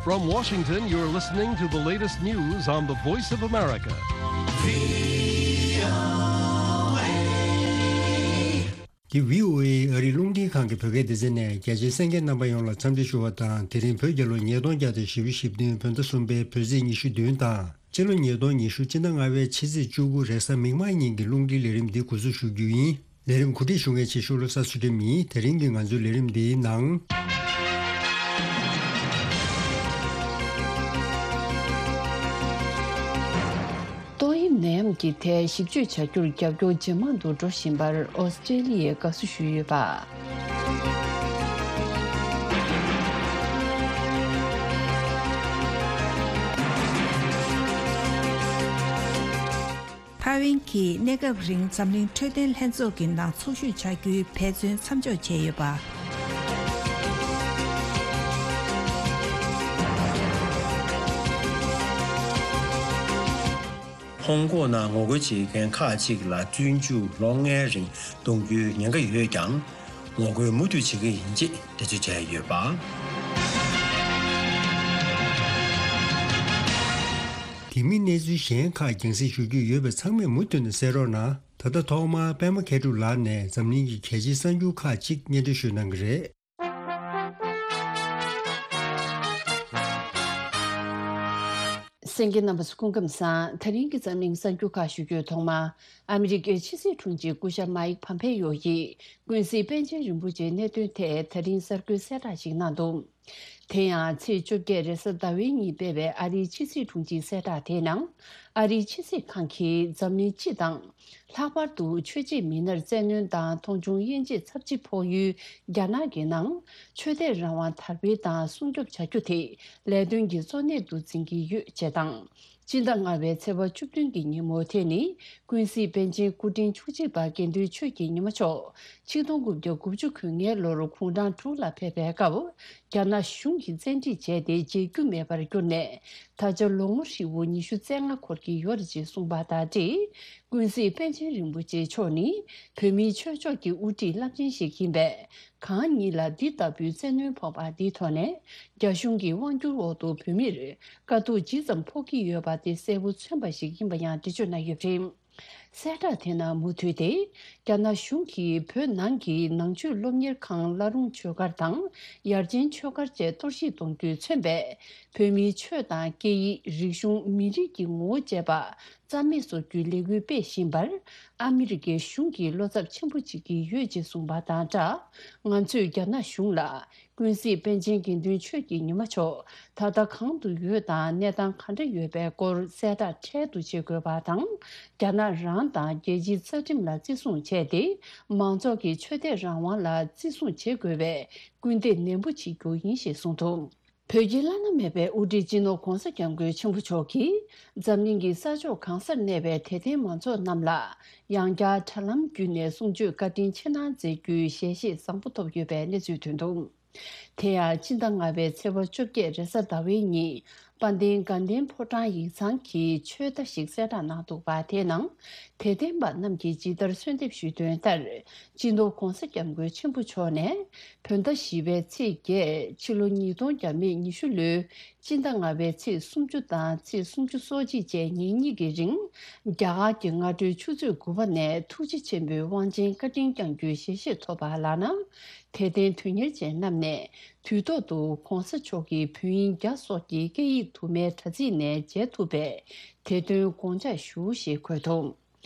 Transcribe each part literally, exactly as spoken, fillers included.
From Washington, you're listening to the latest news on the Voice of America. འདི་བྷི་ཨོ་ཨེ་ཨ་རིའི་རླུང་འཕྲིན་ཁང་གི་བོད་སྐད་སྡེ་ཚན་ནས། རྒྱ་ཆེའི་གསན་མཁན་རྣམ་པ་ཡོངས་ལ་འཚམས་འདྲི་ཞུ་བ་དང་། དེ་རིང་བོད་རྒྱལ་ལོ་ཉིས་སྟོང་བརྒྱ་དང་བཞི་བཅུ་ཞེ་བདུན་བོད་ཟླ་གསུམ་པའི་བོད་ཚེས་ཉི་ཤུ་བདུན་དང་། སྤྱི་ལོ་ཉིས་སྟོང་ཉི་ཤུ་སྤྱི་ཟླ་ལྔ་པའི་ཕྱི་ཚེས་བཅུ་དགུ་རེས་གཟའ་མིག་དམར་ཉིན་གྱི་རླུང་འཕྲིན་ལས་རིམ་འདི་འགོ་འཛུགས་ཞུ་རྒྱུ་ཡིན། ལས་རིམ་གོ་སྒྲིག་ཞུ་མཁན་ཆེ་ཤོས་བློ་བཟང་ཚུལ་ཁྲིམས་ཡིན། དེ་རིང་གི་ང་ཚོའི་ལས་རིམ་འདིའི་ནང་། ཏོག་དབྱིབས་ནད་ཡམས་ཀྱི་ཐད་ཞིབ་དཔྱོད་བྱ་རྒྱུར་རྒྱབ་སྐྱོར་ཇེ་མང་དུ་འགྲོ་བཞིན་པར་ཨོ་སི་ཀྲེ་ལི་ཡས་དགའ་བསུ་ཞུས་ཡོད་པ། ཐའེ་ཝན་གྱིས་གནས་སྐབས་རིང་འཛམ་གླིང་འཕྲོད་བསྟེན་ལྷན་ཚོགས་ཀྱི་ནང་ཚོགས་ཞུགས་བྱ་རྒྱུའི་འབད་བརྩོན་མཚམས་འཇོག་བྱས་ཡོད་པ། ཧོང་ཀོང་ནང་ངོ་རྒོལ་བྱེད་མཁན་ཁག་ཅིག་ལ་བཙོན་འཇུག་ལོ་ལྔའི་རིང་གཏོང་རྒྱུའི་ཉེན་ཁ་ཡོད་ཀྱང་། ངོ་རྒོལ་མུ་མཐུད་བྱེད་ཀྱི་ཡིན་ཅེས་འགྲེལ་བརྗོད་བྱས་ཡོད་པ། དེ་མིན་གནས་ཚུལ་གཞན་ཁག་རྒྱང་སྲིང་ཞུ་རྒྱུ་ཡོད་པས་ཚང་མས་མུ་མཐུད་ནས་གསན་རོགས་གནང་། ད་ལྟ་ཐོག་མར་པད་མ་མཁས་གྲུབ་ལགས་ནས་འཛམ་གླིང་གི་གལ་ཆེའི་གསར་འགྱུར་ཁག་ཅིག་སྙན་སྒྲོན་ཞུ་གནང་གི་རེད། གསན་མཁན་རྣམ་པ་ཚོ་སྐུ་ཁམས་བཟང་། ད་རིང་གི་འཛམ་གླིང་གསར་འགྱུར་ཁག་ཞུ་རྒྱུའི་ཐོག་མར། ཨ་མི་རི་ཀའི་ཕྱི་སྲིད་དྲུང་ཆེ་སྐུ་ཞབས་མཱིག་ཕམ་ཕེ་ཡོ་ཡིས་ཀུན་གཟིགས་པཎ་ཆེན་རིན་པོ་ཆེའི་གནད་དོན་ཐད་ད་རིང་གསར་འགོད་གསལ་བསྒྲགས་ཤིག་གནང་འདུག་དེ་ཡང་ཚེས་བཅོ་བརྒྱད་རེས་གཟའ་ཟླ་བའི་ཉིན་སྤེལ་བའི་ཨ་རིའི་ཕྱི་སྲིད་དྲུང་ཆེའི་གསལ་བསྒྲགས་དེའི་ནང་། ཨ་རིའི་ཕྱི་སྲིད་ཁང་གིས་འཛམ་གླིང་སྤྱི་དང་། ལྷག་པར་དུ་ཆོས་བྱེད་མི་སྣར་བཙན་གནོན་དང་མཐོང་ཆུང་དབྱེ་འབྱེད་ཚབས་ཆེ་ཕོག་ཡུལ་རྒྱ་ནག་གི་ནང་ཆོས་དད་རང་དབང་དར་སྤེལ་དང་སྲུང་སྐྱོབ་བྱ་རྒྱུ་དེ་ལས་དོན་གྱི་གཙོ་གནད་དུ་འཛིན་གྱི་ཡོད་ཅེས་དང་། སྤྱི་ཟླ་ལྔ་པའི་ཚེས་པ་བཅུ་བདུན་གྱི་ཉིན་མོ་དེ་ནི་ཀུན་གཟིགས་པཎ་ཆེན་སྐུ་ཕྲེང་བཅུ་གཅིག་པ་དགེ་འདུན་ཆོས་ཀྱི་ཉི་མ་མཆོག་ཆིག་སྟོང་དགུ་བརྒྱ་དགུ་བཅུ་གོ་ལྔའི་ལོར་གུང་ཀྲང་ཀྲོའུ་ལ་ཕེབས་པའི་སྐབས། རྒྱ་ནག་གཞུང་གིས་བཙན་ཁྲིད་བྱས་ཏེ་མཇལ་རྒྱུ་མེད་པར་གྱུར་ནས། ད་ཆ་ལོ་ངོ་ཧྲིལ་པོ་ཉི་ཤུ་རྩ་ལྔ་འཁོར་གྱི་ཡོད་རེད་ཅེས་གསུངས་པ་དང་འབྲེལ། ཀུན་གཟིགས་པཎ་ཆེན་རིན་པོ་ཆེ་མཆོག་ནི་བོད་མིའི་ཆོས་ཕྱོགས་ཀྱི་དབུ་ཁྲིད་རླབས་ཆེན་ཞིག་ཡིན་པས། གང་ཉིད་ལ་འདི་ལྟ་བུའི་བཙན་གནོན་ཕོག་པ་འདིའི་ཐོག་ནས། རྒྱ་གཞུང་གི་དབང་སྒྱུར་འོག་ཏུ་བོད་མིར་དཀའ་སྡུག་ཇི་ཙམ་ཕོག་གི་ཡོད་པ་དེ་གསལ་པོ་མཚོན་པ་ཞིག་ཡིན་པ་ཡང་འགྲེལ་བརྗོད་གནང་ཡོད་པ་རེད། གསལ་བསྒྲགས་དེ་ནང་མུ་མཐུད་དེ། རྒྱ་ནག་གཞུང་གིས་བོད་ནང་གི་ནང་ཆོས་སློབ་གཉེར་ཁང་བླ་རུང་ཆོས་སྒར་དང་། ཡར་ཆེན་ཆོས་སྒར་བཅས་གཏོར་བཤིག་གཏོང་རྒྱུས་མཚོན་པའི་བོད་མིའི་ཆོས་དང་སྐད་ཡིག་རིག་གཞུང་མི་རིགས་ཀྱི་ངོ་བོ་བཅས་པ་རྩ་མེད་བཟོ་རྒྱུའི་ལས་འགུལ་སྤེལ་བཞིན་པར། ཨ་མི་རི་ཀའི་གཞུང་གིས་བློ་འཚབ་ཆེན་པོ་བྱེད་ཀྱི་ཡོད་ཅེས་གསུངས་པ་དང་སྦྲགས། ང་ཚོས་རྒྱ་ནག་གཞུང་ལ། ཀུན་གཟིགས་པཎ་ཆེན་དགེ་འདུན་ཆོས་ཀྱི་ཉི་མ་མཆོག་ད་ལྟ་གང་དུ་ཡོད་དང་གནས་སྟངས་ག་འདྲ་ཡོད་པའི་སྐོར་གསལ་བསྒྲགས་འཕྲལ་དུ་བྱེད་དགོས་པ་དང་། རྒྱ་ནག་རང་དང་རྒྱལ་སྤྱིའི་རྩ་ཁྲིམས་ལ་བརྩི་སྲུང་བྱས་ཏེ། མང་ཚོགས་ཀྱི་ཆོས་དད་རང་དབང་ལ་བརྩི་སྲུང་བྱེད་དགོས་པའི་སྐུལ་འདེད་ནན་པོ་བྱེད་རྒྱུ་ཡིན་ཞེས་གསུངས་འདུག་བོད་ཀྱི་བླ་ན་མེད་པའི་དབུ་ཁྲིད་སྤྱི་ནོར་༧གོང་ས་༧སྐྱབས་མགོན་ཆེན་པོ་མཆོག་གིས། འཛམ་གླིང་གི་ས་ཕྱོགས་གང་སར་གནས་པའི་དད་ལྡན་མང་ཚོགས་རྣམས་ལ། ཡང་བསྐྱར་དྲ་ལམ་བརྒྱུད་ནས་གསུང་ཆོས་བཀའ་དྲིན་ཆེ་གནང་མཛད་རྒྱུའི་ཞལ་བཞེས་བཟང་པོ་ཐོབ་ཡོད་པའི་གནས་ཚུལ་ཐོན་འདུག་དེ་ཡང་སྤྱི་ཟླ་ལྔ་པའི་ཚེས་པ་བཅོ་བརྒྱད་རེས་གཟའ་ཟླ་བའི་ཉིན། དཔལ་ལྡན་དགའ་ལྡན་ཕོ་བྲང་ཡིག་ཚང་གིས་ཆོས་བརྡ་ཞིག་གསལ་བསྒྲགས་གནང་འདུག་པ། དེའི་ནང་། དད་ལྡན་པ་རྣམས་ཀྱིས་ཇི་ལྟར་གསོལ་འདེབས་ཞུས་དོན་ལྟར། སྤྱི་ནོར་༧གོང་ས་༧སྐྱབས་མགོན་ཆེན་པོ་མཆོག་ནས། བོད་ཟླ་བཞི་པའི་ཚེས་བརྒྱད། ཕྱི་ལོ་ཉིས་སྟོང་བརྒྱ་མེད་ཉི་ཤུ་ལོའི་སྤྱི་ཟླ་ལྔ་པའི་ཚེས་སུམ་ཅུ་དང་ཚེས་སུམ་ཅུ་སོ་གཅིག་བཅས་ཉིན་གཉིས་ཀྱི་རིང་། རྒྱ་གར་གྱི་སྔ་དྲོའི་ཆུ་ཚོད་དགུ་པ་ནས་ཐུགས་རྗེ་ཆེན་པོའི་དབང་ཆེན་བཀའ་དྲིན་བསྐྱང་རྒྱུའི་ཞལ་བཞེས་ཐོབ་པ་ལགས་ན། དད་ལྡན་དོན་གཉེར་ཅན་རྣམས་ནས་དུས་ཐོག་ཏུ་༧གོང་ས་མཆོག་གི་བོད་དབྱིན་རྒྱ་སོགས་ཀྱི་སྐད་ཡིག་དུ་མའི་དྲ་ཚིགས་ནས་མཇལ་ཐུབ་པའི་དེ་དོན་དགོངས་འཇགས་ཞུ་ཞེས་འཁོད་འདུག་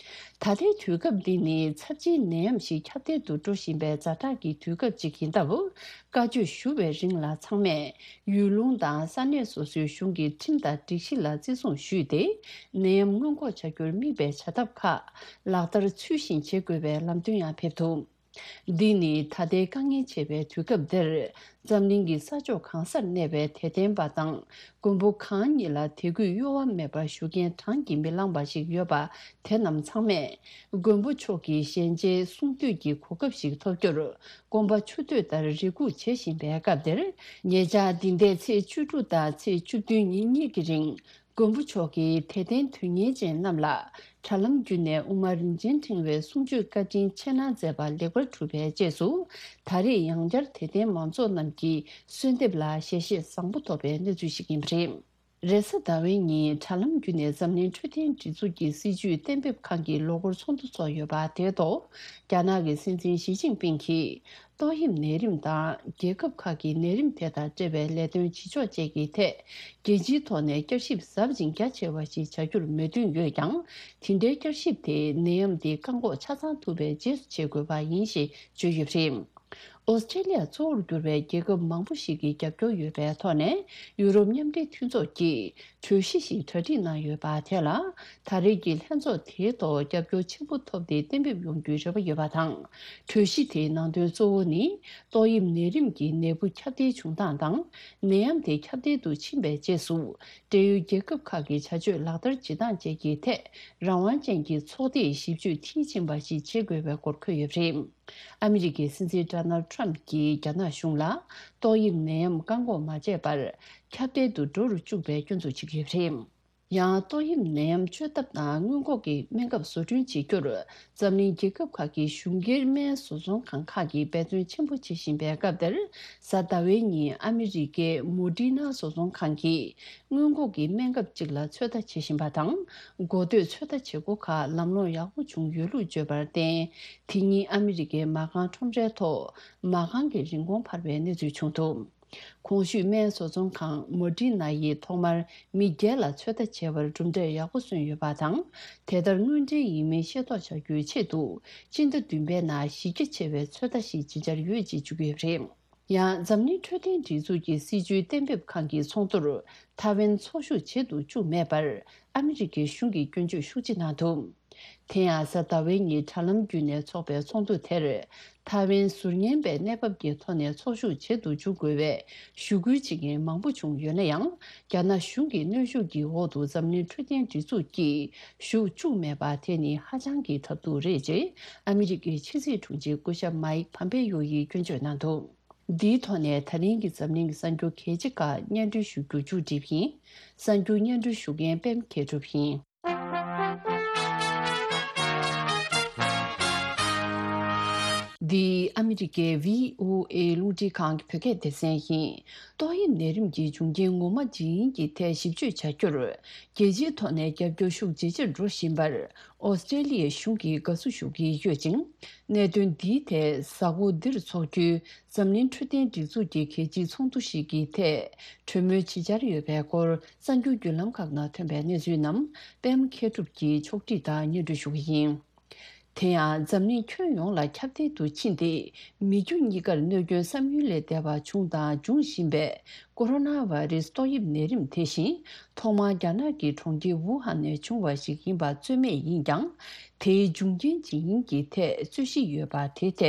ད་ལྟའི་དུས་སྐབས་འདི་ནི་ཚབས་ཆེའི་ནད་ཡམས་ཤིག་ཁྱབ་གདལ་དུ་འགྲོ་བཞིན་པའི་ཛ་དྲག་གི་དུས་སྐབས་ཅིག་ཡིན་སྟབས། བཀའ་ཆོས་ཞུ་བའི་རིང་ལ་ཚང་མས་ཡུལ་ལུང་དང་ས་གནས་སོ་སོའི་གཞུང་གི་ཁྲིམས་དང་སྒྲིག་གཞི་ལ་བརྩི་སྲུང་ཞུས་ཏེ། ནད་ཡམས་སྔོན་འགོག་བྱ་རྒྱུར་དམིགས་པའི་བྱ་ཐབས་ཁག་ལག་བསྟར་ཚུལ་བཞིན་བྱེད་དགོས་པའི་ལམ་སྟོན་ཡང་ཕེབས་འདུག་འདི་ནི་ད་ལྟའི་དཀའ་ངལ་ཆེ་བའི་དུས་སྐབས་འདིར། འཛམ་གླིང་གི་ས་ཕྱོགས་གང་སར་གནས་པའི་དད་ལྡན་པ་དང་། མགོན་པོ་གང་ཉིད་ལ་དད་གུས་གཡོ་བ་མེད་པར་ཞུ་མཁན་གྲངས་ཀྱིས་མི་ལངས་པ་ཞིག་ཡོད་པ། དེ་རྣམས་ཚང་མས་མགོན་པོ་མཆོག་གི་ཞལ་མཇལ་གསུང་ཐོས་ཀྱི་གོ་སྐབས་ཤིག་ཐོབ་རྒྱུར། སྐོམ་པ་ཆུ་འདོད་ལྟར་རེ་སྒུག་བྱེད་བཞིན་པའི་སྐབས་འདིར། ཉེ་ཆར་འདི་ཟླའི་ཚེས་བཅུ་དྲུག་དང་ཚེས་བཅུ་བདུན་ཉིན་གཉིས་ཀྱི་རིང་། མགོན་པོ་མཆོག་གིས་དད་ལྡན་དོན་གཉེར་ཅན་རྣམས་ལ། དྲ་ལམ་བརྒྱུད་ནས་དབུ་མ་རིན་ཆེན་ཕྲེང་བའི་གསུང་ཆོས་བཀའ་དྲིན་ཆེ་གནང་མཛད་པ་ལེགས་པར་གྲུབ་པའི་རྗེས་སུ། ད་རེས་ཡང་བསྐྱར་དད་ལྡན་མང་ཚོགས་རྣམས་ཀྱིས་གསོལ་འདེབས་ལ་ཞལ་བཞེས་བཟང་པོ་ཐོབ་པའི་གནས་ཚུལ་ཞིག་ཡིན་པ་རེད། རེས་གཟའ་ཟླ་བའི་ཉིན་དྲ་ལམ་བརྒྱུད་ནས་འཛམ་གླིང་འཕྲོད་བསྟེན་སྒྲིག་འཛུགས་ཀྱི་སྲིད་བྱུས་གཏན་འབེབས་ཁང་གི་ལོ་འཁོར་ཚོགས་འདུ་ཚོགས་ཡོད་པ་དེའི་ཐོག་རྒྱ་ནག་གི་སྲིད་འཛིན་ཞི་ཅིན་ཕིང་གིས། ཏོག་དབྱིབས་ནད་རིམས་དང་རྒྱལ་ཁབ་ཁག་གི་ནད་རིམས་དེ་དང་འབྲེལ་བའི་ལས་དོན་བྱེད་ཕྱོགས་བཅས་ཀྱི་ཐད། རྒྱལ་སྤྱིའི་ཐོག་ནས་བསྐྱར་ཞིབ་ཟབ་ཅིང་རྒྱ་ཆེ་བ་ཞིག་བྱ་རྒྱུར་མོས་མཐུན་ཡོད་ཀྱང་། དེ་འདྲའི་བསྐྱར་ཞིབ་དེ་ནད་ཡམས་འདི་བཀག་འགོག་ཆ་ཚང་ཐུབ་པའི་རྗེས་སུ་བྱེད་དགོས་པ་ཡིན་ཞེས་བརྗོད་ཡོད་པ་རེད། ཨོ་སི་ཀྲེ་ལི་ཡ་གཙོ་བོར་གྱུར་པའི་རྒྱལ་ཁབ་མང་པོ་ཞིག་གིས་རྒྱབ་སྐྱོར་ཡོད་པའི་ཐོག་ནས། ཡུ་རོབ་མཉམ་འབྲེལ་མཐུན་ཚོགས་ཀྱིས་གྲོས་གཞི་ཞིག་གྲ་སྒྲིག་གནང་ཡོད་པ་དེ་ལ། ད་རེས་ཀྱི་ལྷན་ཚོགས་དེའི་ཐོག་རྒྱབ་སྐྱོར་ཆེན་པོ་ཐོབ་སྟེ་གཏན་འབེབས་ཡོང་རྒྱུའི་རེ་བ་ཡོད་པ་དང་། གྲོས་གཞི་དེའི་ནང་དོན་གཙོ་བོ་ནི། ཏོག་དབྱིབས་ནད་རིམས་ཀྱི་ནད་འབུ་ཁྱབ་གདལ་བྱུང་སྟངས་དང་། ནད་ཡམས་དེ་ཁྱབ་གདལ་དུ་ཕྱིན་པའི་རྗེས་སུ། འབྲེལ་ཡོད་རྒྱལ་ཁབ་ཁག་གི་བྱ་སྤྱོད་ལག་བསྟར་བྱེད་སྟངས་བཅས་ཀྱི་ཐད། རང་དབང་ཅན་གྱི་ཚོགས་སྡེས་ཞིབ་དཔྱོད་མཐིལ་ཕྱིན་པ་ཞིག་བྱེད་དགོས་པའི་སྐོར་འཁོད་ཡོད་པ་རེད། ཨ་མི་རི་ཀའི་སྲིད་འཛིན་ཌོ་ནལ་ཌི་ཊརམ་གྱིས་རྒྱ་ནག་གཞུང་ལ། ཏོག་དབྱིབས་ནད་ཡམས་བཀག་འགོག་མ་བྱས་པར། ཁྱབ་གདལ་དུ་འགྲོ་རུ་བཅུག་པའི་སྐྱོན་འཛུགས་བྱེད་ཀྱི་ཡོད་པ་རེད། ཡང་། ཏོག་དབྱིབས་ནད་ཡམས་བཅོས་ཐབས་དང་སྔོན་འགོག་གི་སྨན་ཁབ་བཟོ་སྐྲུན་བྱེད་རྒྱུར། འཛམ་གླིང་རྒྱལ་ཁབ་ཁག་གི་གཞུང་སྒེར་སྨན་བཟོ་ཚོང་ཁང་ཁག་གིས་འབད་བརྩོན་ཆེན་པོ་བྱེད་བཞིན་པའི་སྐབས་དེར། གཟའ་ཟླ་བའི་ཉིན་ཨ་མི་རི་ཀའི་མོ་ཌི་ན་བཟོ་ཚོང་ཁང་གིས། སྔོན་འགོག་གི་སྨན་ཁབ་ཅིག་ལ་ཚོད་ལྟ་བྱེད་བཞིན་པ་དང་། འགོ་སྟོད་ཚོད་ལྟ་བྱེད་སྒོ་ཁག་ལམ་ལྷོང་ཡག་པོ་བྱུང་ཡོད་ལུགས་བརྗོད་པར་བརྟེན། དེ་ཉིན་ཨ་མི་རི་ཀའི་མ་རྐང་ཁྲོམ་རའི་ཐོག་མ་རྐང་གི་རིན་གོང་འཕར་བའི་གནས་ཚུལ་བྱུང་འདུག་གོང་ཞུས་སྨན་བཟོ་ཚོང་ཁང་མོ་ཌི་ན་ཡིས་ཐོག་མར་མི་བརྒྱད་ལ་ཚོད་ལྟ་བྱས་པར་གྲུབ་འབྲས་ཡག་པོ་སོན་ཡོད་པ་དང་། དེ་ལྟར་དངོས་འབྲེལ་ཡིན་མིན་ཤེས་རྟོགས་བྱ་རྒྱུའི་ཆེད་དུ། སྤྱི་ཟླ་བདུན་པའི་ནང་གཞི་རྒྱ་ཆེ་བའི་ཚོད་ལྟ་ཞིག་ཇི་ཆར་ཡོད་ཅེས་བརྗོད་ཀྱི་ཡོད་པ་རེད། ཡང་། འཛམ་གླིང་འཕྲོད་བསྟེན་སྒྲིག་འཛུགས་ཀྱི་སྲིད་བྱུས་གཏན་འབེབས་ཁང་གི་ཚོགས་འདུར་ཐའེ་ཝན་ཚོགས་ཞུགས་བྱེད་དུ་བཅུག་མེད་པར། ཨ་མི་རི་ཀའི་གཞུང་གིས་སྐྱོན་བརྗོད་ཤུགས་ཆེ་གནང་འདུག་དེ་ཡང་། གཟའ་ཟླ་བའི་ཉིན་དྲ་ལམ་བརྒྱུད་ནས་འཚོགས་པའི་ཚོགས་འདུ་དེར། ཐའེ་ཝན་ཟུར་ཉན་པའི་གནས་བབ་ཀྱི་ཐོག་ནས་ཚོགས་ཞུགས་བྱེད་དུ་འཇུག་དགོས་པའི་ཞུ་སྐུལ་བྱེད་མཁན་མང་པོ་བྱུང་ཡོད་ན་ཡང་། རྒྱ་ནག་གཞུང་གི་གནོན་ཤུགས་ཀྱི་འོག་ཏུ་འཛམ་གླིང་འཕྲོད་བསྟེན་སྒྲིག་འཛུགས་ཀྱིས་ཞུགས་བཅུག་མེད་པ་དེ་ནི་ཧ་ཅང་གི་ཐབས་སྡུག་རེད་ཅེས། ཨ་མི་རི་ཀའི་ཕྱི་སྲིད་དྲུང་ཆེ་སྐུ་ཞབས་མཱིག་ཕམ་པེ་ཡོ་ཡིས་སྐྱོན་བརྗོད་གནང་འདུག་འདིའི་ཐོག་ནས་ད་རིང་གི་འཛམ་གླིང་གི་གསར་འགྱུར་གལ་ཆེ་ཁག་སྙན་སྒྲོན་ཞུ་རྒྱུ་མཇུག་བསྒྲིལ་ཡིན། གསར་འགྱུར་སྙན་སྒྲོན་ཞུ་མཁན་པད་མ་མཁས་གྲུབ་ཡིན། འདི་ཨ་མི་རི་ཀའི་བྷི་ཨོ་ཨེ་རླུང་འཕྲིན་ཁང་གི་བོད་སྐད་སྡེ་ཚན་ཡིན། ཏོག་དབྱིབས་ནད་རིམས་ཀྱི་འབྱུང་རྐྱེན་ངོ་མ་ཇི་ཡིན་གྱི་ཐད་ཞིབ་དཔྱོད་བྱ་རྒྱུར། རྒྱལ་སྤྱིའི་ཐོག་ནས་རྒྱབ་སྐྱོར་ཤུགས་ཇེ་ཆེར་འགྲོ་བཞིན་པར། ཨོ་སི་ཀྲེ་ལི་ཡའི་གཞུང་གིས་དགའ་བསུ་ཞུ་གི་ཡོད་ཅིང་། གནད་དོན་འདིའི་ཐད་གཟའ་འཁོར་འདིར་འཚོགས་རྒྱུའི་འཛམ་གླིང་འཕྲོད་བསྟེན་སྒྲིག་འཛུགས་ཀྱི་གལ་ཆེའི་ཚོགས་འདུ་ཞིག་གི་ཐད་གྲོས་མོལ་ཇི་བྱར་ཡོད་པའི་སྐོར་གསར་འགྱུར་བརྒྱུད་ལམ་ཁག་ནང་ཐོན་པའི་གནས་ཚུལ་རྣམས་པད་མ་མཁས་གྲུབ་ཀྱིས་ཕྱོགས་སྒྲིག་དང་སྙན་སྒྲོན་ཞུ་གི་ཡིན། དེ་ཡང་འཛམ་གླིང་ཁྱོན་ཡོངས་ལ་ཁྱབ་གདལ་དུ་ཕྱིན་ཏེ། མི་རྒྱུ་གཉིས་ཀར་གནོད་སྐྱོན་བསམ་ཡུལ་ལས་འདས་པ་བྱུང་དང་འབྱུང་བཞིན་པའི་ཀོ་རོ་ན་བྷ་རེ་སི་ཏོག་དབྱིབས་ནད་རིམས་དེ་བཞིན་ཐོག་མར་རྒྱ་ནག་གི་གྲོང་ཁྱེར་ཝུ་ཧན་ནས་བྱུང་བ་ཞིག་ཡིན་པ་རྩོད་མེད་ཡིན་ཀྱང་། དེའི་འབྱུང་རྐྱེན་ཇི་ཡིན་གྱི་ཐད་རྩོད་གཞི་ཡོད་པ་དེ་ཐད་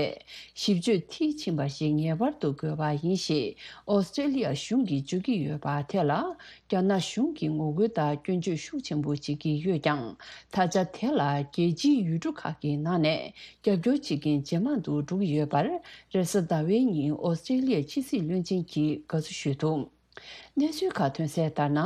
ཞིབ་དཔྱོད་མཐིལ་ཕྱིན་པ་ཞིག་ངེས་པར་དུ་དགོས་པ་ཡིན་ཞེས་ཨོ་སི་ཀྲེ་ལི་ཡ་གཞུང་གིས་བརྗོད་ཀྱི་ཡོད་པ་དེ་ལ། རྒྱ་ནག་གཞུང་གིས་ངོ་རྒོལ་དང་སྐྱོན་བརྗོད་ཤུགས་ཆེན་པོ་བྱེད་ཀྱི་ཡོད་ཀྱང་། ད་ཆ་དེ་ལ་རྒྱལ་སྤྱིའི་ཡུལ་གྲུ་ཁག་གི་ནང་ནས་རྒྱབ་སྐྱོར་བྱེད་མཁན་ཇེ་མང་དུ་འགྲོ་གི་ཡོད་པར། རེས་གཟའ་ཟླ་བའི་ཉིན་ཨོ་སི་ཀྲེ་ལི་ཡའི་ཕྱི་སྲིད་བློན་ཆེན་གྱིས་དགའ་བསུ་ཞུས་འདུག་གནས་ཚུལ་ཁག་ཐོན་གསལ་ལྟར་ན།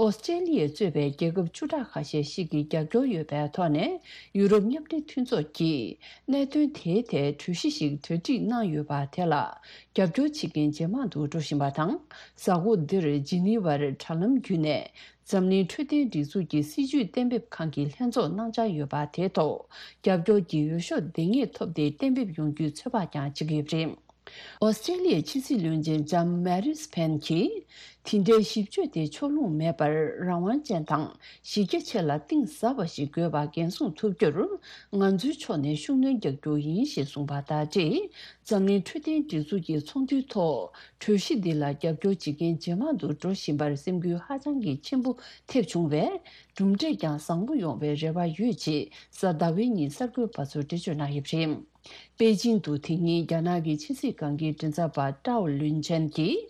ཨོ་སི་ཀྲེ་ལི་ཡས་གཙོས་པའི་རྒྱལ་ཁབ་བཅུ་ཕྲག་ཁ་ཤས་ཤིག་གི་རྒྱབ་སྐྱོར་ཡོད་པའི་ཐོག་ནས། ཡུ་རོབ་མཉམ་འབྲེལ་མཐུན་ཚོགས་ཀྱིས་གནད་དོན་དེའི་ཐད་གྲོས་གཞི་ཞིག་གྲ་སྒྲིག་གནང་ཡོད་པ་དེ་ལ། རྒྱབ་སྐྱོར་བྱེད་མཁན་ཇེ་མང་དུ་འགྲོ་བཞིན་པ་དང་། གཟའ་འཁོར་འདིར་ཇི་ནི་ཝར་དྲ་ལམ་བརྒྱུད་ནས་འཛམ་གླིང་འཕྲོད་བསྟེན་སྒྲིག་འཛུགས་ཀྱི་སྲིད་བྱུས་གཏན་འབེབས་ཁང་གི་ལྷན་ཚོགས་གནང་འཆར་ཡོད་པ་དེའི་ཐོག་རྒྱབ་སྐྱོར་གྱི་འོས་ཤོག་འདང་ངེས་ཐོབ་སྟེ་གཏན་འབེབས་ཡོང་རྒྱུའི་ཚོད་དཔག་ཀྱང་བྱེད་ཀྱི་ཡོད་པ་རེད། ཨོ་སི་ཀྲེ་ལི་ཡའི་ཕྱི་སྲིད་བློན་ཆེན་ལྕམ་མེ་རིས་ཕེན་གྱིས། དེ་འདྲའི་ཞིབ་དཔྱོད་དེ་ཕྱོགས་ལྷུང་མེད་པར་རང་དབང་ཅན་དང་གཞི་རྒྱ་ཆེ་ལ་གཏིང་ཟབ་པ་ཞིག་དགོས་པ་འགན་སྲུང་ཐུབ་རྒྱུར། ང་ཚོའི་ཕྱོགས་ནས་ཤུགས་སྣོན་རྒྱག་རྒྱུ་ཡིན་ཞེས་གསུངས་པ་དང་འབྲེལ། འཛམ་གླིང་འཕྲོད་བསྟེན་སྒྲིག་འཛུགས་ཀྱི་ཚོགས་འདུའི་ཐོག་གྲོས་གཞི་འདི་ལ་རྒྱབ་སྐྱོར་བྱེད་མཁན་ཇེ་མང་དུ་འགྲོ་བཞིན་པར་སེམས་འགུལ་ཧ་ཅང་གི་ཆེན་པོ་ཐེབས་བྱུང་བས། གྲུབ་འབྲས་ཀྱང་བཟང་པོ་ཡོང་བའི་རེ་བ་ཡོད་ཅེས་གཟའ་ཟླ་བའི་ཉིན་གསར་འགོད་པ་ཚོར་འགྲེལ་བརྗོད་གནང་ཡོད་པ་རེད། པེ་ཅིང་དུ་དེ་ཉིན་རྒྱ་ནག་གི་ཕྱི་སྲིད་ཁང་གི་མགྲིན་ཚབ་པ་ཀྲའོ་ལུན་ཆན་གྱིས།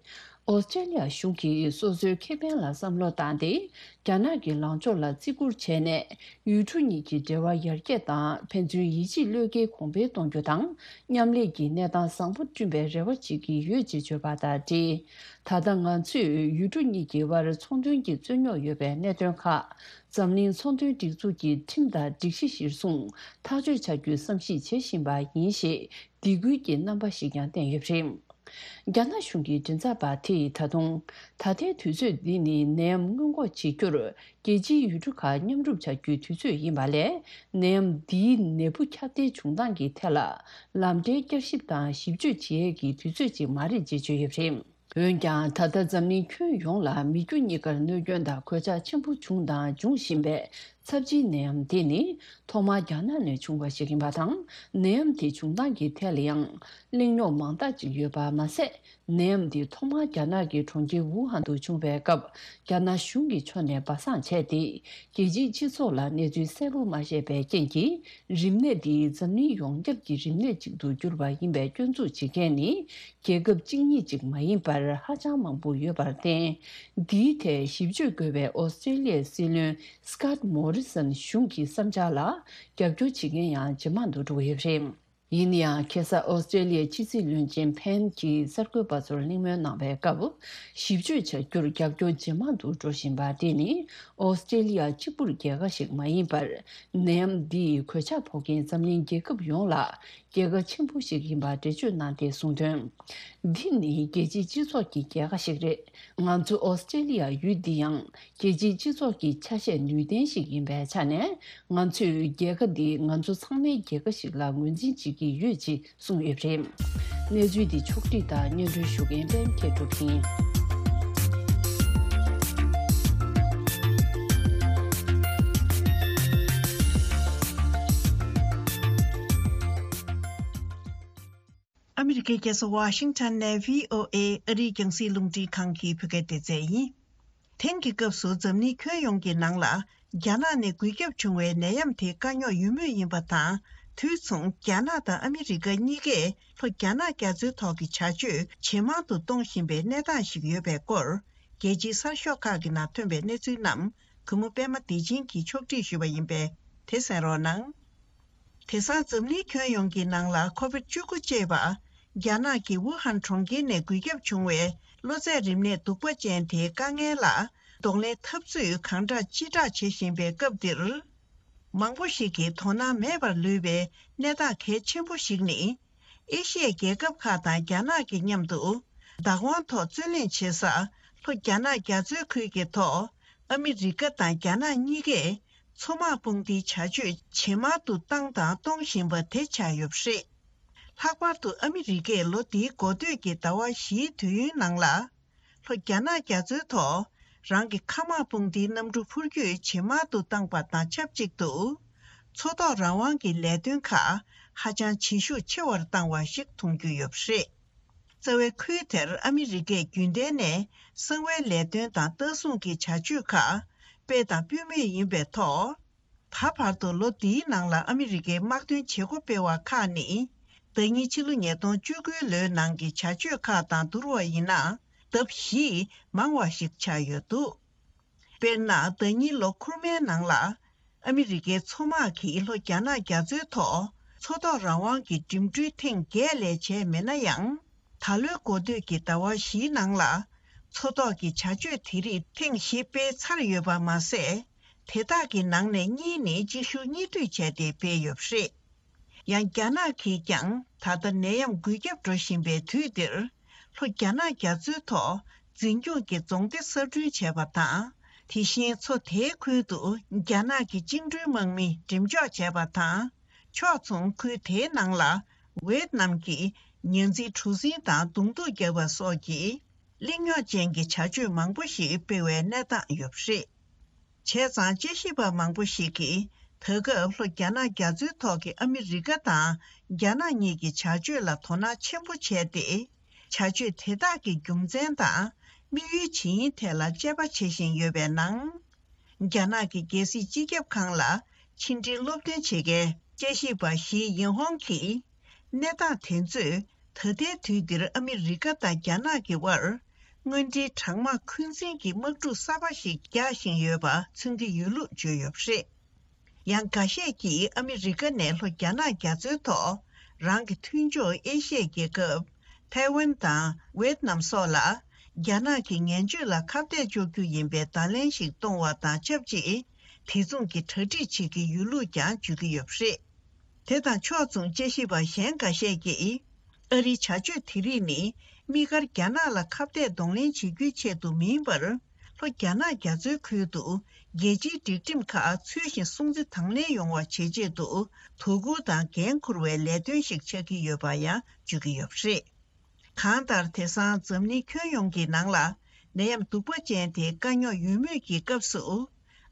ཨོ་སི་ཀྲེ་ལི་ཡ་གཞུང་གིས་སོ་སོའི་ཁེ་ཕན་ལ་བསམ་བློ་བཏང་སྟེ། རྒྱ་ནག་གི་ལངས་ཕྱོགས་ལ་བརྩི་བཀུར་བྱས་ནས། ཡུལ་གྲུ་གཉིས་ཀྱི་འབྲེལ་བ་ཡར་རྒྱས་དང་ཕན་ཚུན་ཡིད་ཆེས་བློས་འགེལ་གོང་འཕེལ་གཏོང་རྒྱུ་དང་། མཉམ་ལས་ཀྱི་གནས་སྟངས་བཟང་པོ་བསྐྲུན་པའི་རེ་བ་བྱེད་ཀྱི་ཡོད་ཅེས་བརྗོད་པ་དང་འབྲེལ། ད་ལྟ་ང་ཚོས་ཡུལ་གྲུ་གཉིས་ཀྱི་དབར་ཚོང་དོན་གྱི་རྩོད་རྙོག་ཡོད་པའི་གནད་དོན་ཁག་འཛམ་གླིང་ཚོང་དོན་སྒྲིག་འཛུགས་ཀྱི་ཁྲིམས་དང་སྒྲིག་གཞི་གཞིར་བཟུང་ཐག་གཅོད་བྱ་རྒྱུའི་བསམ་གཞིག་བྱེད་བཞིན་པ་ཡིན་ཞེས་སྡིགས་སྐུལ་གྱི་རྣམ་པ་ཞིག་ཀྱང་བསྟན་ཡོད་པ་རེད། རྒྱ་ནག་གཞུང་གི་མགྲིན་ཚབ་པ་དེས་ད་དུང་། ད་ལྟའི་དུས་ཚོད་འདི་ནི་ནད་ཡམས་སྔོན་འགོག་བྱེད་རྒྱུར་རྒྱལ་སྤྱིའི་ཡུལ་གྲུ་ཁག་མཉམ་རུབ་བྱ་རྒྱུའི་དུས་ཚོད་ཡིན་པ་ལས། ནད་ཡམས་འདིའི་ནད་འབུ་ཁྱབ་གདལ་བྱུང་སྟངས་ཀྱི་ཐད་ལ་ལམ་འབྲས་བསྐྱར་ཞིབ་དང་ཞིབ་དཔྱོད་བྱེད་ཡས་ཀྱི་དུས་ཚོད་ཅིག་མ་རེད་ཅེས་བརྗོད་ཡོད་པ་རེད། འོན་ཀྱང་། ད་ལྟ་འཛམ་གླིང་ཁྱོན་ཡོངས་ལ་མི་རྒྱུ་གཉིས་ཀར་གནོད་སྐྱོན་དང་གོད་ཆག་ཆེན་པོ་བྱུང་དང་འབྱུང་བཞིན་པའི་ཚབས་ཆེའི་ནད་ཡམས་དེ་ནི་ཐོག་མར་རྒྱ་ནག་ནས་བྱུང་བ་ཞིག་ཡིན་པ་དང་། ནད་ཡམས་དེ་བྱུང་སྟངས་ཀྱི་ཐད་ལ་ཡང་གླེང་རྙོག་མང་དག་ཅིག་ཡོད་པ་མ་ཟད། ནད་ཡམས་འདི་ཐོག་མར་རྒྱ་ནག་གི་གྲོང་ཁྱེར་ཝུ་ཧན་དུ་བྱུང་བའི་སྐབས། རྒྱ་ནག་གཞུང་གི་ཕྱོགས་ནས་སྦ་གསང་བྱས་ཏེ། རྒྱལ་སྤྱིའི་སྤྱི་ཚོགས་ལ་གནས་ཚུལ་གསལ་པོ་མ་བཤད་པའི་རྐྱེན་གྱིས། རིམས་ནད་འདིས་འཛམ་གླིང་ཡོངས་ཁྱབ་ཀྱི་རིམས་ནད་ཅིག་ཏུ་གྱུར་པ་ཡིན་པའི་སྐྱོན་འཛུགས་བྱེད་མཁན་ནི། རྒྱལ་ཁབ་གཅིག་གཉིས་ཅིག་མ་ཡིན་པར་ཧ་ཅང་མང་པོ་ཡོད་པར་བརྟེན། འདིའི་ཐད་ཞིབ་དཔྱོད་དགོས་པའི་ཨོ་སི་ཀྲེ་ལི་ཡའི་སྲིད་བློན་སི་ཀོཊ་མོ་རི་སན་གཞུང་གི་བསམ་འཆར་ལ་རྒྱབ་སྐྱོར་བྱེད་མཁན་ཡང་ཇེ་མང་དུ་འགྲོ་གི་ཡོད་པ་རེད། ཡིན་ན་ཡང་། ཁ་སང་ཨོ་སི་ཀྲེ་ལི་ཡའི་ཕྱི་སྲིད་བློན་ཆེན་ཕེན་གྱིས་གསར་འགོད་པ་ཚོར་གླེང་མོལ་གནང་བའི་སྐབས། ཞིབ་དཔྱོད་བྱ་རྒྱུར་རྒྱབ་སྐྱོར་ཇེ་མང་དུ་འགྲོ་བཞིན་པ་དེ་ནི། ཨོ་སི་ཀྲེ་ལི་ཡ་གཅིག་པུར་རྒྱལ་ཁ་ཞིག་མ་ཡིན་པར། ནད་ཡམས་འདིས་གོད་ཆག་ཕོག་མཁན་འཛམ་གླིང་རྒྱལ་ཁབ་ཡོངས་ལ། རྒྱལ་ཁ་ཆེན་པོ་ཞིག་ཡིན་པ་འགྲེལ་བརྗོད་གནང་སྟེ་གསུངས་དོན། འདི་ནི་རྒྱལ་སྤྱིའི་སྤྱི་ཚོགས་ཀྱི་རྒྱལ་ཁ་ཞིག་རེད། ང་ཚོ་ཨོ་སི་ཀྲེ་ལི་ཡ་ཡུལ་འདི་ཡང་རྒྱལ་སྤྱིའི་སྤྱི་ཚོགས་ཀྱི་ཆ་ཤས་ནུས་ལྡན་ཞིག་ཡིན་པའི་ཆ་ནས། ང་ཚོས་རྒྱལ་ཁ་འདི་ང་ཚོ་ཚང་མའི་རྒྱལ་ཁ་ཞིག་ལ་ངོས་འཛིན་བྱེད་ཀྱི་ཡོད་ཅེས་གསུངས་ཡོད་པ་རེད། གནས་ཚུལ་འདི་ཕྱོགས་བསྒྲིགས་དང་སྙན་སྒྲོན་ཞུ་མཁན་པད་མ་མཁས་གྲུབ་ཡིན། ཨ་མི་རི་ཀའི་རྒྱལ་ས་ཝ་ཤིང་ཊོན་ནས་བྷི་ཨོ་ཨེ་ཨ་རིའི་རྒྱང་སྲིང་རླུང་འཕྲིན་ཁང་གི་བོད་སྐད་སྡེ་ཚན་ཡིན། དེང་གི་སྐབས་སུ་འཛམ་གླིང་ཁྱོན་ཡོངས་ཀྱི་ནང་ལ་རྒྱ་ནག་ནས་འགོས་ཁྱབ་བྱུང་བའི་ནད་ཡམས་དེ་དཀའ་རྙོག་ཡོད་མུས་ཡིན་པ་དང་། དུས་མཚུངས་རྒྱ་ནག་དང་ཨ་མི་རི་ཀ་གཉིས་ཀས་ལྷོ་རྒྱ་ནག་རྒྱ་མཚོའི་ཐོག་གི་བྱ་སྤྱོད་ཇེ་མང་དུ་གཏོང་བཞིན་པའི་གནས་སྟངས་ཤིག་ཡོད་པའི་སྐོར། རྒྱལ་སྤྱིའི་གསར་ཤོག་ཁག་གི་ནང་ཐོན་པའི་གནས་ཚུལ་རྣམས་གུས་མོ་པད་མ་བདེ་ཆེན་གྱིས་ཕྱོགས་བསྒྲིགས་ཞུས་པ་ཡིན་པས། དེ་གསན་རོགས་གནང་། དེང་སང་འཛམ་གླིང་ཁྱོན་ཡོངས་ཀྱི་ནང་ལ་ཁོ་བིད་བཅུ་དགུ་ཅེས་པ། རྒྱ་ནག་གི་ཝུ་ཧན་གྲོང་ཁྱེར་ནས་འགོས་ཁྱབ་བྱུང་བའི་གློ་ཚད་རིམས་ནད་གདུག་པ་ཅན་དེའི་དཀའ་ངལ་ལ་གདོང་ལེན་འཐབ་རྩོད་གང་དྲག་ཅི་དྲག་བྱེད་བཞིན་པའི་སྐབས་འདིར། མང་པོ་ཞིག་གིས་དོ་སྣང་མེད་པར་ལུས་པའི་གནས་སྟངས་གལ་ཆེན་པོ་ཞིག་ནི། ཨེ་ཤི་ཡའི་རྒྱལ་ཁབ་ཁག་དང་རྒྱ་ནག་གི་མཉམ་དུ་བདག་དབང་ཐོག་རྩོད་གླེང་བྱེད་ས་ལྷོ་རྒྱ་ནག་རྒྱ་མཚོའི་ཁུལ་གྱི་ཐོག་ཨ་མི་རི་ཀ་དང་རྒྱ་ནག་གཉིས་ཀས། མཚོ་དམག་དཔུང་སྡེའི་བྱ་སྤྱོད་ཇེ་མང་དུ་བཏང་དང་གཏོང་བཞིན་པ་དེ་ཆགས་ཡོད་པ་རེད། ལྷག་པར་དུ་ཨ་མི་རི་ཀས་ལོ་འདིའི་འགོ་སྟོད་ཀྱི་ཟླ་བ་བཞིའི་དུས་ཡུན་ནང་ལ། ལྷོ་རྒྱ་ནག་རྒྱ་མཚོའི་ཐོག་རང་གི་མཁའ་དམག་དཔུང་སྡེའི་གནམ་གྲུ་འཕུར་སྐྱོད་ཇེ་མང་དུ་བཏང་པ་དང་ཆབས་ཅིག་ཏུ། མཚོ་ཐོག་རང་དབང་གི་ལས་དོན་ཁག་ཧ་ཅང་བྱེད་ཤུགས་ཆེ་བར་བཏང་བ་ཞིག་མཐོང་རྒྱུ་ཡོད་པ་རེད། རྩ་བའི་ཁུལ་དེར་ཨ་མི་རི་ཀས་རྒྱུན་ལྡན་ནས་གསང་བའི་ལས་དོན་དང་ལྟ་སྲུང་གི་བྱ་སྤྱོད་ཁག་སྤེལ་དང་སྤེལ་མུས་ཡིན་པའི་ཐོག་ད་བར་དུ་ལོ་འདིའི་ནང་ལ་ཨ་མི་རི་ཀའི་དམག་དོན་བྱེད་སྒོ་སྤེལ་བ་ཁག་ནི། ཟླ་ཉིན་ཕྱི་ལོ་ཉིས་སྟོང་བཅུ་དགུའི་ལོའི་ནང་གི་བྱ་སྤྱོད་ཁག་དང་བསྡུར་བ་ཡིན་ན་ལྡབ་བཞི་མང་བ་ཞིག་ཆགས་ཡོད་འདུག་དཔེར་ན། ཟླ་ཉིན་ལོ་འཁོར་མའི་ནང་ལ། ཨ་མི་རི་ཀའི་མཚོ་དམག་གིས་ལྷོ་རྒྱ་ནག་རྒྱ་མཚོའི་ཐོག་མཚོ་ཐོག་རང་དབང་གི་འགྲིམ་འགྲུལ་ཐེངས་བརྒྱད་ལས་བྱས་མེད་ན་ཡང་། ད་ལོའི་འགོ་སྟོད་ཀྱི་ཟླ་བ་བཞིའི་ནང་ལ། མཚོ་ཐོག་གི་བྱ་སྤྱོད་དེ་རིགས་ཐེངས་བཞི་སྤེལ་ཚར་ཡོད་པ་མ་ཟད། དེ་དག་གི་ནང་ནས་གཉིས་ནི་གཅིག་ཤུགས་གཉིས་མཐུད་བྱས་ཏེ་སྤེལ་ཡོད་པ་རེད། ཡང་རྒྱ་ནག་གིས་ཀྱང་ད་ལྟ་ནད་ཡམས་འགོས་ཁྱབ་འགྲོ་བཞིན་པའི་དུས་འདིར། ལྷོ་རྒྱ་ནག་རྒྱ་མཚོའི་ཐོག་འཛིན་སྐྱོང་གི་རྫོང་སྡེ་གསར་སྐྲུན་བྱས་པ་དང་། དེ་བཞིན་མཚོ་དེའི་ཁུལ་དུ་རྒྱ་ནག་གི་བཅིངས་འགྲོལ་དམག་མི་འགྲེམས་འཇོག་བྱས་པ་དང་། ཕྱོགས་མཚུངས་ཁུལ་དེའི་ནང་ལ་ཝེ་ཏི་ནམ་གྱི་ཉ་འཛིན་གྲུ་གཟིངས་དང་གདོང་ཐུག་བརྒྱབ་པ་སོགས་ཀྱི་གླེང་རྙོག་ཅན་གྱི་བྱ་སྤྱོད་མང་པོ་ཞིག་སྤེལ་བའི་གནས་སྟངས་ཡོད་པ་རེད། བྱས་ཙང་། དཔྱད་ཞིབ་པ་མང་པོ་ཞིག་གིས། ད་སྐབས་ལྷོ་རྒྱ་ནག་རྒྱ་མཚོའི་ཐོག་གི་ཨ་མི་རི་ཀ་དང་རྒྱ་ནག་གཉིས་ཀྱི་བྱ་སྤྱོད་ལ་དོ་སྣང་ཆེན་པོ་བྱས་ཏེ། བྱ་སྤྱོད་དེ་དག་གི་རྒྱུ་མཚན་དང་། དམིགས་ཡུལ་ཇི་ཡིན་ཐད་ལ་དཔྱད་པ་བྱེད་བཞིན་ཡོད་པའི་ནང་། རྒྱ་ནག་གི་རྒྱལ་སྲིད་སྤྱི་ཁྱབ་ཁང་ལ་ཕྱི་འབྲེལ་སློབ་སྟོན་བྱེད་མཁན་དཔྱད་ཞིབ་པ་ཞི་ཡིན་ཧོང་གིས། གནས་སྟངས་དེ་ཚོས་ད་ལྟའི་དུས་འདིར་ཨ་མི་རི་ཀ་དང་རྒྱ་ནག་གི་དབར། དངུལ་འབྲེལ་གྲང་དམག་འཁོན་འཛིན་གྱི་དམག་འཁྲུག་གསར་པ་ཞིག་རྒྱག་བཞིན་ཡོད་པ་མཚོན་གྱི་ཡོད་ལུགས་བརྗོད་ཡོད་པ་རེད། ཡང་འགའ་ཤས་ཀྱིས་ཨ་མི་རི་ཀ་ནས་ལྷོ་རྒྱ་ནག་རྒྱ་མཚོའི་ཐོག་རང་གི་མཐུན་ཕྱོགས་ཨེ་ཤི་ཡའི་རྒྱལ་ཁབ་ཐའེ་ཝན་དང་ཝེད་ནམ་སོགས་ལ་རྒྱ་ནག་གི་ངན་བྱུས་ལ་ཁ་གཏད་གཅོག་རྒྱུ་ཡིན་པའི་བརྡ་ལན་ཞིག་གཏོང་བ་དང་ཆབས་ཅིག་དེ་མཚུངས་ཀྱི་གྲ་སྒྲིག་བྱེད་ཀྱི་ཡོད་ལུགས་ཀྱང་བརྗོད་ཀྱི་ཡོད་པ་རེད། དེ་དང་ཕྱོགས་མཚུངས་དཔྱད་ཞིབ་པ་གཞན་འགའ་ཤས་ཀྱིས། ཨ་རིའི་བྱ་སྤྱོད་དེ་རིགས་ནི་དམིགས་བཀར་རྒྱ་ནག་ལ་ཁ་གཏད་གདོང་ལེན་བྱེད་རྒྱུའི་ཆེད་དུ་མིན་པར། ལྷོ་རྒྱ་ནག་རྒྱ་མཚོའི་ཁུལ་དུ་རྒྱལ་སྤྱིའི་སྒྲིག་ཁྲིམས་ཁག་ཚུལ་བཞིན་སྲུང་བརྩི་དང་ལེན་ཡོང་བ་བྱེད་ཆེད་དུ་དོ་ཁུར་དང་འགན་འཁུར་བའི་ལས་དོན་ཞིག་ཆགས་ཀྱི་ཡོད་པ་ཡང་བརྗོད་ཀྱི་ཡོད་པ་རེད། གང་ལྟར། དེང་སང་འཛམ་གླིང་ཁྱོན་ཡོངས་ཀྱི་ནང་ལ་ནད་ཡམས་གདུག་པ་ཅན་དེ་དཀའ་རྙོག་ཡོད་མུས་ཀྱི་སྐབས་སུ།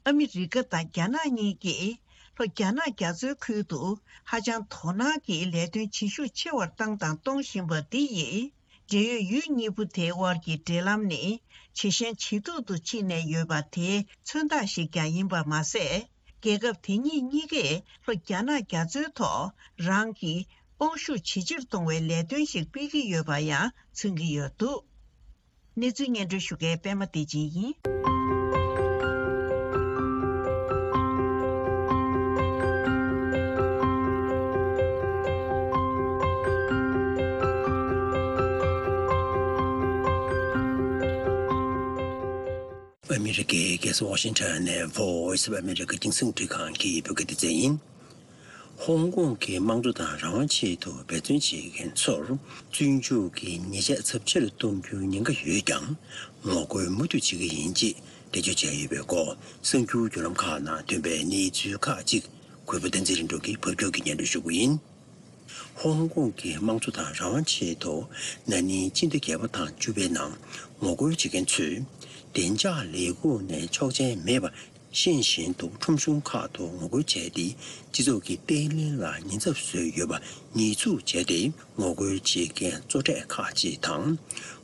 ཨ་མི་རི་ཀ་དང་རྒྱ་ནག་གཉིས་ཀྱིས་ལྷོ་རྒྱ་ནག་རྒྱ་མཚོའི་ཁུལ་དུ་ཧ་ཅང་དོ་སྣང་གིས་ལས་དོན་བྱེད་ཤུགས་ཆེ་བར་བཏང་དང་གཏོང་བཞིན་པ་འདི་ཡིས། འབྲེལ་ཡོད་ཡུལ་གཉིས་པོ་དེའི་དབར་གྱི་འབྲེལ་ལམ་ནི་ཇེ་ཞན་ཇེ་སྡུག་ཏུ་ཕྱིན་ནས་ཡོད་པ་དེའི་མཚོན་རྟགས་ཤིག་ཀྱང་ཡིན་པ་མ་ཟད། རྒྱལ་ཁབ་དེ་གཉིས་གཉིས་ཀས་ལྷོ་རྒྱ་ནག་རྒྱ་མཚོའི་ཐོག་རང་གི་དབང་ཤུགས་ཇེ་ཆེར་གཏོང་བའི་ལས་དོན་ཞིག་སྤེལ་གྱི་ཡོད་པ་ཡང་མཚོན་གྱི་ཡོད་འདུག་གནས་ཚུལ་སྙན་སྒྲོན་ཞུ་མཁན་པད་མ་བདེ་ཆེན་ཡིན། ཨ་མི་རི་ཀའི་རྒྱལ་ས་ཝ་ཤིང་ཊོན་ནས་Voice of America་རྒྱང་སྲིང་འཕྲིན་ཁང་གི་བོད་སྐད་སྡེ་ཚན་ཡིན། ཧོང་ཀོང་གི་དམངས་གཙོ་དང་རང་དབང་ཆེད་དུ་འབད་བརྩོན་བྱེད་མཁན་ཚོར་བཙོན་འཇུག་གི་ཉེས་ཆད་ཚབས་ཆེ་རུ་གཏོང་རྒྱུའི་ཉེན་ཁ་ཡོད་ཀྱང་། ངོ་རྒོལ་མུ་མཐུད་བྱེད་ཀྱི་ཡིན་ཅེས་འགྲེལ་བརྗོད་བྱས་ཡོད་པའི་སྐོར། གསར་འགྱུར་བརྒྱུད་ལམ་ཁག་ནང་ཐོན་པའི་གནས་ཚུལ་ཁག་ཅིག་གུས་པ་བསྟན་འཛིན་རིང་འགྲོ་གིས་ཕབ་སྒྱུར་གྱིས་སྙན་སྒྲོན་ཞུ་རྒྱུ་ཡིན། ཧོང་ཀོང་གི་དམངས་གཙོ་དང་རང་དབང་ཆེད་དུ་ན་ནིང་སྤྱི་ཟླ་བརྒྱད་པ་དང་བཅུ་པའི་ནང་ངོ་རྒོལ་བྱེད་མཁན་ཚོས་བདེ་འཇགས་ལས་ཁུངས་ནས་ཆོག་མཆན་མེད་པར། ཤེས་བཞིན་དུ་ཁྲོམ་གཞུང་ཁག་ཏུ་ངོ་རྒོལ་བྱས་ཏེ། སྤྱི་ཚོགས་ཀྱི་བརྟན་ལྷིང་ལ་ཉེན་ཚབས་བཟོས་ཡོད་པ་ཉེས་འཛུགས་བྱས་ཏེ། ངོ་རྒོལ་བྱེད་མཁན་གཙོ་གྲས་ཁག་ཅིག་དང་།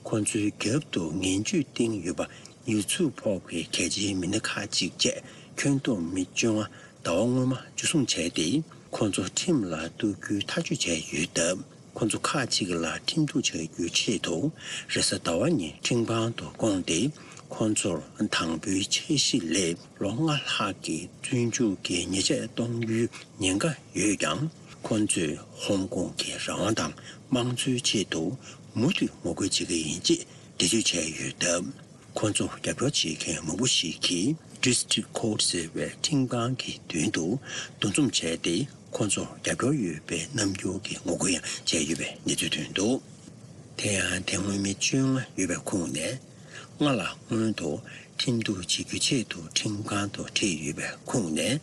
ཁོ་ཚོའི་རྒྱབ་ཏུ་ངན་ཇུས་བཏིང་ཡོད་པ་ཉེས་འཛུགས་ཕོག་པའི་གལ་ཆེའི་མི་སྣ་ཁག་ཅིག་བཅས་ཁྱོན་བསྡོམས་མི་བཅོ་ལྔ་ཟླ་བ་སྔོན་མ་འཇུ་བཟུང་བྱས་ཏེ། ཁོ་ཚོ་ཁྲིམས་ལ་གཏུག་རྒྱུའི་ཐག་གཅོད་བྱས་ཡོད་སྟབས། ཁོ་ཚོ་ཁག་ཅིག་ལ་ཁྲིམས་གཏུག་བྱ་རྒྱུའི་ཆེད་དུ། རེས་གཟའ་ཟླ་བ་ཉིན་ཁྲིམས་ཁང་དུ་བསྐོངས་ཏེ། ཁོ་ཚོར་དང་པོའི་འཆར་གཞི་ལས་ལོ་ལྔ་ལྷག་གི་བཙོན་འཇུག་གི་ཉེས་ཆད་གཏོང་རྒྱུའི་ཉེན་ཁ་ཡོད་ཀྱང་། ཁོ་ཚོས་ཧོང་ཀོང་གི་རང་དབང་དང་དམངས་གཙོའི་ཆེད་དུ་མུ་མཐུད་ངོ་རྒོལ་བྱེད་ཀྱི་ཡིན་ཅེས་འགྲེལ་བརྗོད་བྱས་ཡོད་སྟབས། ཁོ་ཚོ་རྒྱབ་སྐྱོར་བྱེད་མཁན་མང་པོ་ཞིག་གིས་District Court་ཟེར་བའི་ཁྲིམས་ཁང་གི་མདུན་དུ་འདུ་འཛོམས་བྱས་ཏེ། ཁོ་ཚོར་རྒྱབ་སྐྱོར་ཡོད་པའི་རྣམ་འགྱུར་གྱི་ངོ་རྒོལ་ཡང་བྱས་ཡོད་པའི་གནས་ཚུལ་ཐོན་འདུག་དེ་ཡང་དེ་སྔོན་མི་བཅོ་ལྔ་ཡོད་པའི་ཁོངས་ནས། སྔ་ལ་སྔོན་དུ་ཁྲིམས་གཏུག་བྱེད་རྒྱུའི་ཆེད་དུ་ཁྲིམས་ཁང་དུ་ཁྲིད་ཡོད་པའི་ཁོངས་ནས།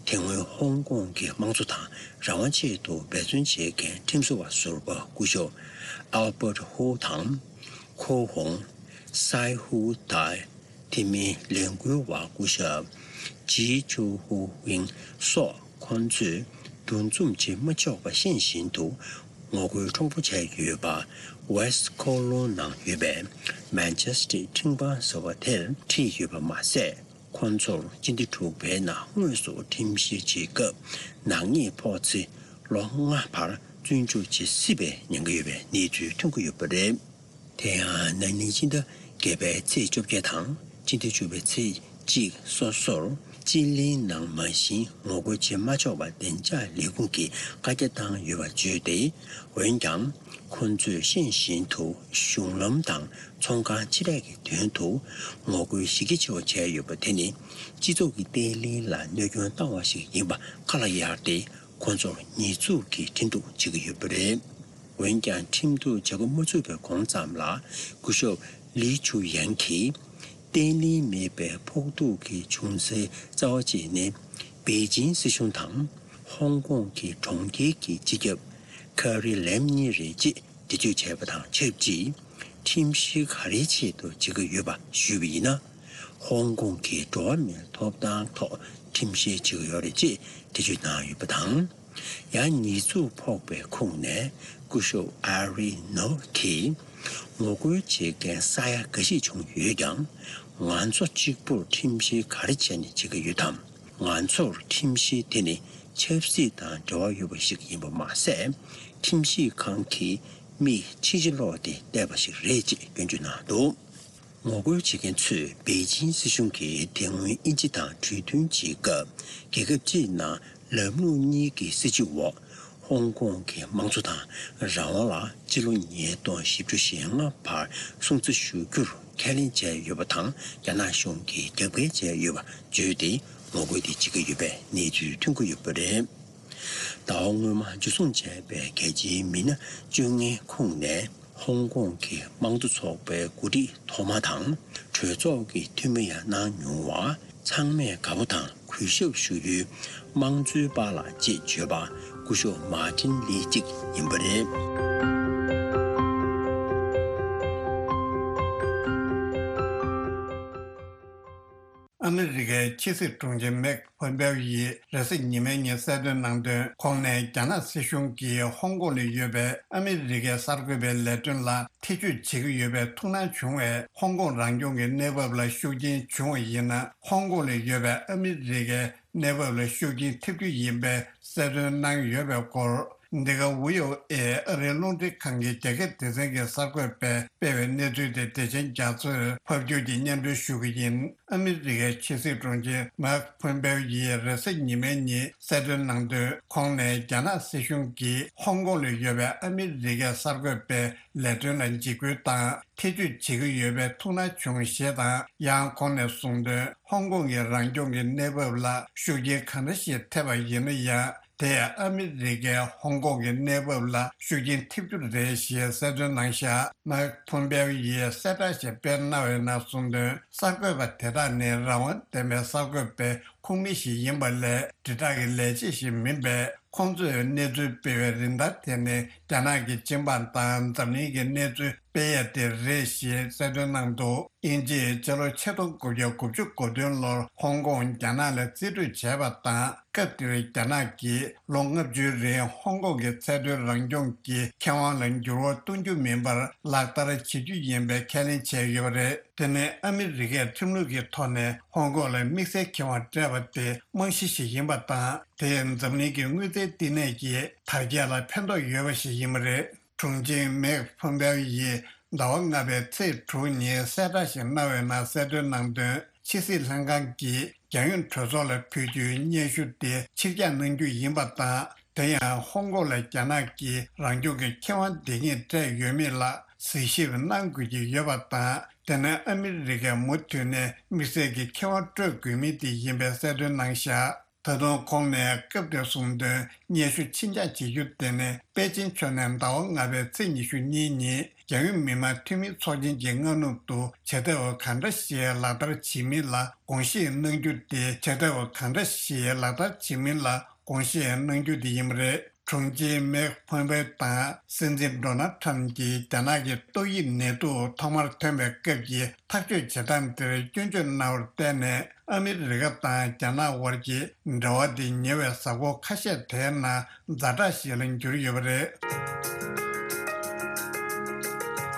དེ་སྔོན་ཧོང་ཀོང་གི་དམངས་གཙོ་དང་རང་དབང་ཆེད་དུ་འབད་བརྩོན་བྱེད་མཁན་ཁྲིམས་བཟོ་བ་ཟུར་པ་སྐུ་ཞབས་Albert Ho་དང་། ཁོ་ཧོང་། སའེ་ཧུའུ་ཏའེ། དེ་མིན་ལས་འགུལ་བ་སྐུ་ཞབས་ཇི་ཅུའུ་ཧུའུ་ཝིང་སོགས་ཁོང་ཚོས་འདུ་འཛོམས་བྱེད་མ་ཆོག་པ་ཤེས་བཞིན་དུ་ངོ་རྒོལ་མཁྲེགས་པོ་བྱས་ཡོད་པ། West Kowloon་ནང་ཡོད་པའི་Majestic་ཁྲིམས་ཁང་ཟེར་བ་དེར་ཁྲིད་ཡོད་པ་མ་ཟད། ཁོང་ཚོར་སྤྱི་ཟླ་དྲུག་པའི་ནང་དངོས་སུ་ཁྲིམས་བཤེར་བྱེད་སྐབས་ནག་ཉེས་ཕོག་ཚེ་ལོ་ལྔ་བར་བཙོན་འཇུག་བྱེད་སྲིད་པའི་ཉེན་ཁ་ཡོད་པའི་གནས་ཚུལ་ཐོན་གྱི་ཡོད་པ་རེད། དེ་ཡང་ན་ནིང་སྤྱི་ཟླ་བརྒྱད་པའི་ཚེས་བཅོ་བརྒྱད་དང་སྤྱི་ཟླ་བཅུ་པའི་ཚེས་གཅིག་སོ་སོར་སྤྱི་གླིང་ནང་མ་གཞི་ངོ་རྒོལ་བྱེད་མ་ཆོག་པ་བདེ་འཇགས་ལས་ཁུངས་ཀྱིས་བཀའ་རྒྱ་བཏང་ཡོད་པ་བརྗོད་དེ། འོན་ཀྱང་། ཁོ་ཚོས་ཤེས་བཞིན་དུ་གཞུང་ལམ་དང་ཚོང་ཁང་ཆེ་གྲས་ཀྱི་མདུན་དུ་ངོ་རྒོལ་གཞི་རྒྱ་ཆེ་བ་བྱས་ཡོད་པ་དེ་ནི། སྤྱི་ཚོགས་ཀྱི་བརྟན་ལྷིང་ལ་གནོད་སྐྱོན་བཏང་བ་ཞིག་ཡིན་པ་ཁ་ལ་གཡར་ཏེ། ཁོ་ཚོར་ཉེས་འཛུགས་ཀྱིས་ཁྲིམས་གཏུག་བྱེད་ཀྱི་ཡོད་པ་རེད། འོན་ཀྱང་། ཁྲིམས་གཏུག་བྱེད་འགོ་མ་ཚུགས་པའི་གོང་ཙམ་ལ། སྐུ་ཞབས་ལི་ཆུ་ཡན་གྱིས། བརྟན་ལྷིང་མེད་པའི་ཕོག་ཐུག་གི་བྱུང་སའི་རྩ་བ་གཅིག་ནི། པེ་ཅིང་སྲིད་གཞུང་དང་། ཧོང་ཀོང་གི་གྲོང་ཁྱེར་གྱི་སྤྱི་ཁྱབ་ཁེ་རི་ལེམ་གཉིས་རེད་ཅེས་འགྲེལ་བརྗོད་བྱས་པ་དང་ཆབས་ཅིག་ཁྲིམས་གཞི་ག་རེའི་ཆེད་དུ་བྱེད་ཀྱི་ཡོད་པ་ཞུས་པ་ཡིན་ན། ཧོང་ཀོང་གི་འགྲོ་བ་མིའི་ཐོབ་ཐང་ཐོག་ཁྲིམས་བཤེར་བྱེད་ཀྱི་ཡོད་རེད་ཅེས་འགྲེལ་བརྗོད་གནང་ཡོད་པ་དང་། ཡང་ཉེས་འཛུགས་ཕོག་པའི་ཁོངས་ནས་སྐུ་ཞབས་ཨ་རི་ནོར་གྱིས། ངོ་རྒོལ་བྱེད་མཁན་ས་ཡ་འགའ་ཞིག་བྱུང་ཡོད་ཀྱང་། ང་ཚོ་གཅིག་པུར་ཁྲིམས་བཤེར་ག་རེ་བྱས་ནས་བྱེད་ཀྱི་ཡོད་དམ། ང་ཚོར་ཁྲིམས་གཞི་དེ་ནི་ཆབ་སྲིད་དང་འབྲེལ་བ་ཡོད་པ་ཞིག་ཡིན་པ་མ་ཟད། ཁྲིམས་ཞིབ་ཁང་གིས་མིག་ཕྱི་ཕྱི་སློག་སྟེ་བལྟས་པ་ཞིག་རེད་ཅེས་སྐྱོན་བརྗོད་གནང་འདུག་ངོ་རྒོལ་བྱེད་མཁན་ཚོས་པེ་ཅིན་སྲིད་གཞུང་གིས་དེ་སྔོན་དབྱིན་ཇི་དང་གྲོས་མཐུན་བྱེད་སྐབས། རྒྱལ་ཁབ་གཅིག་ནང་ལམ་ལུགས་གཉིས་ཀྱི་སྲིད་བྱུས་འོག་ཧོང་ཀོང་གི་དམངས་གཙོ་དང་རང་དབང་ལ་སྤྱི་ལོ་ཉིས་སྟོང་བཞི་བཅུ་ཞེ་ལྔ་བར་སྲུང་བརྩི་ཞུ་རྒྱུར་ཁས་ལེན་བྱས་ཡོད་པ་དང་། རྒྱ་ནག་གཞུང་གིས་རྒྱབ་འགལ་བྱས་ཡོད་པ་བརྗོད་དེ། ངོ་རྒོལ་དེ་བྱེད་ཀྱི་ཡོད་པའི་གནས་ཚུལ་ཐོན་གྱི་ཡོད་པ་རེད། ཟླ་བ་སྔོན་མ་འཇུ་བཟུང་བྱས་པའི་རྒྱལ་སྤྱིའི་མི་སྣ་བཅོ་ལྔའི་ཁོངས་ནས། ཧོང་ཀོང་གི་དམངས་གཙོ་ཚོགས་པའི་འགོ་ཁྲིད་ཐོག་མ་དང་། གྲོས་ཚོགས་ཀྱི་འཐུས་མི་ཡང་གནང་མྱོང་བ། ཚང་མས་དགའ་པོ་དང་གུས་ཞབས་ཞུ་ཡུལ་དམངས་གཙོའི་པཱ་ལགས་ཅེས་བརྗོད་པ། སྐུ་ཞབས་མཱ་ཏིན་ལི་གཅིག་ཡིན་པ་རེད། ཨ་མི་རི་ཀའི་ཕྱི་སྲིད་དྲུང་ཆེ་མེག་ཕོམ་པེའོ་ཡིས་རེས་གཟའ་ཉི་མའི་ཉིན་གསལ་སྟོན་གནང་དོན། ཁོང་ནས་རྒྱ་ནག་སྲིད་གཞུང་གིས་ཧོང་ཀོང་ལ་ཡོད་པའི་ཨ་མི་རི་ཀའི་གསར་འགོད་པའི་ལས་དོན་ལ་ཐེ་བྱུས་བྱེད་ཀྱི་ཡོད་པའི་ཐུགས་སྣང་བྱུང་བས། ཧོང་ཀོང་རང་སྐྱོང་གི་གནས་བབ་ལ་ཤུགས་རྐྱེན་བྱུང་བ་ཡིན་ན། ཧོང་ཀོང་ལ་ཡོད་པའི་ཨ་མི་རི་ཀའི་གནས་བབ་ལ་ཤུགས་རྐྱེན་ཐེབས་རྒྱུ་ཡིན་པའི་གསལ་སྟོན་གནང་ཡོད་པའི་སྐོར། འདི་ག་ཝི་ཨོ་ཨེ་ཨ་རིའི་རླུང་འཕྲིན་ཁང་གི་རྒྱ་སྐད་སྡེ་ཚན་གྱི་གསར་འགོད་པས་སྤེལ་བའི་གནས་ཚུལ་དེ་བདེ་ཆེན་རྒྱ་མཚོས་ཕབ་སྒྱུར་གྱིས་སྙན་སྒྲོན་ཞུ་གི་ཡིན། ཨ་མི་རི་ཀའི་ཕྱི་སྲིད་དྲུང་ཆེ་མེག་ཕོམ་པེའོ་ཡིས་རེས་གཟའ་ཉི་མའི་ཉིན་གསལ་སྟོན་གནང་དོན། ཁོང་ནས་རྒྱ་ནག་སྲིད་གཞུང་གིས་ཧོང་ཀོང་ལ་ཡོད་པའི་ཨ་མི་རི་ཀའི་གསར་འགོད་པའི་ལས་དོན་ལ་འཇིགས་སྐུལ་དང་ཐེ་བྱུས་བྱེད་ཀྱི་ཡོད་པའི་ཐུགས་སྣང་བྱུང་ཞེས་དང་། ཡང་ཁོང་ནས་གསུངས་དོན། ཧོང་ཀོང་གི་རང་སྐྱོང་གི་གནས་བབ་ལ་ཤུགས་རྐྱེན་གང་འདྲ་ཞིག་ཐེབས་པ་ཡིན་ན་ཡང་། དེས་ཨ་མི་རི་ཀའི་ཧོང་ཀོང་གི་གནས་བབ་ལ་ཤུགས་རྐྱེན་ཐེབས་རྒྱུ་རེད་ཞེས་གསལ་སྟོན་གནང་བཞག་མེག་ཕོམ་པེའོ་ཡིས་གསལ་བསྒྲགས་ཤིག་སྤེལ་གནང་བའི་ནང་གསུངས་དོན། གསར་འགོད་པ་དེ་དག་ནི་རང་དབང་ལྡན་པའི་གསར་འགོད་པའི་ཁོངས་མི་ཞིག་ཡིན་པ་ལས། དྲིལ་བསྒྲགས་ཀྱི་ལས་བྱེད་ཞིག་མིན་པས། ཁོང་ཚོས་གནས་ཚུལ་སྤེལ་བའི་རིན་ཐང་དེ་ནི་རྒྱ་ནག་གི་སྤྱི་འབངས་དང་འཛམ་གླིང་གི་གནས་ཚུལ་སྤེལ་ཡ་དེ་རེད་ཞེས་གསལ་སྟོན་གནང་འདུག་དབྱིན་ཇིས་སྤྱི་ལོ་ཆིག་སྟོང་དགུ་བརྒྱ་དགུ་བཅུ་གོ་བདུན་ལོར་ཧོང་ཀོང་རྒྱ་ནག་ལ་རྩིས་སྤྲོད་བྱས་པ་དང་། སྐབས་དེར་རྒྱ་ནག་གིས་ལོ་ལྔ་བཅུའི་རིང་ཧོང་ཀོང་གི་ཚད་མཐོའི་རང་སྐྱོང་གི་ཁེ་དབང་ལ་འགྱུར་བ་གཏོང་རྒྱུ་མིན་པར་ལག་བསྟར་བྱེད་རྒྱུ་ཡིན་པའི་ཁས་ལེན་བྱས་ཡོད་པ་རེད། དེ་ནི་ཨ་མི་རི་ཀས་ཁྲིམས་ལུགས་ཀྱི་ཐོག་ནས་ཧོང་ཀོང་ལ་དམིགས་བསལ་ཁེ་དབང་སྤྲད་པ་དེ་རྨང་གཞི་ཞིག་ཡིན་པ་དང་། དེས་འཛམ་གླིང་གི་དངུལ་རྩའི་བསྟི་གནས་ཀྱི་དར་རྒྱས་ལ་ཕན་ཐོགས་ཡོད་པ་ཞིག་ཡིན་པ་རེད། དྲུང་ཆེ་མེག་ཕོམ་པེའོ་ཡིས་ཟླ་བ་ལྔ་པའི་ཚེས་དྲུག་ཉིན་གསལ་བསྒྲགས་ཤིག་གནང་བའི་ནང་གསལ་སྟོན་གནང་དོན། ཕྱི་སྲིད་ལྷན་ཁང་གིས་རྒྱལ་ཡོངས་གྲོས་ཚོགས་ལ་ཕུལ་རྒྱུའི་སྙན་ཞུ་དེ་ཕྱིར་བསྐྱངས་གནང་རྒྱུ་ཡིན་པ་དང་། དེ་ཡང་ཧོང་ཀོང་ལ་རྒྱ་ནག་གིས་རང་སྐྱོང་གི་ཁེ་དབང་འདི་ཉིད་སྤྲད་ཡོད་མེད་ལ་གཟིགས་ཞིབ་གནང་དགོས་ཀྱི་ཡོད་པ་དང་། དེ་ནི་ཨ་མི་རི་ཀས་མུ་མཐུད་ནས་དམིགས་བསལ་གྱི་ཁེ་དབང་སྤྲོད་དགོས་མིན་དེ་ཡིན་པའི་གསལ་སྟོན་གནང་བཞག་ད་དུང་ཁོང་ནས་སྐབས་དེར་གསུངས་དོན། སྙན་ཞུ་ཕྱིར་འགྱངས་བྱེད་རྒྱུ་དེ་ནི་པེ་ཅིན་ཕྱོགས་ནས་ཟླ་བ་ལྔ་པའི་ཚེས་ཉི་ཤུ་གཉིས་ཉིན་རྒྱལ་ཡོངས་མི་དམངས་འཐུས་མིའི་ཚོགས་ཆེན་གྱི་སྔ་ནུབ་ཏུ་བྱེད་ཐབས་གང་འདྲ་ཞིག་ལག་བསྟར་བྱེད་མིན་ལ་དགོངས་བཞེས་གནང་རྒྱུ་དེ། བྱེད་ཐབས་གང་འདྲ་ཞིག་ལག་བསྟར་བྱེད་མིན་ལ་དགོངས་བཞེས་གནང་རྒྱུ་དེ་ཡིན་པ་རེད། དྲུང་ཆེ་མེག་ཕོམ་པེའོ་དང་སྲིད་འཛིན་ཌོ་ནལ་ཊམ་གྱིས་རྒྱ་ནག་གི་ཏོག་དབྱིབས་ནད་དུག་ཐོག་མར་ཐོན་པའི་སྐབས་ཀྱི་ཐག་གཅོད་བྱེད་སྟངས་དེར་སྐྱོན་བརྗོད་གནང་བར་བརྟེན་ནས། ཨ་མི་རི་ཀ་དང་རྒྱ་ནག་དབར་གྱི་འབྲེལ་བ་དེ་ཉེ་བའི་གཟའ་འཁོར་ཁ་ཤས་དེའི་ནང་ཛ་དྲག་ཞིག་ལ་གྱུར་ཡོད་པ་རེད།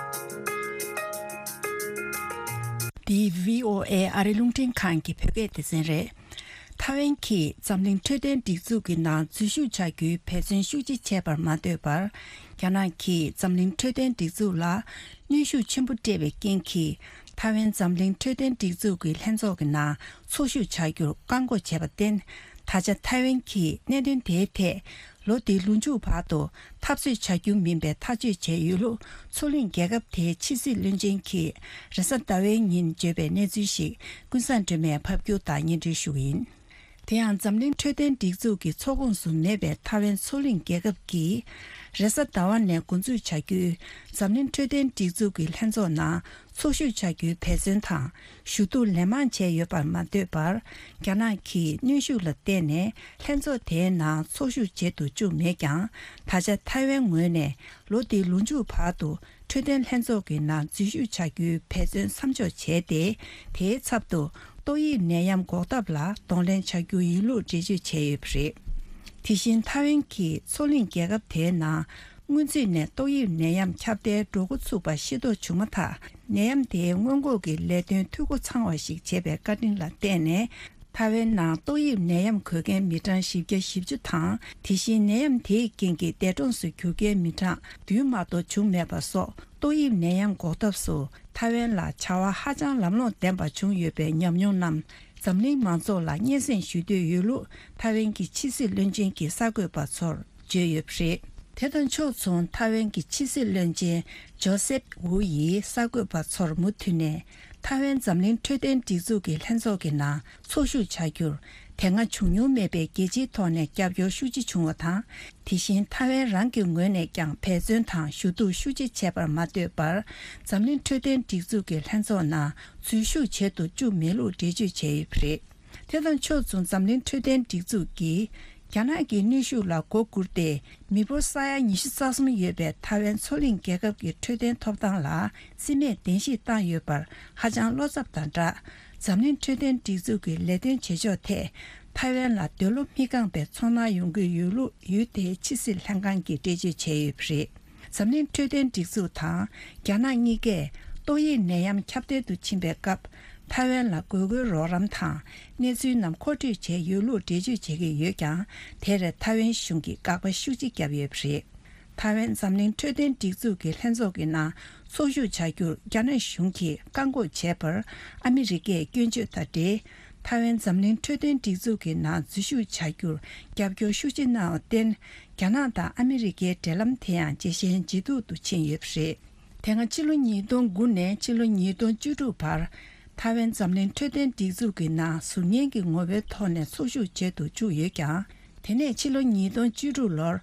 འདི་བྷི་ཨོ་ཨེ་ཨ་རི་རླུང་འཕྲིན་ཁང་གི་བོད་སྐད་སྡེ་ཚན་རེད། ཐའེ་ཝན་གྱིས་འཛམ་གླིང་འཕྲོད་བསྟེན་སྒྲིག་འཛུགས་ཀྱི་ནང་འཛུལ་ཞུགས་བྱ་རྒྱུའི་འབད་བརྩོན་ཤུགས་ཆེ་བྱས་པར་མ་ལྟོས་པར། རྒྱ་ནག་གིས་འཛམ་གླིང་འཕྲོད་བསྟེན་སྒྲིག་འཛུགས་ལ་གནོན་ཤུགས་ཆེན་པོ་སྤྲད་པའི་རྐྱེན་གྱིས། ཐའེ་ཝན་འཛམ་གླིང་འཕྲོད་བསྟེན་སྒྲིག་འཛུགས་ཀྱི་ལྷན་ཚོགས་ཀྱི་ནང་ཚོགས་ཞུགས་བྱ་རྒྱུར་བཀག་འགོག་བྱས་པར་བརྟེན། ད་ཆ་ཐའེ་ཝན་གྱིས་གནད་དོན་དེའི་ཐད། ལོ་འདིའི་ལོ་མཇུག་བར་དུ་འཐབ་རྩོད་བྱ་རྒྱུ་མིན་པའི་ཐག་གཅོད་བྱས་ཡོད་ལུགས། མཚོ་གླིང་རྒྱལ་ཁབ་དེའི་ཕྱི་སྲིད་བློན་ཆེན་གྱིས་རེས་གཟའ་ཟླ་བའི་ཉིན་བརྗོད་པའི་གནས་ཚུལ་ཞིག་ཀུན་བཟང་སྒྲོལ་མས་ཕབ་སྒྱུར་དང་སྙན་སྒྲོན་ཞུ་གི་ཡིན། དེ་ཡང་འཛམ་གླིང་འཕྲོད་བསྟེན་སྒྲིག་འཛུགས་ཀྱི་ཚོགས་ཁོངས་སུ་མེད་པའི་ཐའེ་ཝན་མཚོ་གླིང་རྒྱལ་ཁབ་ཀྱིས། རེས་གཟའ་ཟླ་བ་ནས་འགོ་འཛུགས་བྱ་རྒྱུའི་འཛམ་གླིང་འཕྲོད་བསྟེན་སྒྲིག་འཛུགས་ཀྱི་ལྷན་ཚོགས་ནང་ཚོགས་ཞུགས་བྱ་རྒྱུའི་འབད་བརྩོན་དང་ཞུ་གཏུག་ལན་མང་བྱས་ཡོད་པར་མ་ལྟོས་པར། རྒྱ་ནག་གིས་གནོན་ཤུགས་ལ་བརྟེན་ནས་ལྷན་ཚོགས་དེའི་ནང་ཚོགས་ཞུགས་བྱེད་དུ་བཅུག་མེད་ཀྱང་། ད་ཆ་ཐའེ་ཝན་ངོས་ནས་ལོ་འདིའི་ལོ་མཇུག་བར་དུ་འཕྲོད་བསྟེན་ལྷན་ཚོགས་ཀྱི་ནང་འཛུལ་ཞུགས་བྱ་རྒྱུའི་འབད་བརྩོན་མཚམས་འཇོག་བྱས་ཏེ། དེའི་ཚབ་ཏུ་ཏོག་དབྱིབས་ནད་ཡམས་འགོག་ཐབས་ལ་གདོང་ལེན་བྱ་རྒྱུ་ཡིན་ལུགས་འགྲེལ་བརྗོད་བྱས་ཡོད་པ་རེད། དེ་བཞིན་ཐའེ་ཝན་གྱིས་མཚོ་གླིང་རྒྱལ་ཁབ་དེའི་ནང་སྔོན་ཚུད་ནས་ཏོག་དབྱིབས་ནད་ཡམས་ཁྱབ་གདལ་འགྲོ་འགོ་ཚུགས་པ་ཤེས་རྟོགས་བྱུང་མ་ཐག་ནད་ཡམས་དེའི་སྔོན་འགོག་གི་ལས་དོན་འཐུས་སྒོ་ཚང་བ་ཞིག་བྱེད་པའི་བཀའ་དྲིན་ལ་བརྟེན་ནས། ཐའེ་ཝན་ནང་ཏོག་དབྱིབས་ནད་ཡམས་འགོས་མཁན་མི་གྲངས་བཞི་བརྒྱ་བཞི་བཅུ་དང་། དེ་བཞིན་ནད་ཡམས་དེའི་རྐྱེན་གྱིས་འདས་གྲོངས་སུ་གྱུར་མཁན་མི་གྲངས་བདུན་མ་གཏོགས་བྱུང་མེད་པ་སོགས། ཏོག་དབྱིབས་ནད་ཡམས་འགོག་ཐབས་སུ་ད་ ཐའེ་ཝན་ལ་བྱ་བ་ཧ་ཅང་ལམ་ལྷོང་ལྡན་པ་བྱུང་ཡོད་པའི་ཉམས་མྱོང་རྣམས་འཛམ་གླིང་མང་ཚོགས་ལ་སྙན་སེང་ཞུ་འདོད་ཡོད་ལུགས་ཐའེ་ཝན་གྱི་ཕྱི་སྲིད་བློན་ཆེན་གྱིས་གསར་འགོད་པ་ཚོར་བརྗོད་ཡོད་པ་རེད། དེ་དང་ཕྱོགས་མཚུངས་ཐའེ་ཝན་གྱི་ཕྱི་སྲིད་བློན་ཆེན་ཇོ་སེབ་ཝུ་ཡིས་གསར་འགོད་པ་ཚོར་མུ་མཐུད་ནས་ཐའེ་ཝན་འཛམ་གླིང་འཕྲོད་བསྟེན་སྒྲིག་འཛུགས་ཀྱི་ལྷན་ཚོགས་ཀྱི་ནང་ཚོགས་ཞུགས་བྱ་རྒྱུར་དེ་སྔ་བྱུང་མྱོང་མེད་པའི་རྒྱལ་སྤྱིའི་ཐོག་ནས་རྒྱབ་སྐྱོར་ཤུགས་ཆེ་བྱུང་བ་དང་། དེ་བཞིན་ཐའེ་ཝན་རང་གི་ངོས་ནས་ཀྱང་འབད་བརྩོན་དང་ཞུ་གཏུག་ཤུགས་ཆེ་བྱས་པར་མ་ལྟོས་པར་འཛམ་གླིང་འཕྲོད་བསྟེན་སྒྲིག་འཛུགས་ཀྱི་ལྷན་ཚོགས་ནང་འཛུལ་ཞུགས་བྱེད་དུ་བཅུག་མེད་ལུགས་འགྲེལ་བརྗོད་བྱས་ཡོད་པ་རེད། དེ་དང་ཕྱོགས་མཚུངས་འཛམ་གླིང་འཕྲོད་བསྟེན་སྒྲིག་འཛུགས་ཀྱིས་རྒྱ་ནག་གི་གནོན་ཤུགས་ལ་མགོ་སྒུར་ཏེ་མི་འབོར་ས་ཡ་ཉི་ཤུ་རྩ་གསུམ་ཡོད་པའི་ཐའེ་ཝན་མཚོ་གླིང་རྒྱལ་ཁབ་ཀྱི་འཕྲོད་བསྟེན་ཐོབ་ཐང་ལ་རྩིས་མེད་གདན་ཞུས་བཏང་ཡོད་པར་ཧ་ཅང་བློ་འཚབ་དང་སྦྲགས། འཛམ་གླིང་འཕྲོད་བསྟེན་སྒྲིག་འཛུགས་ཀྱི་ལས་དོན་བྱེད་ཕྱོགས་ཐད་ཐའེ་ཝན་ལ་འདོད་བློ་མི་ཁེངས་པའི་ཚོར་སྣང་ཡོང་གི་ཡོད་ལུགས་ཡུལ་དེའི་ཕྱི་སྲིད་ལྷན་ཁང་གིས་འགྲེལ་བརྗོད་བྱས་ཡོད་པ་རེད། འཛམ་གླིང་འཕྲོད་བསྟེན་སྒྲིག་འཛུགས་དང་རྒྱ་ནག་གཉིས་ཀས་ཏོག་དབྱིབས་ནད་ཡམས་ཁྱབ་གདལ་དུ་ཕྱིན་པའི་སྐབས་ཐའེ་ཝན་ལ་དགོས་མཁོའི་རོགས་རམ་དང་གནས་ཚུལ་རྣམས་མཁོ་སྤྲོད་བྱས་ཡོད་ལུགས་འགྲེལ་བརྗོད་བྱེད་ཀྱི་ཡོད་ཀྱང་། དེར་ཐའེ་ཝན་གཞུང་གིས་དགག་པ་ཤུགས་ཆེ་བརྒྱབ་ཡོད་པ་རེད། ཐའེ་ཝན་འཛམ་གླིང་འཕྲོད་བསྟེན་སྒྲིག་འཛུགས་ཀྱི་ལྷན་ཚོགས་ཀྱི་ནང་ཚོགས་ཞུགས་བྱ་རྒྱུར་རྒྱ་ནག་གཞུང་གིས་བཀག་འགོག་བྱས་པར་ཨ་མི་རི་ཀས་སྐྱོན་བརྗོད་དང་འབྲེལ། ཐའེ་ཝན་འཛམ་གླིང་འཕྲོད་བསྟེན་སྒྲིག་འཛུགས་ཀྱི་ནང་འཛུལ་ཞུགས་བྱ་རྒྱུར་རྒྱབ་སྐྱོར་ཤུགས་ཆེ་གནང་བར་བརྟེན། རྒྱ་ནག་དང་ཨ་མི་རི་ཀའི་འབྲེལ་ལམ་དེ་ཡང་ཇེ་ཞན་ཇེ་སྡུག་ཏུ་ཕྱིན་ཡོད་པ་རེད། དེ་སྔ་ཕྱི་ལོ་ཉིས་སྟོང་དགུ་ནས་ཕྱི་ལོ་ཉིས་སྟོང་བཅུ་དྲུག་བར་ཐའེ་ཝན་འཛམ་གླིང་འཕྲོད་བསྟེན་སྒྲིག་འཛུགས་ཀྱི་ནང་ཟུར་ཉན་གྱི་ངོ་བོའི་ཐོག་ནས་ཚོགས་ཞུགས་བྱེད་དུ་བཅུག་ཡོད་ཀྱང་། དེ་ནས་ཕྱི་ལོ་ཉིས་སྟོང་བཅུ་དྲུག་ལོར་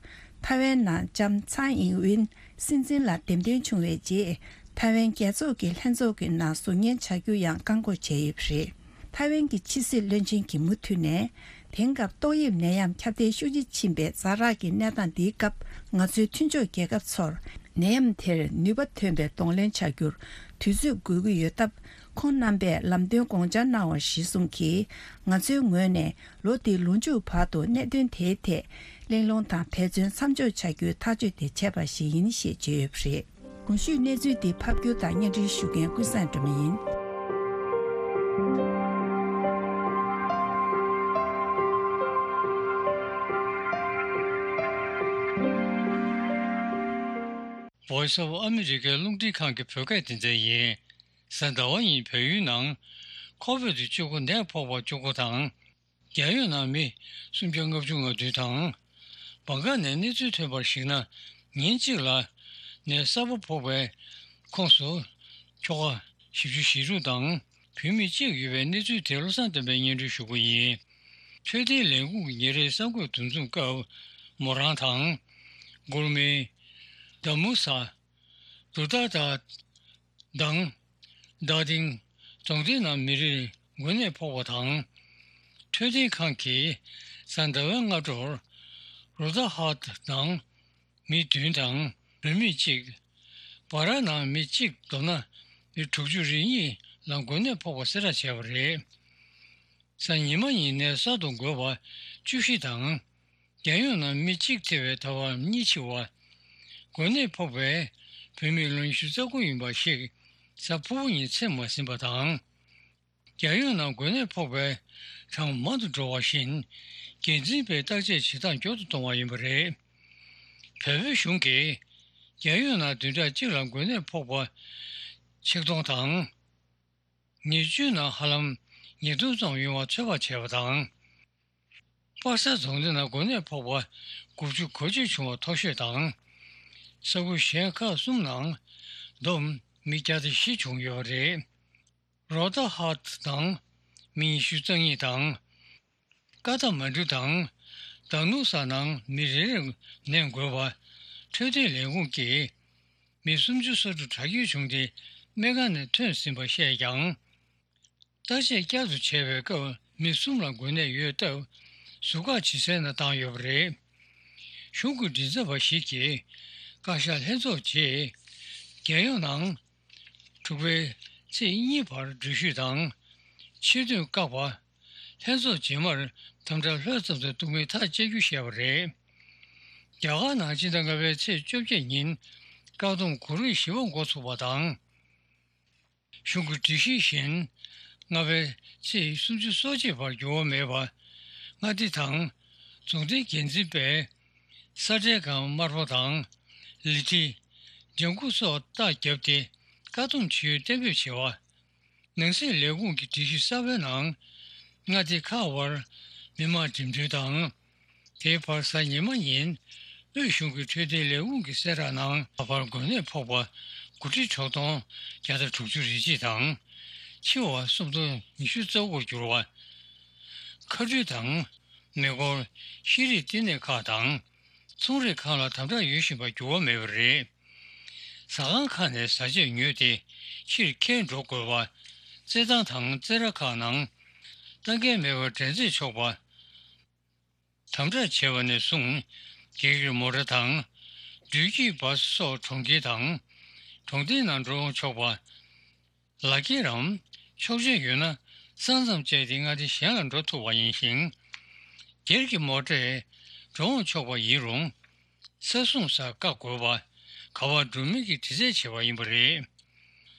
ཐའེ་ཝན་ནང་ལྕམ་ཚའེ་ཨིན་ཝིན་སྲིད་འཛིན་ལ་འདེམས་ཐོན་བྱུང་བའི་རྗེས། ཐའེ་ཝན་རྒྱལ་ཚོགས་ཀྱི་ལྷན་ཚོགས་ཀྱི་ནང་ཟུར་ཉན་བྱ་རྒྱུ་ཡང་བཀག་འགོག་བྱས་ཡོད་པ་རེད། ཐའེ་ཝན་གྱི་ཕྱི་སྲིད་བློན་ཆེན་གྱིས་མུ་མཐུད་ནས། དེང་སྐབས་ཏོག་དབྱིབས་ནད་ཡམས་ཁྱབ་གདལ་ཤུགས་ཆེ་ཕྱིན་པའི་ཛ་དྲག་གི་གནས་སྟངས་འདིའི་སྐབས། ང་ཚོའི་མཐུན་ཕྱོགས་རྒྱལ་ཁབ་ཚོར་ནད་ཡམས་དེར་ནུས་པ་ཐོན་པའི་གདོང་ལེན་བྱ་རྒྱུར་དུས་ཚོད་དགོས་ཀྱི་ཡོད་སྟབས། ཁོང་རྣམ་པས་ལམ་སྟོན་དགོངས་འཆར་གནང་བ་གཞིར་བཟུང་གིས། ང་ཚོའི་ངོས་ནས་ལོ་འདིའི་ལོ་མཇུག་བར་དུ་གནད་དོན་དེའི་ཐད་གླེང་སློང་དང་འབད་བརྩོན་མཚམས་འཇོག་བྱ་རྒྱུའི་ཐག་གཅོད་དེ་བྱས་པ་ཞིག་ཡིན་ཞེས་བརྗོད་ཡོད་པ་རེད། གོང་ཞུས་གནས་ཚུལ་འདི་ཕབ་སྒྱུར་དང་སྙན་སྒྲོན་ཞུ་མཁན་ཀུན་བཟང་སྒྲོལ་མ་ཡིན། Voice of America རླུང་འཕྲིན་ཁང་གི་བོད་སྐད་སྡེ་ཚན་ཡིན། གཟའ་ཟླ་བ་ཉིན་བལ་ཡུལ་ནང་ཁོ་བིད་བཅུ་དགུ་ནད་ཕོག་པ་བཅུ་དགུ་དང་། རྒྱལ་ཡོངས་ནང་མི་སུམ་བརྒྱ་ལྔ་བཅུ་ང་བདུན་དང་། བང་ག་ནས་གནས་ཚུལ་ཐོན་པར་གཞིགས་ན། ཉིན་གཅིག་ལ་ནད་གསར་པ་ཕོག་པའི་ཁོངས་སུ་ཁྱོ་ག་བཞི་བཅུ་ཞེ་དྲུག་དང་བུད་མེད་གཅིག་ཡོད་པའི་གནས་ཚུལ་དེ་བློ་བཟང་བསྟན་པས་སྙན་སྒྲོན་ཞུ་གི་ཡིན། འཕྲོད་བསྟེན་ལས་ཁུངས་ཀྱི་ཉིན་རེའི་གསར་འགོད་འདུ་འཛོམས་སྐབས། མོ་རང་དང་། གུར་མེ། དཱ་མུ་ས། དུ་ཏ་ཏ། དང་། རྡ་སྟེང་རྫོང་སྡེ་ནང་མི་རེར་འགོས་ནད་ཕོག་པ་དང་། འཕྲོད་བསྟེན་ཁང་གིས་གཟའ་ཟླ་བའི་སྔ་དྲོར་རུ་ཏ་ཧ་ཏ་ནང་མི་བདུན་དང་བུད་མེད་གཅིག་བ་ར་ནང་མི་གཅིག་བསྡོམས་ན་མི་དྲུག་ཅུ་རེ་གཉིས་ལ་འགོས་ནད་ཕོག་པ་གསལ་བསྒྲགས་བྱས་པ་རེད། གཟའ་ཉི་མ་ཉིན་ནས་གསར་དུ་འགོས་པ་བཅུ་བཞི་དང་། རྒྱལ་ཡོངས་ནང་མི་གཅིག་ཐེ་བའི་ཐ་བ་གཉིས་འཆི་བ། འགོས་ནད་ཕོག་པའི་བུད་མེད་ལོ་ཉི་ཤུ་རྩ་དགུ་ཡིན་པ་ཞིག་གཟའ་ཕུར་བུ་ཉིན་ཚེ་མ་ཟིན་པ་དང་། རྒྱལ་ཡོངས་ནང་འགོས་ནད་ཕོག་པའི་གྲངས་མང་དུ་འགྲོ་བ་བཞིན། འགན་འཛིན་པས་བརྟག་དཔྱད་བྱེད་སྟངས་མགྱོགས་སུ་གཏོང་བ་ཡིན་པ་རེད། བལ་པོའི་གཞུང་གིས་རྒྱལ་ཡོངས་ནང་བདུན་ཕྲག་གཅིག་ལ་འགོས་ནད་ཕོག་པ་ཆིག་སྟོང་དང་། ཉེར་བཅུ་ནང་ཧ་ལམ་ཉིས་སྟོང་ཙམ་ཡོང་བ་ཚོད་དཔག་བྱས་པ་དང་། པ་སེ་རྫོང་སྡེ་ནང་འགོས་ནད་ཕོག་པ་དགུ་བཅུ་གོ་གཅིག་བྱུང་བ་མཐོ་ཤོས་དང་། ས་ཁུལ་གཞན་ཁག་གསུམ་ནང་བསྡོམས་མི་བརྒྱ་དང་བཞི་བྱུང་ཡོད་པ་རེད། རོ་ཏ་ཧ་ཏ་ནང་མི་ཉི་ཤུ་རྩ་གཉིས་དང་། ཀ་ཐ་མན་གྲུ་དང་། དཱ་ནུ་ས་ནང་མི་རེ་རེར་ནད་འགོས་པ་འཕྲོད་བསྟེན་ལས་ཁུངས་ཀྱིས། མི་སུམ་ཅུ་སོ་དྲུག་དྲག་སྐྱེད་བྱུང་སྟེ་སྨན་ཁང་ནས་ཐོན་ཟིན་པ་བཤད་ཀྱང་། བརྟག་དཔྱད་བསྐྱར་དུ་བྱས་པའི་སྐབས་མི་གསུམ་ལ་འགོས་ནད་ཡོད་སྟབས་ཟུར་བཀག་བྱེད་སའི་ནང་བཏང་ཡོད་པ་རེད། གཞུང་གི་མགྲིན་ཚབ་པ་ཞིག་གིས་བཀའ་ཤག་ལྷན་ཚོགས་རྗེས་རྒྱལ་ཡོངས་ནང་དྲུག་པའི་ཚེས་གཉིས་བར་འགྲུལ་བཞུད་དང་ཕྱིར་ཐོན་བཀག་པ། ལྷན་ཚོགས་རྗེས་མར་དམ་དྲག་ལྷོད་ཙམ་དུ་གཏོང་མིན་ཐག་བཅད་རྒྱུ་བཤད་པ་རེད། རྒྱ་གར་ནང་སྤྱི་ཟླ་ལྔ་པའི་ཚེས་བཅོ་བརྒྱད་ཉིན་བཀག་སྡོམ་གོ་རིམ་བཞི་པ་འགོ་ཚུགས་པ་དང་། གཞུང་གི་སྒྲིག་གཞི་བཞིན་ལྔ་པའི་ཚེས་སུམ་ཅུ་སོ་གཅིག་བར་འགྱུར་བ་མེད་པར་མངའ་སྡེ་དང་རྫོང་སྡེའི་འགན་འཛིན་པས་ས་ཁྲའི་སྒང་དམར་པོ་དང་ལི་ཁྲི། ལྗང་ཁུ་སོགས་རྟགས་བརྒྱབ་སྟེ་ བཀག་སྡོམ་བྱེད་ཡུལ་གཏན་འབེབས་བྱས་པ། ནང་སྲིད་ལས་ཁུངས་ཀྱི་སྒྲིག་གཞི་གསར་པའི་ནང་། མངའ་སྡེ་ཁག་དབར་མི་མང་འགྲིམ་འགྲུལ་དང་། དེའི་བར་གཟའ་ཉི་མ་ཉིན་དབུས་གཞུང་གི་འཕྲོད་བསྟེན་ལས་ཁུངས་ཀྱི་གསལ་བསྒྲགས་ནང་། ད་བར་འགོས་ནད་ཕོག་པ་དགུ་ཁྲི་དྲུག་སྟོང་བརྒྱ་དང་དྲུག་ཅུ་རེ་གཅིག་དང་། འཆི་བ་སུམ་སྟོང་ཉི་ཤུ་རྩ་དགུར་གྱུར་བ། མཁའ་འགྲུལ་དང་། མེ་འཁོར། ཤེས་རིག་བསྟི་གནས་ཁག་དང་། ཚོང་རིགས་ཁག་ལ་དམ་དྲག་ཡོད་བཞིན་པར་འགྱུར་བ་མེད་པ་རེད། ཟ་ཁང་ཁག་ནས་བཟའ་ཆས་ཉོས་ཏེ་ཕྱིར་འཁྱེར་འགྲོ་དགོས་པ། རྩེད་ཐང་དང་རྩེད་ར་ཁག་ནང་། ལྟ་འགན་མེད་པར་འགྲན་རྩོད་ཆོག་པ། དམ་དྲག་བྱས་པ་ནས་བཟུང་། སྒེར་གྱི་མོ་ཊ་དང་། འགྲུལ་སྐྱེལ་བཱ་སི་སོགས་གྲོང་ཁྱེར་དང་། གྲོང་རྡལ་ནང་འགྲོ་འོང་ཆོག་པ། ལག་འཁྱེར་རམ་ཆོག་མཆན་ཡོད་ན་ས་མཚམས་བཅད་དེ་མངའ་སྡེ་གཞན་ལ་འགྲོ་ཐུབ་པ་ཡིན་ཞིང་། སྒེར་གྱི་མོ་ཊས་འགྲོ་འོང་ཆོག་པ་ཡིན་རུང་། ས་སྲུང་སར་བཀག་དགོས་པ། ག་པར་འགྲོ་མིན་གྱི་དྲི་རྩད་བྱས་པ་ཡིན་པ་རེད།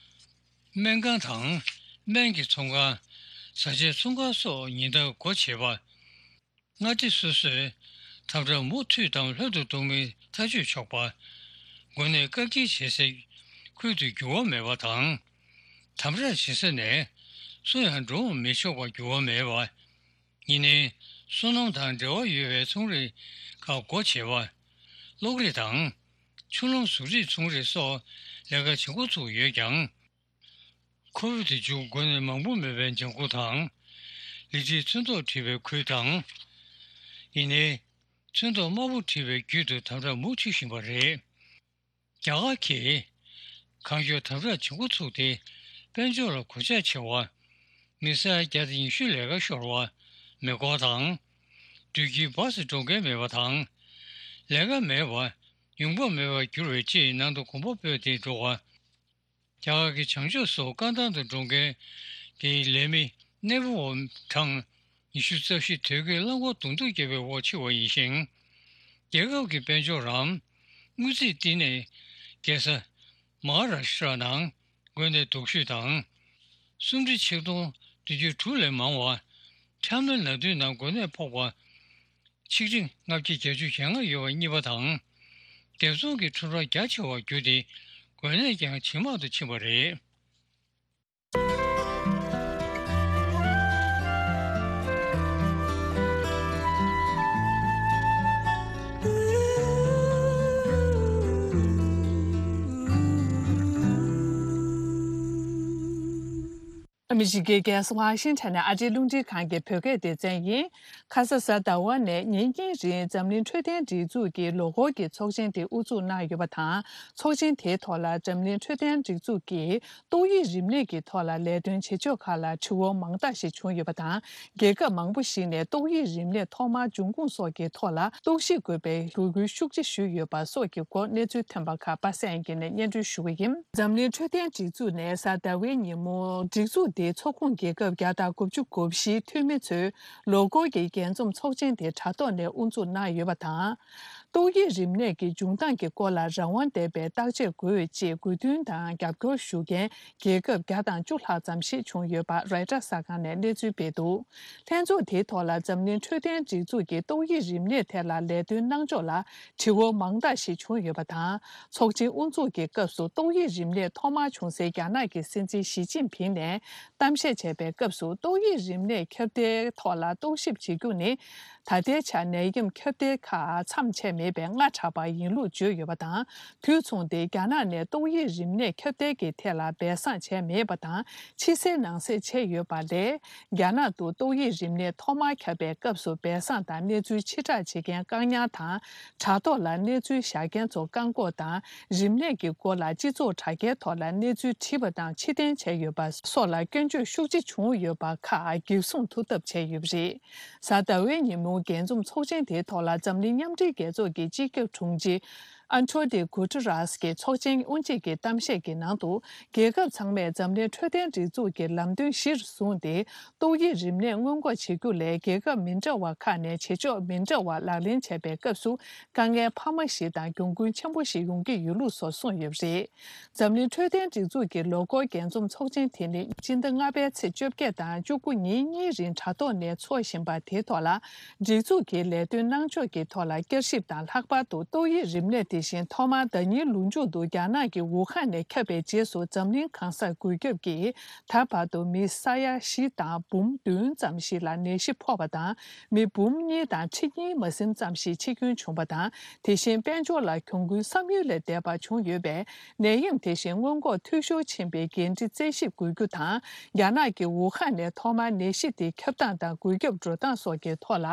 སྨན་ཁང་དང་། སྨན་གྱི་ཚོང་ཁང་། བཟའ་ཆས་ཚོང་ཁང་སོགས་ཉིན་ལྟར་སྒོ་ཕྱེ་བ། མངའ་སྡེ་སོ་སོས་དམ་དྲག་མུ་མཐུད་དང་ལྷོད་དུ་གཏོང་མིན་ཐག་གཅོད་ཆོག་པ། འགོས་ནད་བཀག་སྐྱིལ་བྱེད་སའི་ཁུལ་དུ་འགྱུར་བ་མེད་པ་དང་། དམ་དྲག་བྱེད་ས་ནས་སུ་ཡང་འགྲོ་འོང་མི་ཆོག་པར་འགྱུར་བ་མེད་པ། ཡིན་ནའི། སོ་ནམ་དང་འབྲེལ་བ་ཡོད་པའི་ཚོང་རིགས་ཁག་སྒོ་ཕྱེ་བ། གློག་རིག་དང་། ཆུ་ལོང་གཟུགས་རིགས་ཚོང་རིགས་སོགས་ལས་ཀ་བྱེད་འགོ་ཚུགས་ཡོད་ཀྱང་། ཁོ་བིད་བཅུ་འགོས་ནད་མང་པོ་མེད་པའི་ལྗང་ཁུ་དང་། ལི་ཁྲིའི་ཚོན་མདོག་བྲིས་པའི་ཁུལ་དང་། ཡིན་ནའི། ཚོན་མདོག་དམར་པོ་བྲིས་པའི་རྒྱུད་དུ་དམ་དྲག་མུ་མཐུད་བཞིན་པ་རེད། རྒྱ་གར་གྱིས་གང་མགྱོགས་དམ་དྲག་བྱེད་འགོ་ཚུགས་ཏེ། དཔལ་འབྱོར་ལ་གོད་ཆག་ཆེ་བ། མི་སེར་བརྒྱ་དང་ཉི་ཤུ་ལས་ཀ་ཤོར་བ། མེ་འཁོར་དང་། འགྲུལ་སྐྱེལ་བཱ་སི་འགྲོ་མཁན་མེད་པ་དང་། ལས་ཀ་མེད་པ། ཡོང་འབབ་མེད་པར་གྱུར་བའི་ཅེས་ནང་དུ་གོམ་པ་སྤོས་ཏེ་འགྲོ་བ། རྒྱ་གར་གྱི་བྱང་ཕྱོགས་སུ་རྐང་ཐང་དུ་འགྲོ་མཁན་གྱི་ལས་མི་གནས་སྤོ་བ་གྲངས་ཉི་ཤུ་རྩ་བཞི་དོས་སྐྱེལ་རླངས་འཁོར་བརྡུང་ཐུག་བརྒྱབ་པའི་འོག་འཆི་བ་ཡིན་ཞིང་། རྒྱལ་ཁབ་ཀྱི་དཔལ་འབྱོར་རམ། དངུལ་རྩིས་བསྟི་གནས་རྒྱལ་ས་མ་ཧཱ་རཱ་ཤྲ་ནང་འགོས་ནད་སྡུག་ཤོས་དང་། སུམ་ཁྲི་ཆིག་སྟོང་བདུན་བརྒྱ་དྲུག་ལས་མང་བ། ཁྲག་མེད་ནད་དུག་ནང་འགོས་ནད་ཕོག་པ། ཆིག་ཁྲི་ལྔ་བརྒྱ་བརྒྱད་ཅུ་གྱ་ལྔ་ཡོད་པ་གཉིས་པ་དང་། སྡེབ་ཚོང་གི་ཁྲོམ་ར་རྒྱ་ཆེ་བར་གྱུར་ཏེ། འགོས་ནད་ཀྱང་ཇེ་མང་དུ་ཕྱིན་པ་རེད། ཨ་མི་རི་ཀའི་རྒྱལ་ས་ཝ་ཤིང་ཊོན་ནས་ཨ་རིའི་རླུང་འཕྲིན་ཁང་གི་བོད་སྐད་སྡེ་ཚན་ཡིན། ཁ་ས་གཟའ་ཟླ་བ་ནས་ཉིན་གཉིས་རིང་འཛམ་གླིང་འཕྲོད་བསྟེན་སྒྲིག་འཛུགས་ཀྱི་ལོ་འཁོར་གྱི་ཚོགས་ཆེན་དེ་དབུ་འཛུགས་གནང་ཡོད་པ་དང་། ཚོགས་ཆེན་དེའི་ཐོག་ལ་འཛམ་གླིང་འཕྲོད་བསྟེན་སྒྲིག་འཛུགས་ཀྱིས་ཏོག་དབྱིབས་རིམས་ནད་ཀྱི་ཐོག་ལ་ལས་དོན་བྱེད་ཕྱོགས་ཁག་ལ་དྲི་བ་མང་དག་ཞིག་བྱུང་ཡོད་པ་དང་། རྒྱལ་ཁབ་མང་པོ་ཞིག་ནས་ཏོག་དབྱིབས་རིམས་ནད་ཐོག་མར་འབྱུང་ཁུངས་སོགས་ཀྱི་ཐོག་ལ་རྟོག་ཞིབ་དགོས་པའི་འབོད་སྐུལ་ཤུགས་ཆེ་ཞུས་ཡོད་པ་སོགས་ཀྱི་སྐོར་གནས་ཚུལ་ཐོན་པ་ཁག་པ་སངས་སྐྱིད་ནས་སྙན་སྒྲོན་ཞུ་གི་ཡིན། འཛམ་གླིང་འཕྲོད་བསྟེན་སྒྲིག་འཛུགས་ནས་གཟའ་ཟླ་བའི་ཉིན་མོ། སྒྲིག་འཛུགས་དེའི་ཚོགས་ཁོངས་རྒྱལ་ཁབ་བརྒྱ་དང་དགུ་བཅུ་གོ་བཞིའི་འཐུས་མི་ཚོའི་ལོ་འཁོར་གྱི་རྒྱས་འཛོམས་ཚོགས་ཆེན་དེ་དྲ་ཐོག་ནས་དབུ་འཛུགས་གནང་ཡོད་པ་དང་། ཏོག་དབྱིབས་རིམས་ནད་ཀྱི་འབྱུང་སྟངས་ཀྱི་སྐོར་ལ་རང་དབང་ལྡན་པའི་བརྟག་དཔྱད་དགོས་ཅེས་དགོས་འདུན་དང་རྒྱབ་སྐྱོར་ཞུ་མཁན་རྒྱལ་ཁབ་བརྒྱ་དང་བཅུ་ལྷག་ཙམ་ཞིག་བྱུང་ཡོད་པ་རོའི་ཊར་གསར་ཁང་ནས་གནས་ཚུལ་སྤེལ་འདུག་ལྷན་ཚོགས་དེའི་ཐོག་ལ་འཛམ་གླིང་འཕྲོད་བསྟེན་སྒྲིག་འཛུགས་ཀྱི་ཏོག་དབྱིབས་རིམས་ནད་ཐད་ལ་ལས་དོན་གནང་ཕྱོགས་ལ་དྲི་བ་མང་དག་ཞིག་བྱུང་ཡོད་པ་དང་། ཚོགས་ཆེན་དབུ་འཛུགས་ཀྱི་སྐབས་སུ་ཏོག་དབྱིབས་རིམས་ནད་ཐོག་མར་བྱུང་སའི་རྒྱ་ནག་གི་སྲིད་འཛིན་ཞི་ཅིན་ཕིང་ནས་གཏམ་བཤད་བྱས་པའི་སྐབས་སུ། ཏོག་དབྱིབས་རིམས་ནད་ཁྱབ་གདལ་ཐོག་ལ་རྟོག་ཞིབ་བྱེད་རྒྱུ་ནི། ད་ལྟའི་ཆར་ནད་ཡམས་ཁྱབ་གདལ་ཁག་མཚམས་ཆད་མེད་པའི་སྔ་དྲགས་པ་ཡིན་ལུགས་བརྗོད་ཡོད་པ་དང་། དུས་མཚུངས་ཏེ་རྒྱ་ནག་ནས་ཏོག་དབྱིབས་རིམས་ནད་ཁྱབ་གདལ་གྱི་ཐད་ལ་སྦས་གསང་བྱས་མེད་པ་དང་། ཕྱི་གསལ་ནང་གསལ་བྱས་ཡོད་པ་ལས། རྒྱ་ནག་ཏུ་ཏོག་དབྱིབས་རིམས་ནད་ཐོག་མར་ཁྱབ་པའི་སྐབས་སུ་སྦས་གསང་དང་གནས་ཚུལ་ཕྱིར་བསྒྲགས་བྱེད་མཁན་བཀག་ཉར་དང་། དྲ་ཐོག་ལ་གནས་ཚུལ་བཞག་མཁན་ཚོ་བཀག་འགོག་དང་། རིམས་ནད་ཀྱི་སྐོར་ལ་སྤྱི་ཚོགས་དྲ་རྒྱའི་ཐོག་ལ་གནས་ཚུལ་བྲིས་པ་དང་ཕྱིར་འཐེན་བྱས་ཡོད་པ་སོགས་ལ་སྐྱོན་བརྗོད་ཤུགས་ཆེ་བྱུང་ཡོད་པ་ཁག་འགེབས་སྲུང་ཐུབ་ཐབས་བྱས་ཡོད་པ་རེད། གཟའ་ཟླ་བའི་ཉིན་མོ་རྒྱས་འཛོམས་ཚོགས་ཆེན་དེའི་ཐོག་ལ་འཛམ་གླིང་མཉམ་འབྲེལ་རྒྱལ་ཚོགས་ཀྱི་སྤྱི་ཁྱབ་དྲུང་ཆེ་ཨན་ཐོ་ནི་གུ་ཏུ་རཱས་ཀྱིས་ཚོགས་ཆེན་དབུ་འབྱེད་ཀྱི་གཏམ་བཤད་ཀྱི་ནང་དུ། རྒྱལ་ཁབ་ཚང་མས་འཛམ་གླིང་འཕྲོད་བསྟེན་སྒྲིག་འཛུགས་ཀྱི་ལམ་སྟོན་གཞིར་བཟུང་སྟེ། ཏོག་དབྱིབས་རིམས་ནད་སྔོན་འགོག་བྱེད་རྒྱུ་ལས་རྒྱལ་ཁབ་མི་འདྲ་བ་ཁག་ནས་བྱེད་ཕྱོགས་མི་འདྲ་བ་ལག་ལེན་བྱས་པའི་སྐབས་སུ། དཀའ་ངལ་འཕར་མ་ཞིག་དང་གྱོང་གུན་ཆེན་པོ་ཞིག་ཡོང་གི་ཡོད་ལུགས་སོགས་གསུངས་ཡོད་པ་རེད། འཛམ་གླིང་འཕྲོད་བསྟེན་སྒྲིག་འཛུགས་ཀྱི་ལོ་འཁོར་རྒྱས་འཛོམས་ཚོགས་ཆེན་དེ་ནི་སྤྱི་ཟླ་ལྔ་པའི་ཚེས་བཅོ་བརྒྱད་དང་བཅུ་དགུ་ཉིན་གཉིས་རིང་དྲ་ཐོག་ནས་འཚོགས་བཞིན་པ་དེའི་ཐོག་ལ། སྒྲིག་འཛུགས་ཀྱི་ལས་དོན་གནང་ཕྱོགས་ཀྱི་ཐོག་ལ་བསྐྱར་ཞིབ་དང་། ལྷག་པར་དུ་ཏོག་དབྱིབས་རིམས་ནད་དེ། དེ་བཞིན་ཐོག་མར་ཟླ་ཉིན་ལོ་མཇུག་ཏུ་རྒྱ་ནག་གི་ཝུ་ཧན་ནས་ཁྱབ་པའི་རྗེས་སུ་འཛམ་གླིང་གང་སར་འགོས་ཁྱབ་ཀྱིས་ད་བར་དུ་མི་ས་ཡ་བཞི་དང་འབུམ་བདུན་ཙམ་ཞིག་ལ་ནད་གཞི་ཕོག་པ་དང་། མི་འབུམ་གཉིས་དང་ཁྲི་གཉིས་མ་ཟིན་ཙམ་ཞིག་འཆི་སྐྱོན་བྱུང་བ་དང་། དེ་བཞིན་དཔལ་འབྱོར་ལ་གྱོང་གུན་བསམ་ཡུལ་ལས་འདས་པ་བྱུང་ཡོད་པས། ནད་ཡམས་དེ་བཞིན་སྔོན་འགོག་འཐུས་ཤོར་ཕྱིན་པའི་འགན་འཁྲི་རྩད་ཞིབ་དགོས་རྒྱུ་དང་། རྒྱ་ནག་གི་ཝུ་ཧན་ནས་ཐོག་མར་ནད་གཞི་དེ་ཁྱབ་སྟངས་དང་འགོས་ཁྱབ་འགྲོ་སྟངས་སོགས་ཀྱི་ཐོག་ལ།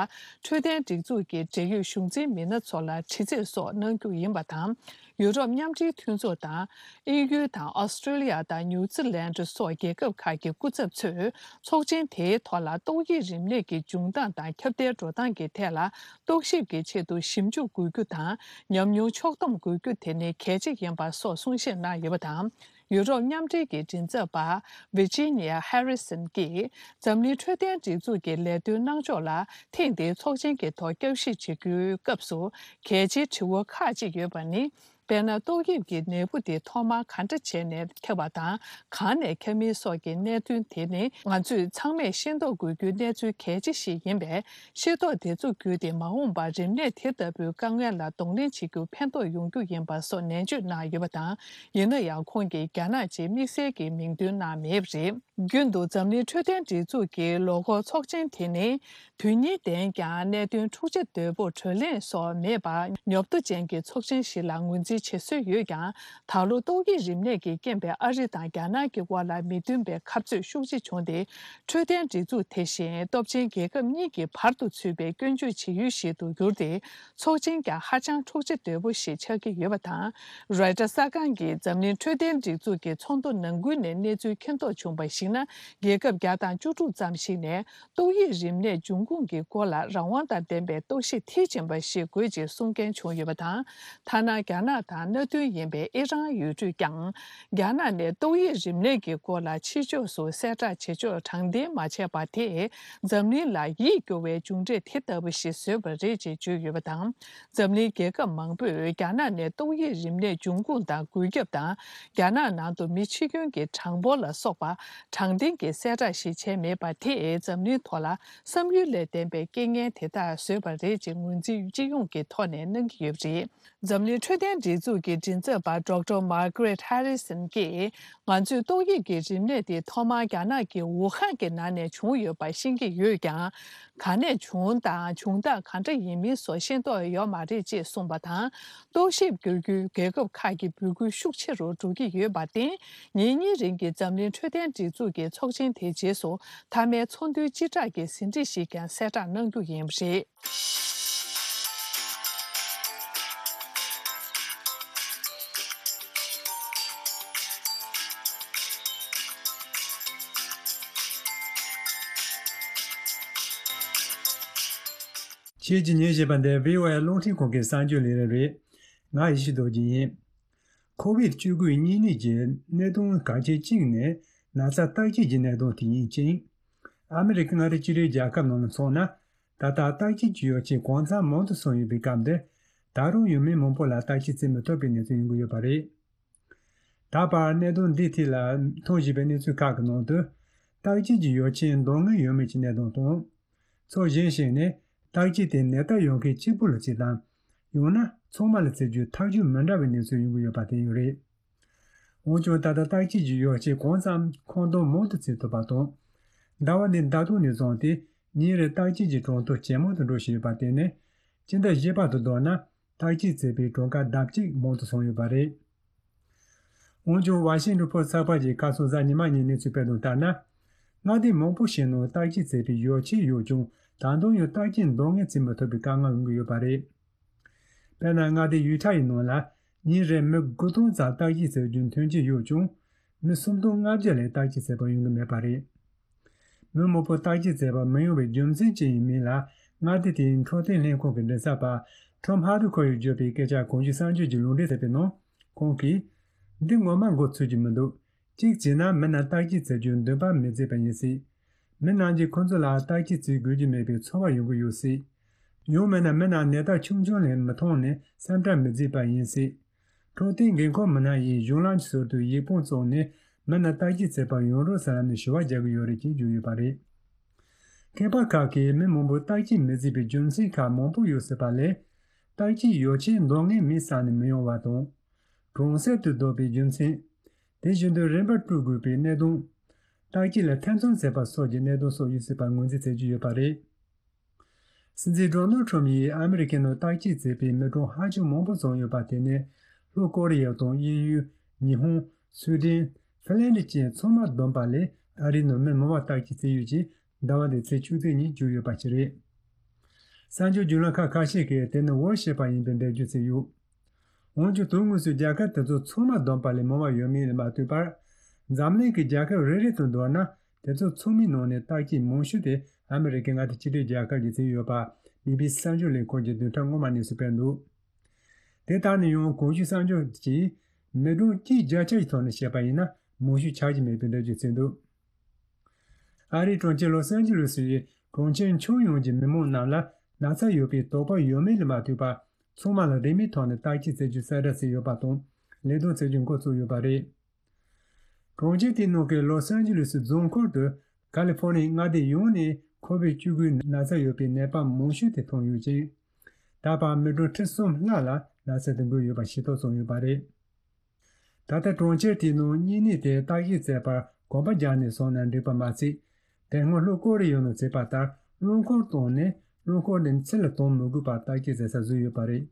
འཕྲོད་བསྟེན་སྒྲིག་འཛུགས་ཀྱི་འབྲེལ་ཡོད་གཞུང་འཛིན་མི་སྣ་ཚོ་ལ་དྲི་རྩད་སོགས་གནང་རྒྱུ་ཡིན་པ་དང་། ཡུ་རོབ་མཉམ་འབྲེལ་མཐུན་ཚོགས་དང་། དབྱིན་ཡུལ་དང་ཨོ་སི་ཀྲི་ལི་ཡ་དང་ནིའུ་ཛི་ལན་སོགས་རྒྱལ་ཁབ་ཁག་གི་སྐུ་ཚབ་ཚོས་ཚོགས་ཆེན་དེའི་ཐོག་ལ་ཏོག་དབྱིབས་རིམས་ནད་ཀྱི་འབྱུང་སྟངས་དང་ཁྱབ་གདལ་འགྲོ་སྟངས་ཀྱི་ཐད་ལ་རྟོག་ཞིབ་ཀྱི་ཆེད་དུ་ཞིབ་འཇུག་དགོས་རྒྱུ་དང་། ཉམས་མྱོང་ཕྱོགས་བསྡོམས་དགོས་རྒྱུ་དེ་ནི་གལ་ཆེ་ཡིན་པ་སོགས་གསུང་བཤད་གནང་ཡོད་པ་དང་། ཡུ་རོབ་མཉམ་འབྲེལ་གྱི་མགྲིན་ཚབ་པ་Virginia Harrison་གྱིས་འཛམ་གླིང་འཕྲོད་བསྟེན་སྒྲིག་འཛུགས་ཀྱི་ལས་དོན་གནང་ཕྱོགས་ལ་ཐེངས་འདིའི་ཚོགས་ཆེན་གྱི་ཐོག་བསྐྱར་ཞིབ་བྱེད་རྒྱུའི་སྐབས་སུ་གལ་ཆེའི་དྲི་བ་ཁག་ཅིག་ཡོད་པ་ནི། དཔེར་ན། ཏོག་དབྱིབས་ཀྱི་ནད་འབུ་དེ་ཐོག་མར་ག་འདྲ་བྱས་ནས་ཁྱབ་པ་དང་། གང་ནས་ཁྱབ་མིན་སོགས་ཀྱི་གནད་དོན་དེ་ནི་ང་ཚོས་ཚང་མས་ཤེས་རྟོགས་དགོས་རྒྱུའི་གནས་ཚུལ་གལ་ཆེ་ཞིག་ཡིན་པས། ཤེས་རྟོགས་དེ་ཚོ་བརྒྱུད་དེ་མ་འོངས་པར་རིམས་ནད་དེ་ལྟ་བུའི་དཀའ་ངལ་ལ་གདོང་ལེན་བྱེད་རྒྱུར་ཕན་ཐོགས་ཡོང་རྒྱུ་ཡིན་པ་སོགས་ནན་བརྗོད་གནང་ཡོད་པ་དང་། ཡིན་ན་ཡང་། ཁོང་གིས་རྒྱ་ནག་ཅེས་དམིགས་བསལ་གྱི་མིང་འདོན་གནང་མེད་པ་རེད། རྒྱུན་དུ་འཛམ་གླིང་འཕྲོད་བསྟེན་སྒྲིག་འཛུགས་ཀྱི་ལོ་འཁོར་ཚོགས་ཆེན་དེ་ནི། དོན་སྙིང་ལྡན་ཀྱང་། གནད་དོན་འཁྲུག་ཆ་དོད་པོ་གྲོས་གླེང་སོགས་མེད་པར་ཉོབ་ཏོ་ཅན་གྱི་ཚོགས་ཆེན་ཞིག་ལ་ངོས་འཛིན་བྱེད་སྲོལ་ཡོད་ཀྱང་། ད་ལོ་ཏོག་དབྱིབས་རིམས་ནད་ཀྱི་རྐྱེན་པས་ཨ་རི་དང་རྒྱ་ནག་གི་དབར་ལ་མི་མཐུན་པའི་འཐབ་རྩོད་ཤུགས་ཆེ་བྱུང་སྟེ། འཕྲོད་བསྟེན་སྒྲིག་འཛུགས་དེ་བཞིན་སྟོབས་ཆེན་རྒྱལ་ཁབ་གཉིས་ཀྱི་བར་དུ་ཚུད་པའི་སྐྱོན་བརྗོད་བྱེད་ཡུལ་ཞིག་ཏུ་གྱུར་ཏེ། ཚོགས་ཆེན་ཀྱང་ཧ་ཅང་འཁྲུག་ཆ་དོད་པོ་ཞིག་ཆགས་ཀྱི་ཡོད་པ་དང་། རོའི་ཊར་གསར་ཁང་གིས་འཛམ་གླིང་འཕྲོད་བསྟེན་སྒྲིག་འཛུགས་ཀྱི་ཚོགས་འདུ་ནང་ཁུལ་ནས་གནས་ཚུལ་མཁྱེན་རྟོགས་བྱུང་བར་གཞིགས་ན། རྒྱལ་ཁབ་བརྒྱ་དང་བཅུ་དྲུག་ཙམ་ཞིག་ནས། ཏོག་དབྱིབས་རིམས་ནད་འབྱུང་ཁུངས་ཀྱི་སྐོར་ལ་རང་དབང་དང་ལྡན་པའི་རྟོག་ཞིབ་མཐིལ་ཕྱིན་པ་ཞིག་དགོས་ཅེས་གསུང་མཁན་བྱུང་ཡོད་པ་དང་། ཐ་ན་རྒྱ་ནག་དང་མནའ་མཐུན་ཡིན་པའི་ཨི་རན་ཡུལ་གྲུས་ཀྱང་། རྒྱ་ནག་ནས་ཏོག་དབྱིབས་རིམས་ནད་ཀྱི་སྐོར་ལ་ཕྱི་ཕྱོགས་སུ་གསལ་བསྒྲགས་བྱེད་ཕྱོགས་དྲང་བདེན་མ་བྱས་པ་དེས། འཛམ་གླིང་ལ་ཡིད་སྐྱོ་བའི་མཇུག་འབྲས་དེ་ལྟ་བུ་ཞིག་བཟོས་པ་རེད་ཅེས་བརྗོད་ཡོད་པ་དང་། འཛམ་གླིང་རྒྱལ་ཁབ་མང་པོས་རྒྱ་ནག་ནས་ཏོག་དབྱིབས་རིམས་ནད་འབྱུང་ཁུངས་དང་འགོས་ཁྱབ་དང་། རྒྱ་ནག་ནང་དུ་མི་འཆི་སྐྱོན་གྱི་གྲངས་འབོར་ལ་སོགས་པ་དྲང་བདེན་གྱི་གསལ་བསྒྲགས་ཤིག་བྱས་མེད་པ་དེས། འཛམ་གླིང་ཐོག་ལ་བསམ་ཡུལ་ལས་འདས་པའི་རྐྱེན་ངན་དེ་དག་བཟོས་པ་རེད་ཅེས་ངོས་འཛིན་སྤྱི་ཡོངས་ཀྱི་ཐོག་ནས་གནང་གི་ཡོད་པ་རེད། འཛམ་གླིང་འཕྲོད་བསྟེན་སྒྲིག་འཛུགས་ཀྱི་མགྲིན་ཚབ་པ་Doctor Margaret Harrison་གྱིས། ང་ཚོས་ཏོག་དབྱིབས་ཀྱི་རིམས་ནད་དེ་ཐོག་མར་རྒྱ་ནག་གི་ཝུ་ཧན་གྱི་ནང་ནས་བྱུང་ཡོད་པ་ཤེས་ཀྱི་ཡོད་ཀྱང་། ག་ནས་བྱུང་དང་། བྱུང་སྟངས་ག་འདྲ་ཡིན་མིན་སོགས་ཤེས་རྟོགས་ཡོད་མ་རེད་ཅེས་གསུངས་པ་དང་། རྟོག་ཞིབ་བསྒྱུར་རྒྱུའི་རྒྱལ་ཁབ་ཁག་གི་འབོད་སྐུལ་ཤུགས་ཆེ་རུ་འགྲོ་གི་ཡོད་པར་བརྟེན། ཉིན་གཉིས་རིང་གི་འཛམ་གླིང་འཕྲོད་བསྟེན་སྒྲིག་འཛུགས་ཀྱི་ཚོགས་ཆེན་དེའི་རྗེས་སུ། མཐའ་མའི་ཚོགས་འདུའི་སྤྱི་བསྒྲགས་ཀྱི་ཟིན་བྲིས་ཤིག་ཀྱང་གསལ་བསྒྲགས་གནང་རྒྱུ་ཡིན་པ་རེད། ཁྱེད་ཀྱིས་ཉན་བཞིན་པ་འདི་བྷི་ཨོ་ཨེ་རླུང་འཕྲིན་ཁང་གི་གསར་འགྱུར་ལས་རིམ་རེད། ང་ཡེ་ཤེས་རྡོ་རྗེ་ཡིན། ཁོ་བིད་བཅུ་དགུ་གཉན་ནད་ཀྱི་གནད་དོན་གལ་ཆེ་གཅིག་ནི་ན་ཚ་བརྟག་དཔྱད་ཀྱི་གནད་དོན་དེ་ཡིན་ཅིང་། ཨ་མི་རི་ཀའི་མངའ་སྡེ་གཅིག་སྒྲིལ་རྒྱལ་ཁབ་ནང་ལ་མཚོན་ན། ད་ལྟ་བརྟག་དཔྱད་ཀྱི་ཡོ་བྱད་གང་འཚམ་མང་དུ་སོང་ཡོད་པའི་སྐབས་འདིར། ད་རུང་ཡང་མི་མང་པོ་ལ་བརྟག་དཔྱད་བྱེད་མི་ཐུབ་པའི་གནས་ཚུལ་ཡོང་གི་ཡོད་པ་རེད། ད་བར་གནད་དོན་འདིའི་ཐད་ལ་ཐོན་བཞིན་པའི་གནས་ཚུལ་ཁག་གི་ནང་དུ། བརྟག་དཔྱད་ཀྱི་ཡོ་བྱད་འདང་ངེས་ཡོད་མེད་ཀྱི་གནད་དོན་དང་། ཕྱོགས་གཞན་ཞིག་ནས་བརྟག་དཔྱད་དེ་ནད་རྟགས་ཡོད་མཁན་གཅིག་པུ་ལ་བྱེད་དམ། ཡང་ན་ཚང་མ་ལ་བྱེད་རྒྱུའི་ཐག་གཅོད་མི་འདྲ་བའི་གནས་ཚུལ་ཡོང་གི་ཡོད་པ་དེ་ཡང་རེད། འོན་ཀྱང་ད་ལྟ་བརྟག་དཔྱད་ཀྱི་ཡོ་བྱད་གང་འཚམ་མཁོ་འདོན་མང་དུ་བྱེད་ཐུབ་པ་དང་། ཟླ་བ་འདིའི་ཟླ་སྟོད་ནས་བཟུང་སྟེ་ཉིན་རེར་བརྟག་དཔྱད་ཀྱི་གྲངས་ཐོ་ཇེ་མང་དུ་འགྲོ་བཞིན་ཡོད་པ་དེ་ནི། སྤྱི་ཟླ་བཞི་པ་དང་བསྡུར་ན་བརྟག་དཔྱད་བྱས་པའི་གྲངས་ཀ་ལྡབ་གཅིག་མང་དུ་སོང་ཡོད་པ་རེད། འོན་ཀྱང་ཝ་ཤིང་ཊོན་ཕོ་སི་ཊི་ཚགས་པར་གྱིས་ཁ་སང་གཟའ་ཉི་མ་ཉིན་གནས་ཚུལ་སྤེལ་དོན་ལྟར་ན། མངའ་སྡེ་མང་པོ་ཞིག་ནང་བརྟག་དཔྱད་བྱེད་པའི་ཡོ་བྱད་ཡོད་ཀྱང་ད་དུང་ཡང་བརྟག་དཔྱད་འདང་ངེས་བྱེད་མི་ཐུབ་པའི་དཀའ་ངལ་ཡོང་གི་ཡོད་པ་རེད། དཔེར་ན་མངའ་སྡེ་ཡུ་ཐ་ཡི་ནང་ལ་ཉིན་རེར་མི་དགུ་སྟོང་ཙམ་བརྟག་དཔྱད་བྱེད་རྒྱུ་མཐུན་རྐྱེན་ཡོད་ཀྱང་། མི་སུམ་སྟོང་ལྔ་བརྒྱ་ལས་བརྟག་དཔྱད་བྱེད་པར་ཡོང་གི་མེད་པ་རེད། མི་མང་པོ་བརྟག་དཔྱད་བྱེད་པར་མི་ཡོང་བའི་རྒྱུ་མཚན་ཅི་ཡིན་མིན་ལ། མངའ་སྡེ་དེའི་འཕྲོད་བསྟེན་ལྷན་ཁང་གི་མགྲིན་ཚབ་པ་ཁྲོམ་ཧ་རུ་ཁོ་ཡིས་བརྗོད་པའི་སྐད་ཆར་གོང་ཞུས་གསར་འགྱུར་གྱིས་ལུང་འདྲེན་བྱས་པའི་ནང་། ཁོང་གིས། འདི་ངོ་མ་མགོ་ཚོས་ཀྱི་མི་འདུག་གཅིག་བྱས་ན་མི་རྣམས་བརྟག་དཔྱད་བྱེད་རྒྱུར་འདུན་པ་མི་བརྗེད་པ་ཡིན་སྲིད། མི་རྣམས་ཀྱིས་ཁོ་ཚོ་ལ་བརྟག་དཔྱད་བྱེད་དགོས་ཀྱི་མེད་པའི་ཚོར་བ་ཡོང་གི་ཡོད་སྲིད། ཡང་མིན་ན་མི་རྣམས་ནད་རྟགས་ཆུང་ཆུང་ལས་མི་མཐོང་ནས་སེམས་ཁྲལ་མི་བྱེད་པ་ཡིན་སྲིད། འཕྲོད་བསྟེན་འགན་འཁུར་མི་སྣ་ཡིས་གཞུང་ལམ་གྱི་ཟུར་དུ་ཡིག་དཔོན་བཙུགས་ནས་མི་རྣམས་བརྟག་དཔྱད་བྱེད་པར་ཡོང་རོགས་ཟེར་ལབ་ནས་ཞུ་བ་རྒྱག་གི་ཡོད་རེད་ཅེས་བརྗོད་ཡོད་པ་རེད། མཁས་པ་ཁག་གིས་མི་མང་པོས་བརྟག་དཔྱད་མི་བྱེད་པའི་རྒྱུ་མཚན་ཁག་མང་པོ་ཡོད་སྲིད་པ་ལས། བརྟག་དཔྱད་ཡོ་བྱད་འདང་ངེས་མེད་ས་ནས་མི་ཡོང་བ་དང་། གྲོང་གསེབ་ཏུ་བསྡད་པའི་རྒྱུ་མཚན། དེ་བཞིན་དུ་རིན་པ་སྤྲོད་དགོས་པའི་གནད་དོན། བརྟག་དཔྱད་ལ་ཐེ་ཚོམ་ཟ་བ་སོགས་ཀྱི་གནད་དོན་སོགས་ཡོད་སྲིད་པར་ངོས་འཛིན་མཛད་ཀྱི་ཡོད་པ་རེད། སྲིད་འཛིན་ཌོ་ནལ་ཁྲོམ་ཡིས་ཨ་མི་རི་ཀའི་ནང་བརྟག་དཔྱད་མཛད་པའི་མི་གྲངས་ཧ་ཅང་མང་པོ་ཙམ་ཡོད་པ་དེ་ནི། ལྷོ་ཀོ་རི་ཡ་དང་དབྱིན་ཡུལ། ཉི་ཧོང་། སུའེ་ཏེན། ཧྥིན་ལན་ཌི་བཅས་ཚང་མ་བསྡོམས་པ་ལས་ཨ་རིའི་ནང་མི་མང་བ་བརྟག་དཔྱད་བྱས་ཡོད་ཅིང་། ཟླ་བ་འདིའི་ཚེས་བཅུ་གཅིག་ཉིན་བསྒྱུར་ཡོད་པ་ཞིག་རེད། གསར་འགྱུར་བརྒྱུད་ལམ་ཁག་ཁ་ཤས་ཀྱིས་དེ་ནི་འོར་བཤད་པ་ཡིན་པའི་འགྲེལ་བརྗོད་བྱས་ཡོད། འོན་ཀྱང་དོན་དངོས་སུ་རྒྱལ་ཁབ་དེ་ཚོ་ཚང་མ་བསྡོམས་པ་ལས་མང་བ་ཡོད་མིན་ལ་མ་ལྟོས་པར། འཛམ་གླིང་གི་རྒྱལ་ཁབ་རེ་རེ་དང་བསྡུར་ན། དེ་ཚོ་ཚང་མའི་ནང་ནས་བརྟག་དཔྱད་མང་ཤོས་དེ་ཨ་མི་རི་ཀའི་མངའ་སྡེ་གཅིག་སྒྲིལ་རྒྱལ་ཁབ་ཀྱིས་བྱས་ཡོད་པ། བི་བི་སི་གསར་འགྱུར་ལས་ཁུངས་ཀྱིས་བདུན་ཕྲག་སྔོན་མ་གནས་ཚུལ་སྤེལ་འདུག་དེ་ལྟར་ན་ཡང་གོང་ཞུས་གསར་འགྱུར་གྱིས། མི་གྲངས་གཅིག་བརྒྱ་ཆ་ཡི་ཐོག་ནས་བཤད་པ་ཡིན་ན་མང་ཤོས་ཆགས་ཀྱི་མེད་པའི་འགྲེལ་བརྗོད་བྱས་འདུག་ཨ་རིའི་གྲོང་ཁྱེར་ལོ་སན་ཇི་ལུ་སི་ཡི་གྲོང་ཁྱེར་ཁྱོན་ཡོངས་ཀྱི་མི་མང་རྣམས་ལ་ན་ཚ་ཡོད་པའི་དོགས་པ་ཡོད་མེད་ལ་མ་ལྟོས་པར། ཚང་མ་ལ་རིན་མེད་ཐོག་ནས་བརྟག་དཔྱད་བྱེད་རྒྱུ་གསལ་བསྒྲགས་བྱས་ཡོད་པ་དང་། ལས་དོན་བྱེད་རྒྱུ་འགོ་བཙུགས་ཡོད་པ་རེད། གྲོང་ཁྱེར་དེའི་ནང་གི་ལོ་སན་ཇི་ལུ་སི་རྫོང་ཁུལ་དུ་ཀ་ལི་ཧྥོ་ནི་ཡའི་མངའ་སྡེ་ཡོངས་ནས་ཁོ་བིད་བཅུ་དགུའི་ན་ཚ་ཡོད་པའི་ནད་པ་མང་ཤོས་དེ་མཐོང་ཡོད་ཅིང་། ད་བར་མི་གྲངས་ཁྲི་གསུམ་ལྷག་ལ་ན་ཚ་དེ་འགོས་ཡོད་པ་ཤེས་རྟོགས་བྱུང་ཡོད་པ་རེད། ད་ལྟ་གྲོང་ཁྱེར་དེའི་ནང་གཉན་ནད་དེ་བརྟག་དཔྱད་བྱེད་པར་གོམ་པ་རྒྱག་ནས་སོང་ན་འགྲིག་པ་མ་ཚད། དེ་སྔོན་ལྷོ་ཀོ་རི་ཡའི་ནང་བྱས་པ་ལྟར་རླངས་འཁོར་བཏང་ནས་རླངས་འཁོར་དེ་ཚུར་ལ་གཏོང་མི་དགོས་པར་བརྟག་དཔྱད་བྱེད་ས་བཟོས་ཡོད་པ་རེད།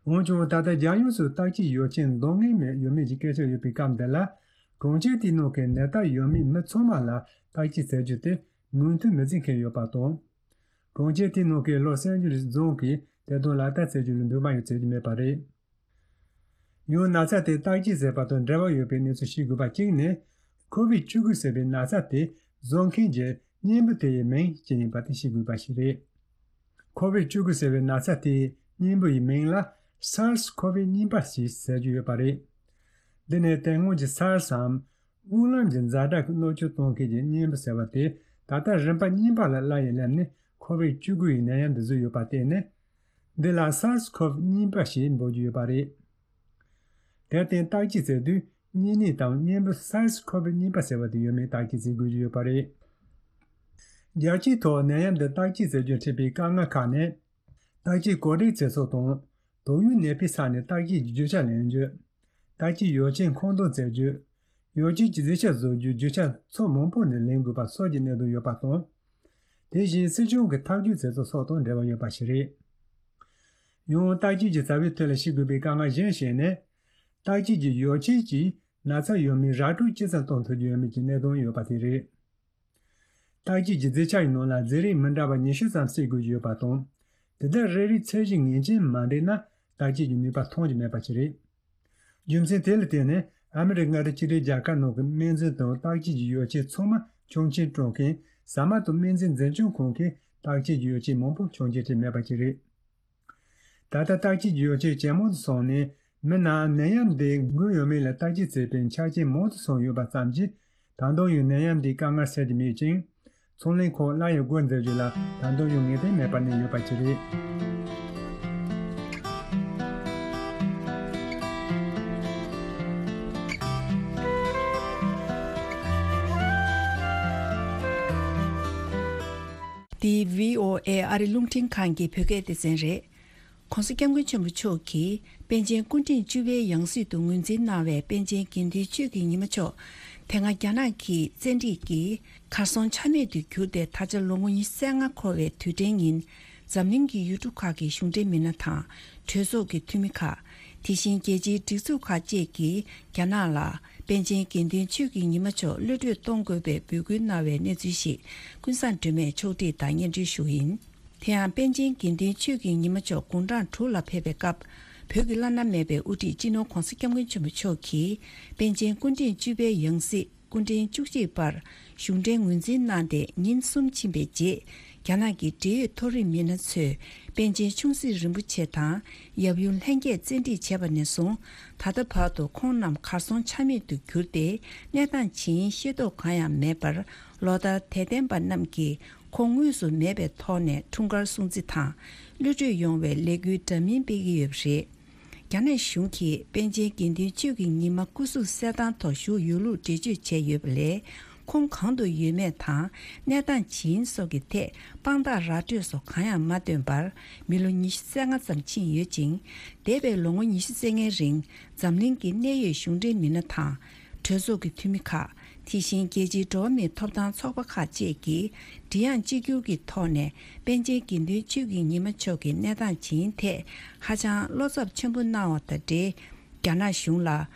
འོན་ཀྱང་ད་ལྟ་རྒྱལ་ཡོངས་སུ་བརྟག་དཔྱད་ཡོ་བྱད་འདང་ངེས་མེད་ཡོད་མེད་ཀྱི་སྐད་ཆ་ཡོད་པའི་སྐབས་འདི་ལ། གྲོང་ཁྱེར་དེའི་ནང་གི་ནད་རྟགས་ཡོད་མེད་མི་ཚང་མ་ལ་བརྟག་དཔྱད་བྱ་རྒྱུ་དེ་མོས་མཐུན་མི་བྱེད་མཁན་ཡོད་པ་དང་། གྲོང་ཁྱེར་དེའི་ནང་གི་ལོ་སན་ཇི་ལུ་སི་རྫོང་གིས་དེ་དོན་ལག་བསྟར་བྱ་རྒྱུ་ལ་འདོད་པ་ཡང་བྱེད་ཀྱི་མེད་པ་རེད། ཡང་ན་ཚ་དེ་བརྟག་དཔྱད་བྱས་པ་དང་འབྲེལ་བ་ཡོད་པའི་གནས་ཚུལ་ཤེས་དགོས་པ་གཅིག་ནི། ཁོ་བིད་བཅུ་དགུ་ཟེར་བའི་ན་ཚ་དེ་བཟོ་མཁན་གྱི་གཉེན་པོ་དེ་ཡི་མིང་ཅི་ཡིན་པ་དེ་ཤེས་དགོས་པ་ཞིག་རེད། ཁོ་བིད་བཅུ་དགུ་ཟེར་བའི་ན་ཚ་དེའི་གཉེན་པོ་ཡི་མིང་ལ་སཱར་སི་ཁོ་བི་གཉིས་པ་ཞེས་ཟེར་གྱི་ཡོད་པ་རེད། འདི་ནི་དེ་སྔོན་གྱི་སཱར་སིའམ་དབུགས་ལམ་གྱི་ཛ་དྲག་གི་གནོད་སྐྱོན་གཏོང་མཁན་གྱི་གཉེན་པོ་ཟེར་བ་དེ་ད་ལྟ་རིམ་པ་གཉིས་པ་ལ་སླར་ཡང་སླེབས་ནས་ཁོ་བིད་བཅུ་དགུ་ཡི་ནད་ཡམས་འདི་བཟོས་ཡོད་པར་བརྟེན་ནས། འདི་ལ་སཱར་སི་ཁོ་བི་གཉིས་པ་ཞེས་འབོད་ཀྱི་ཡོད་པ་རེད། དེར་བརྟེན་བརྟག་དཔྱད་བྱེད་དུས་གཉན་ནད་དང་གཉེན་པོ་སཱར་སི་ཁོ་བི་གཉིས་པ་ཟེར་བ་དེ་ཡོད་མེད་བརྟག་དཔྱད་བྱེད་དགོས་ཀྱི་ཡོད་པ་རེད། རྒྱལ་སྤྱིའི་ཐོག་ནད་ཡམས་འདི་བརྟག་དཔྱད་བྱེད་རྒྱུར་འཕྲད་པའི་དཀའ་ངལ་ཁག་ནི། བརྟག་དཔྱད་གོ་སྒྲིག་བྱེད་ཕྱོགས་དང་། དུག་ཡོད་ནད་པའི་ས་ནས་བརྟག་དཔྱད་ཀྱི་རྒྱུ་ཆ་ལེན་རྒྱུ། བརྟག་དཔྱད་ཡོ་བྱད་མཁོ་འདོན་བྱེད་རྒྱུ། ཡོ་བྱད་ཀྱི་རྫས་ཆ་བཟོ་རྒྱུའི་རྒྱུ་ཆ་ཕྱོགས་མང་པོ་ནས་ལེན་དགོས་པ་སོགས་ཀྱི་གནད་དོན་ཡོད་པ་དང་། དེ་བཞིན་སྲིད་གཞུང་གི་ཐག་གཅོད་བྱེད་ཕྱོགས་སོགས་དང་འབྲེལ་བ་ཡོད་པ་ཞིག་རེད། ཡང་བརྟག་དཔྱད་ཀྱི་རྩ་བའི་ཐད་ལ་ཤེས་དགོས་པའི་དཀའ་ངལ་གཞན་ཞིག་ནི། བརྟག་དཔྱད་ཀྱི་ཡོ་བྱད་ཀྱིས་ན་ཚ་ཡོད་མེད་ར་སྤྲོད་ཅི་ཙམ་གཏོང་ཐུབ་ཀྱི་ཡོད་མེད་ཀྱི་གནད་དོན་ཡོད་པ་དེ་རེད། བརྟག་དཔྱད་ཀྱི་རྫས་ཆ་ཡི་ནང་ལ་རྫས་རིགས་མི་འདྲ་བ་ཉི་ཤུ་ཙམ་བསྲེ་དགོས་ཀྱི་ཡོད་པ་དང་། དེ་དག་རེ་རེའི་ཚད་གཞི་ངེས་ཅན་མ་འགྲིག་ན་བརྟག་དཔྱད་ཀྱི་ནུས་པ་ཐོན་གྱི་མེད་པ་ཞིག་རེད། རྒྱུ་མཚན་དེ་ལ་བརྟེན་ནས་ཨ་མི་རི་ཀའི་མངའ་སྡེ་གཅིག་སྒྲིལ་རྒྱལ་ཁབ་ནང་གི་སྨན་རྫས་དང་བརྟག་དཔྱད་ཀྱི་ཡོ་བྱད་ཚང་མ་ཆོག་མཆན་སྤྲོད་མཁན་ཟ་མ་དང་སྨན་རྫས་འཛིན་སྐྱོང་ཁང་གིས་བརྟག་དཔྱད་ཀྱི་ཡོ་བྱད་མང་པོ་ཆོག་མཆན་སྤྲད་མེད་པ་ཞིག་རེད། ད་ལྟ་བརྟག་དཔྱད་ཀྱི་ཡོ་བྱད་ཇེ་མང་དུ་སོང་ནས་མི་རྣམས་ནད་ཡམས་འདི་འགོས་ཡོད་མེད་ལ་བརྟག་དཔྱད་བྱེད་པའི་ཆ་རྐྱེན་མང་དུ་སོང་ཡོད་པ་ཙམ་གྱིས། ད་དུང་ཡང་ནད་ཡམས་འདིའི་དཀའ་ངལ་སེལ་གྱི་མེད་ཅིང་། ཚོང་ལས་ཁག་སླར་ཡང་སྒོ་འཛུགས་རྒྱུ་ལ་ད་དུང་ཡང་ངེས་གཏན་མེད་པར་གནས་ཡོད་པ་ཞིག་རེད། འདི་བྷི་ཨོ་ཨེ་ཨ་རི་རླུང་འཕྲིན་ཁང་གི་བོད་སྐད་སྡེ་ཚན་རེད། ༸གོང་ས་༸སྐྱབས་མགོན་ཆེན་པོ་མཆོག་གིས་པཎ་ཆེན་སྐུ་ཕྲེང་བཅུ་པའི་ཡང་སྲིད་དུ་ངོས་འཛིན་གནང་བའི་པཎ་ཆེན་དགེ་འདུན་ཆོས་ཀྱི་ཉི་མ་མཆོག་དེ་སྔ་རྒྱ་ནག་གི་བཙན་ཁྲིད་ཀྱིས་གར་སོང་ཆ་མེད་དུ་གྱུར་ཏེ། ད་ཆ་ལོ་ངོ་ཉི་ཤུ་རྩ་ལྔ་འཁོར་བའི་དུས་དྲན་ཉིན། འཛམ་གླིང་གི་ཡུལ་གྲུ་ཁག་གི་གཞུང་འབྲེལ་མི་སྣ་དང་། གྲོས་ཚོགས་ཀྱི་འཐུས་མི་ཁག་དེ་བཞིན་རྒྱལ་སྤྱིའི་སྒྲིག་འཛུགས་ཁག་བཅས་ཀྱིས་རྒྱ་ནག་ལ་པཎ་ཆེན་དགེ་འདུན་ཆོས་ཀྱི་ཉི་མ་མཆོག་གློད་བཀྲོལ་གཏོང་དགོས་པའི་འབོད་སྐུལ་གནང་བའི་གནས་ཚུལ་ཞིག་ཀུན་བཟང་སྒྲོལ་མས་ཕྱོགས་སྒྲིག་དང་སྙན་སྒྲོན་ཞུ་གི་ཡིན། དེ་ཡང་པཎ་ཆེན་དགེ་འདུན་ཆོས་ཀྱི་ཉི་མ་མཆོག་དགུང་གྲངས་དྲུག་ལ་ཕེབས་པའི་སྐབས། བོད་ཀྱི་བླ་ན་མེད་པའི་དབུ་ཁྲིད་སྤྱི་ནོར་༸གོང་ས་༸སྐྱབས་མགོན་ཆེན་པོ་མཆོག་གིས་པཎ་ཆེན་སྐུ་ཕྲེང་བཅུ་པའི་ཡང་སྲིད་སྐུ་ཕྲེང་བཅུ་གཅིག་པར་གཞུང་འབྲེལ་ངོས་འཛིན་གནང་སྟེ་ཉིན་གསུམ་ཕྱིན་པའི་རྗེས། རྒྱ་ནག་གི་འབྲེལ་ཡོད་མཐོ་རིམ་མི་སྣ་ཚོས་པཎ་ཆེན་ཆུང་སྲིད་རིན་པོ་ཆེ་དང་ཡབ་ཡུམ་ལྷན་རྒྱས་བཙན་ཁྲིད་བྱས་པ་ནས་བཟུང་། ད་ལྟ་བར་དུ་ཁོང་རྣམས་གར་སོང་ཆ་མེད་དུ་གྱུར་ཏེ། གནས་སྟངས་ཇི་ཡིན་ཤེས་རྟོགས་གང་ཡང་མེད་པར། ལོ་ལྟར་དད་ལྡན་པ་རྣམས་ཀྱིས་ཁོང་དངོས་སུ་མེད་པའི་ཐོག་ནས་འཁྲུངས་སྐར་སྲུང་བརྩི་དང་། གློད་བཀྲོལ་ཡོང་བའི་ལས་འགུལ་འདྲ་མིན་སྤེལ་གྱི་ཡོད་པ་རེད། རྒྱ་ནག་གཞུང་གིས་པཎ་ཆེན་དགེ་འདུན་ཆོས་ཀྱི་ཉི་མ་སྐུ་གཟུགས་གསལ་ཐང་ཐོག་བཞུགས་ཡོད་ལུགས་འགྲེལ་བརྗོད་བྱས་ཡོད་པ་ལས། ཁོང་གང་དུ་ཡོད་མེད་དང་གནས་སྟངས་ཇི་ཡིན་སོགས་ཀྱི་ཐད་དཔང་རྟགས་ར་སྤྲོད་སོགས་གང་ཡང་མ་བཏོན་པར་མི་ལོ་ཉི་ཤུ་རྩ་ལྔ་ཙམ་ཕྱིན་ཡོད་ཅིང་། འདས་པའི་ལོ་ངོ་ཉི་ཤུ་རྩ་ལྔའི་རིང་འཛམ་གླིང་གི་གནད་ཡོད་གཞུང་འབྲེལ་མི་སྣ་དང་། གྲོས་ཚོགས་ཀྱི་འཐུས་མི་ཁག་དེ་བཞིན་རྒྱལ་སྤྱིའི་འགྲོ་བ་མིའི་ཐོབ་ཐང་ཚོགས་པ་ཁག་བཅས་ཀྱིས་མགྲིན་དབྱངས་གཅིག་གྱུར་གྱི་ཐོག་ནས་པཎ་ཆེན་དགེ་འདུན་ཆོས་ཀྱི་ཉི་མ་མཆོག་གི་གནས་སྟངས་ཇི་ཡིན་ཐད་ཧ་ཅང་བློ་འཚབ་ཆེན་པོ་གནང་བ་དང་འབྲེལ། རྒྱ་ནག་གཞུང་ལ་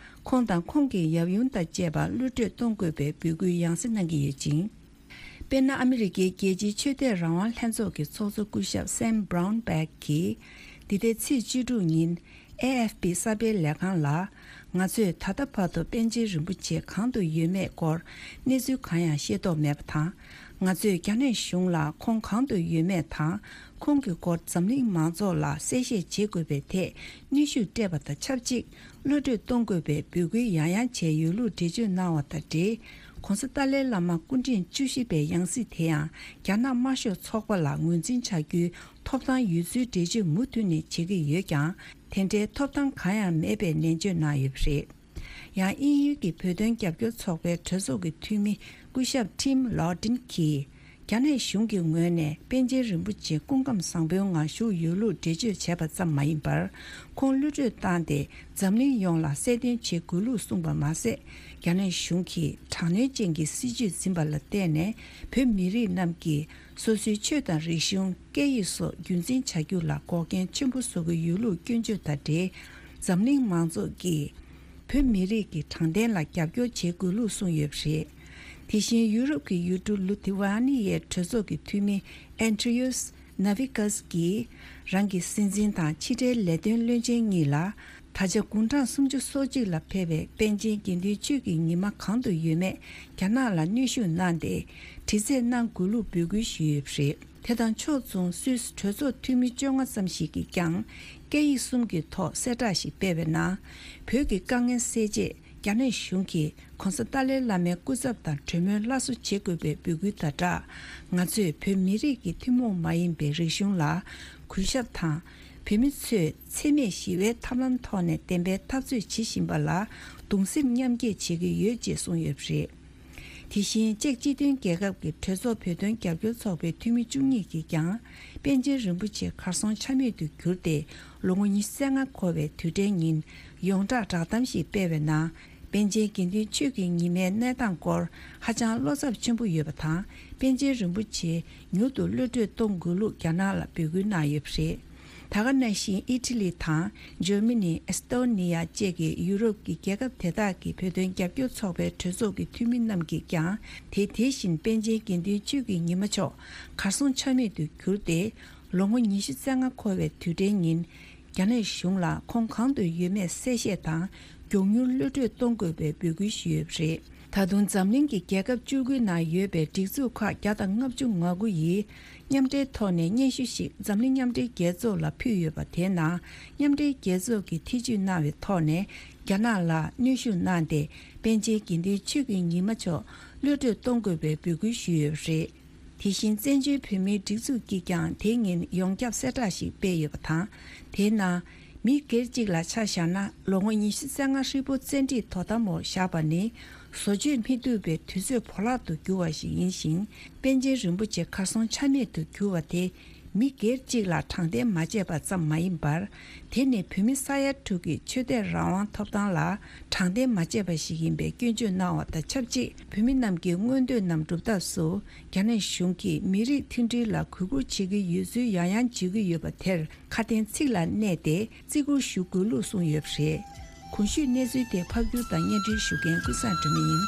ཁོང་དང་ཁོང་གི་ཡབ་ཡུམ་དང་བཅས་པ་གློད་བཀྲོལ་གཏོང་དགོས་པའི་འབོད་སྐུལ་ཡང་སེ་གནང་གི་ཡོད་ཅིང་། དཔེར་ན། ཨ་མི་རི་ཀའི་རྒྱལ་སྤྱིའི་ཆོས་དད་རང་དབང་ལྷན་ཚོགས་ཀྱི་ཚོགས་གཙོ་སྐུ་ཞབས་Sam Brownback གིས་འདི་ཟླའི་ཚེས་བཅུ་དྲུག་ཉིན་ཨེ་ཨེཕ་པི་གསར་སྤེལ་ལས་ཁང་ལ། ང་ཚོས་ད་ལྟ་བར་དུ་པཎ་ཆེན་རིན་པོ་ཆེ་གང་དུ་ཡོད་མེད་སྐོར་གནས་ཚུལ་གང་ཡང་ཤེས་རྟོགས་མེད་པ་དང་། ང་ཚོས་རྒྱ་ནག་གཞུང་ལ་ཁོང་གང་དུ་ཡོད་མེད་དང་ཁོང་གི་སྐོར་འཛམ་གླིང་མང་ཚོགས་ལ་གསལ་བཤད་བྱེད་དགོས་པའི་ཐད་གནོན་ཤུགས་སྤྲད་པ་དང་ཆབས་ཅིག་གློད་བཀྲོལ་གཏོང་དགོས་པའི་འབོད་སྐུལ་ཡང་ཡང་བྱས་ཡོད་ལུགས་འགྲེལ་བརྗོད་གནང་བ་དང་འབྲེལ། ྋགོང་ས་ཏཱ་ལའི་བླ་མ་སྐུ་ཕྲེང་བཅུ་བཞི་པའི་ཡང་སྲིད་དེ་ཡང་རྒྱ་ནག་དམར་ཤོག་ཚོགས་པ་ལ་ངོས་འཛིན་བྱ་རྒྱུའི་ཐོབ་ཐང་ཡོད་ཚུལ་འགྲེལ་བརྗོད་མུ་མཐུད་ནས་བྱེད་ཀྱི་ཡོད་ཀྱང་། དེ་འདྲའི་ཐོབ་ཐང་གང་ཡང་མེད་པའི་ནན་བརྗོད་གནང་ཡོད་པ་རེད། ཡང་དབྱིན་ཡུལ་གྱི་བོད་དོན་རྒྱབ་སྐྱོར་ཚོགས་པའི་གྲོས་ཚོགས་ཀྱི་འཐུས་མི་སྐུ་ཞབས་Tim Loughton གྱིས། རྒྱ་ནག་གཞུང་གི་ངོས་ནས་པཎ་ཆེན་རིན་པོ་ཆེ་སྐུ་ཁམས་བཟང་པོའི་ངང་བཞུགས་ཡོད་ལུགས་འགྲེལ་བརྗོད་བྱས་པ་ཙམ་མ་ཡིན་པར། ཁོང་གློད་བཀྲོལ་བཏང་སྟེ་འཛམ་གླིང་ཡོངས་ལ་གསལ་སྟོན་བྱེད་དགོས་ལུགས་གསུངས་པ་མ་ཟད། རྒྱ་ནག་གཞུང་གིས་དྲག་གནོན་ཅན་གྱི་སྲིད་བྱུས་འཛིན་པ་ལ་བརྟེན་ནས་བོད་མི་རིགས་རྣམས་ཀྱིས་སོ་སོའི་ཆོས་དང་རིག་གཞུང་། སྐད་ཡིག་སོགས་རྒྱུན་འཛིན་བྱ་རྒྱུ་ལ་འགོག་རྐྱེན་ཆེན་པོ་བཟོ་གི་ཡོད་ལུགས་སྐྱོན་བརྗོད་དང་འབྲེལ། འཛམ་གླིང་མང་ཚོགས་ཀྱིས་བོད་མི་རིགས་ཀྱི་དྲང་བདེན་ལ་རྒྱབ་སྐྱོར་བྱེད་དགོས་ལུགས་གསུངས་ཡོད་པ་རེད། དེ་བཞིན་ཡུ་རོབ་ཀྱི་ཡུལ་གྲུ་ལི་ཐི་ཝ་ནི་ཡའི་གྲོས་ཚོགས་ཀྱི་འཐུས་མི་Andrius Navickas གྱིས་རང་གི་སྲིད་འཛིན་དང་ཕྱི་འབྲེལ་ལས་དོན་བློན་ཆེན་གཉིས་ལ། ད་ཆ་དགུང་གྲངས་སུམ་ཅུ་སོ་གཅིག་ལ་ཕེབས་པའི་པཎ་ཆེན་དགེ་འདུན་ཆོས་ཀྱི་ཉི་མ་གང་དུ་ཡོད་མེད་རྒྱ་ནག་ལ་གནོན་ཤུགས་གནང་སྟེ་དྲི་རྩད་གནང་དགོས་ལུགས་འབོད་སྐུལ་ཞུས་ཡོད་པ་རེད། དེ་དང་ཕྱོགས་མཚུངས་སུད་སི་གྲོས་ཚོགས་འཐུས་མི་བཅོ་ལྔ་ཙམ་ཞིག་གིས་ཀྱང་སྐད་ཡིག་གསུམ་གྱི་ཐོག་གསལ་བསྒྲགས་ཤིག་སྤེལ་བའི་ནང་། བོད་ཀྱི་དཀའ་ངལ་སེལ་ཆེད་རྒྱ་ནག་གཞུང་གིས་ྋགོང་ས་ཏཱ་ལའི་བླ་མའི་སྐུ་ཚབ་དང་གྲོས་མོལ་སླར་གསོ་བྱེད་དགོས་པའི་འབོད་སྐུལ་དང་སྦྲགས། ང་ཚོས་བོད་མི་རིགས་ཀྱི་ཐུན་མོང་མ་ཡིན་པའི་རིག་གཞུང་ལ་གུས་ཞབས་དང་། བོད་མི་ཚོས་འཚེ་མེད་ཞི་བའི་ཐབས་ལམ་ཐོག་ནས་བདེན་པའི་འཐབ་རྩོད་བྱེད་བཞིན་པ་ལ་གདུང་སེམས་མཉམ་སྐྱེད་བྱེད་ཀྱི་ཡོད་ཅེས་གསུངས་ཡོད་པ་རེད། དེ་བཞིན་ཅེཀ་སྤྱི་མཐུན་རྒྱལ་ཁབ་ཀྱི་གྲོས་ཚོགས་བོད་དོན་རྒྱབ་སྐྱོར་ཚོགས་པའི་འཐུས་མི་བཅུ་གཉིས་ཀྱིས་ཀྱང་པཎ་ཆེན་རིན་པོ་ཆེ་གར་སོང་ཆ་མེད་དུ་གྱུར་ཏེ་ལོ་ངོ་ཉི་ཤུ་རྩ་ལྔ་འཁོར་བའི་དུས་དྲན་ཉིན་ཡོངས་གྲགས་བསྒྲགས་གཏམ་ཞིག་སྤེལ་བའི་ནང་། པཎ་ཆེན་དགེ་འདུན་ཆོས་ཀྱི་ཉི་མའི་གནས་སྟངས་སྐོར་ཧ་ཅང་བློ་འཚབ་ཆེན་པོ་ཡོད་པ་དང་། པཎ་ཆེན་རིན་པོ་ཆེ་མྱུར་དུ་གློད་བཀྲོལ་གཏོང་དགོས་ལུགས་རྒྱ་ནག་ལ་འབོད་སྐུལ་གནང་ཡོད་པ་རེད། ད་ག་ནང་བཞིན་ཨི་ཊ་ལི་དང་འཇར་མ་ནི། ཨེས་ཏོ་ནི་ཡ་བཅས་ཀྱི་ཡུ་རོབ་ཀྱི་རྒྱལ་ཁབ་དེ་དག་གི་བོད་དོན་རྒྱབ་སྐྱོར་ཚོགས་པའི་གྲོས་ཚོགས་ཀྱི་འཐུས་མི་རྣམས་ཀྱིས་ཀྱང་དེ་དེ་བཞིན་པཎ་ཆེན་དགེ་འདུན་ཆོས་ཀྱི་ཉི་མ་མཆོག་གར་སོང་ཆ་མེད་དུ་གྱུར་ཏེ། ལོ་ངོ་ཉི་ཤུ་རྩ་ལྔ་འཁོར་བའི་དུས་དྲན་ཉིན། རྒྱ་ནག་གཞུང་ལ་ཁོང་གང་དུ་ཡོད་མེད་གསལ་བཤད་དང་། མགྱོགས་མྱུར་གློད་བཀྲོལ་གཏོང་དགོས་པའི་འབོད་སྐུལ་ཞུས་ཡོད་པ་རེད། ད་དུང་འཛམ་གླིང་གི་རྒྱལ་ཁབ་བཅུ་དགུའི་ནང་ཡོད་པའི་སྒྲིག་འཛུགས་ཁག་བརྒྱ་དང་ལྔ་བཅུ་ང་དགུ་ཡིས་མཉམ་འབྲེལ་ཐོག་ནས་སྙན་ཞུ་ཞིག་འཛམ་གླིང་མཉམ་འབྲེལ་རྒྱལ་ཚོགས་ལ་ཕུལ་ཡོད་པ། དེའི་ནང་མཉམ་འབྲེལ་རྒྱལ་ཚོགས་ཀྱིས་ཐེ་ཇུས་གནང་བའི་ཐོག་ནས་རྒྱ་ནག་ལ་གནོན་ཤུགས་གནང་སྟེ། པཎ་ཆེན་དགེ་འདུན་ཆོས་ཀྱི་ཉི་མ་མཆོག་གློད་བཀྲོལ་གཏོང་དགོས་པའི་འབོད་སྐུལ་ཞུས་ཡོད་པ་རེད། དེ་བཞིན་བཙན་བྱོལ་བོད་མིའི་སྒྲིག་འཛུགས་ཀྱིས་ཀྱང་དེ་ཉིན་ཡོངས་ཁྱབ་གསལ་བསྒྲགས་ཤིག་སྤེལ་ཡོད་པ་དང་། དེའི་ནང་། མི་སྒེར་གཅིག་ལ་ཆ་བཞག་ན་ལོ་ངོ་ཉི་ཤུ་རྩ་ལྔ་ཧྲིལ་པོ་བཙན་ཁྲིད་དོ་དམ་འོག་བཞག་པ་ནི་བཟོ་བཅོས་མི་ཐུབ་པའི་དུས་ཚོད་བོར་བརླག་ཏུ་གྱུར་བ་ཞིག་ཡིན་ཞིང་། པཎ་ཆེན་རིན་པོ་ཆེ་གར་སོང་ཆ་མེད་དུ་གྱུར་བ་དེ་མི་སྒེར་གཅིག་ལ་དྲང་བདེན་མ་བྱས་པ་ཙམ་མ་ཡིན་པར། དེ་ནི་བོད་མི་ས་ཡ་དྲུག་གི་ཆོས་དད་རང་དབང་ཐོབ་ཐང་ལ་དྲང་བདེན་མ་བྱས་པ་ཞིག་ཡིན་པའི་སྐྱོན་བརྗོད་གནང་བ་དང་ཆབས་ཅིག་བོད་མི་རྣམས་ཀྱི་མངོན་འདོད་རྣམས་སྒྲུབ་ཐབས་སུ་རྒྱ་ནག་གཞུང་གིས་མི་རིགས་མཐུན་སྒྲིལ་ལ་གུས་བཀུར་བྱེད་ཀྱི་ཡོད་ཚུལ་ཡང་ཡང་བརྗོད་ཀྱི་ཡོད་པ་དེར་ཁ་དན་ཚིག་ལ་གནས་ཏེ་བརྩི་བཀུར་ཞུ་དགོས་ལུགས་གསུངས་ཡོད་པ་རེད། གོང་ཞུས་གནས་ཚུལ་དེ་ཕབ་སྒྱུར་དང་སྙན་སྒྲོན་ཞུ་མཁན་ཀུན་བཟང་སྒྲོལ་མ་ཡིན།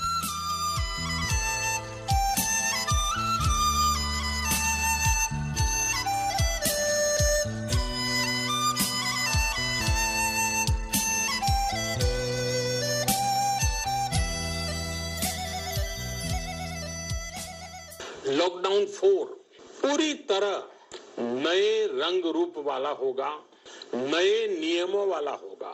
lockdown four पूरी तरह नए रंग रूप वाला होगा, नए नियमों वाला होगा।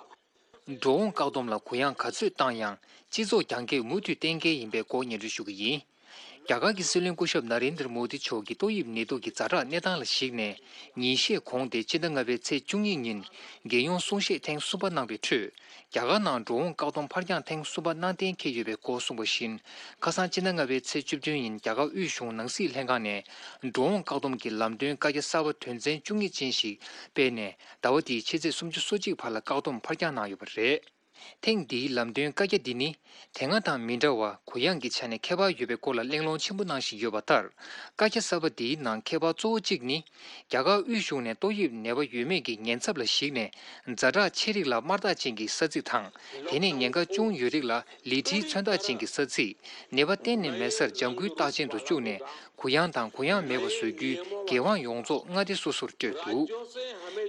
འགྲོ་འོང་བཀག་སྡོམ་ལ་གུ་ཡངས་ག་ཚོད་བཏང་ཡང་སྤྱི་ཚོགས་རྒྱང་བཀྱེད་མུ་མཐུད་གཏན་འཁེལ་ཡིན་པའི་སྐོར་སྙན་སྒྲོན་ཞུ་གི་ཡིན། རྒྱ་གར་གྱི་སྲིད་བློན་སྐུ་ཞབས་ན་རེན་དར་མོ་དི་མཆོག་གིས་ཏོག་དབྱིབས་ནད་དུག་གི་ཛ་དྲག་གནས་སྟངས་ལ་གཞིགས་ནས། ཉིན་ཤས་གོང་སྟེ་སྤྱི་ཟླ་ལྔ་པའི་ཚེས་བཅུ་གཉིས་ཉིན་རྒྱལ་ཡོངས་གསུང་བཤད་ཐེངས་གསུམ་པ་གནང་བའི་ཁྲོད། རྒྱ་གར་ནང་འགྲོ་འོང་བཀག་སྡོམ་ཕར་འགྱངས་ཐེངས་གསུམ་པ་གནང་གཏན་འཁེལ་ཡོད་པའི་སྐོར་གསུངས་པ་བཞིན། ཁ་སང་སྤྱི་ཟླ་ལྔ་པའི་ཚེས་བཅུ་བདུན་ཉིན་རྒྱ་གར་དབུས་གཞུང་ནང་སྲིད་ལྷན་ཁང་ནས་འགྲོ་འོང་བཀག་སྡོམ་གྱི་ལམ་སྟོན་བཀའ་རྒྱ་གསར་པ་དོན་ཚན་བཅུ་གཉིས་ཅན་ཞིག་སྤེལ་ནས། ཟླ་བ་འདིའི་ཕྱི་ཚེས་སུམ་ཅུ་སོ་གཅིག་བར་ལ་བཀག་སྡོམ་ཕར་འགྱངས་གནང་ཡོད་པ་རེད། ཐེངས་འདིའི་ལམ་སྟོན་བཀའ་རྒྱ་འདི་ནི། དེ་སྔ་དང་མི་འདྲ་བར་གུ་ཡངས་ཀྱི་ཆ་ནས་ཁྱད་པར་ཡོད་པའི་སྐོར་ལ་གླེང་སློང་ཆེན་པོ་གནང་བཞིན་ཡོད་པ་ལྟར། བཀའ་རྒྱ་གསར་པ་འདིའི་ནང་ཁྱད་པར་གཙོ་བོ་གཅིག་ནི། རྒྱ་གར་དབུས་གཞུང་ནས་ཏོག་དབྱིབས་ནད་པ་ཡོད་མེད་ཀྱི་ཉེན་ཚབས་ལ་གཞིགས་ནས། ཛ་དྲག་ཆེ་རིགས་ལ་དམར་རྟགས་ཅན་གྱི་ས་ཚིགས་དང་། དེ་ནས་ཉེན་ཁ་ཅུང་ཡོད་རིགས་ལ་ལི་ཁྲིའི་མཚོན་རྟགས་ཅན་གྱི་ས་ཚིགས། ནད་པ་གཏན་ནས་མེད་སར་ལྗང་ཁུའི་རྟགས་ཅན་དུ་བཅུག་ནས། གུ་ཡངས་དང་གུ་ཡངས་མེད་པ་བཟོ་རྒྱུའི་འགན་དབང་ཡོངས་རྫོགས་མངའ་སྡེ་སོ་སོར་སྤྲོད་འདུག་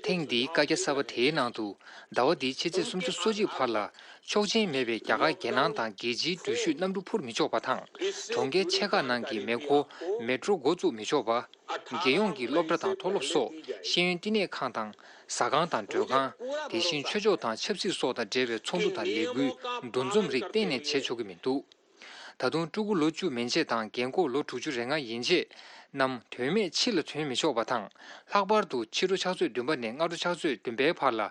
ཐེངས་འདིའི་བཀའ་རྒྱ་གསར་པ་དེའི་ནང་དུ། ཟླ་བ་འདིའི་ཕྱི་ཚེས་སུམ་ཅུ་སོ་གཅིག་བར་ལ། ཆོག་མཆན་མེད་པའི་རྒྱ་གར་རྒྱལ་ནང་དང་རྒྱལ་སྤྱིའི་འགྲུལ་བཞུད་གནམ་གྲུ་འཕུར་མི་ཆོག་པ་དང་། གྲོང་ཁྱེར་ཆེ་ཁག་ནང་གི་མེ་འཁོར་མེ་ཏྲོ་འགོ་བཙུགས་མི་ཆོག་པ། རྒྱལ་ཡོངས་ཀྱི་སློབ་གྲྭ་དང་མཐོ་སློབ་སོགས་ཤེས་ཡོན་བསྟི་གནས་ཁང་དང་། ཟ་ཁང་དང་མགྲོན་ཁང་། དེ་བཞིན་ཆོས་ཕྱོགས་དང་ཆབ་སྲིད་སོགས་དང་འབྲེལ་བའི་ཚོགས་འདུ་དང་ལས་འགུལ་འདུ་འཛོམས་རིགས་གཏན་ནས་བྱེད་ཆོག་གི་མི་འདུག་ད་དུང་ཕྲུ་གུ་ལོ་བཅུ་མན་ཆད་དང་རྒན་འཁོགས་ལོ་དྲུག་ཅུ་རེ་ལྔ་ཡན་ཆད་རྣམས་དོན་མེད་ཕྱི་ལ་ཐོན་མི་ཆོག་པ་དང་། ལྷག་པར་དུ་ཕྱི་དྲོ་ཕྱག་ཚོད་བདུན་པ་ནས་སྔ་དྲོ་ཕྱག་ཚོད་བདུན་པའི་བར་ལ་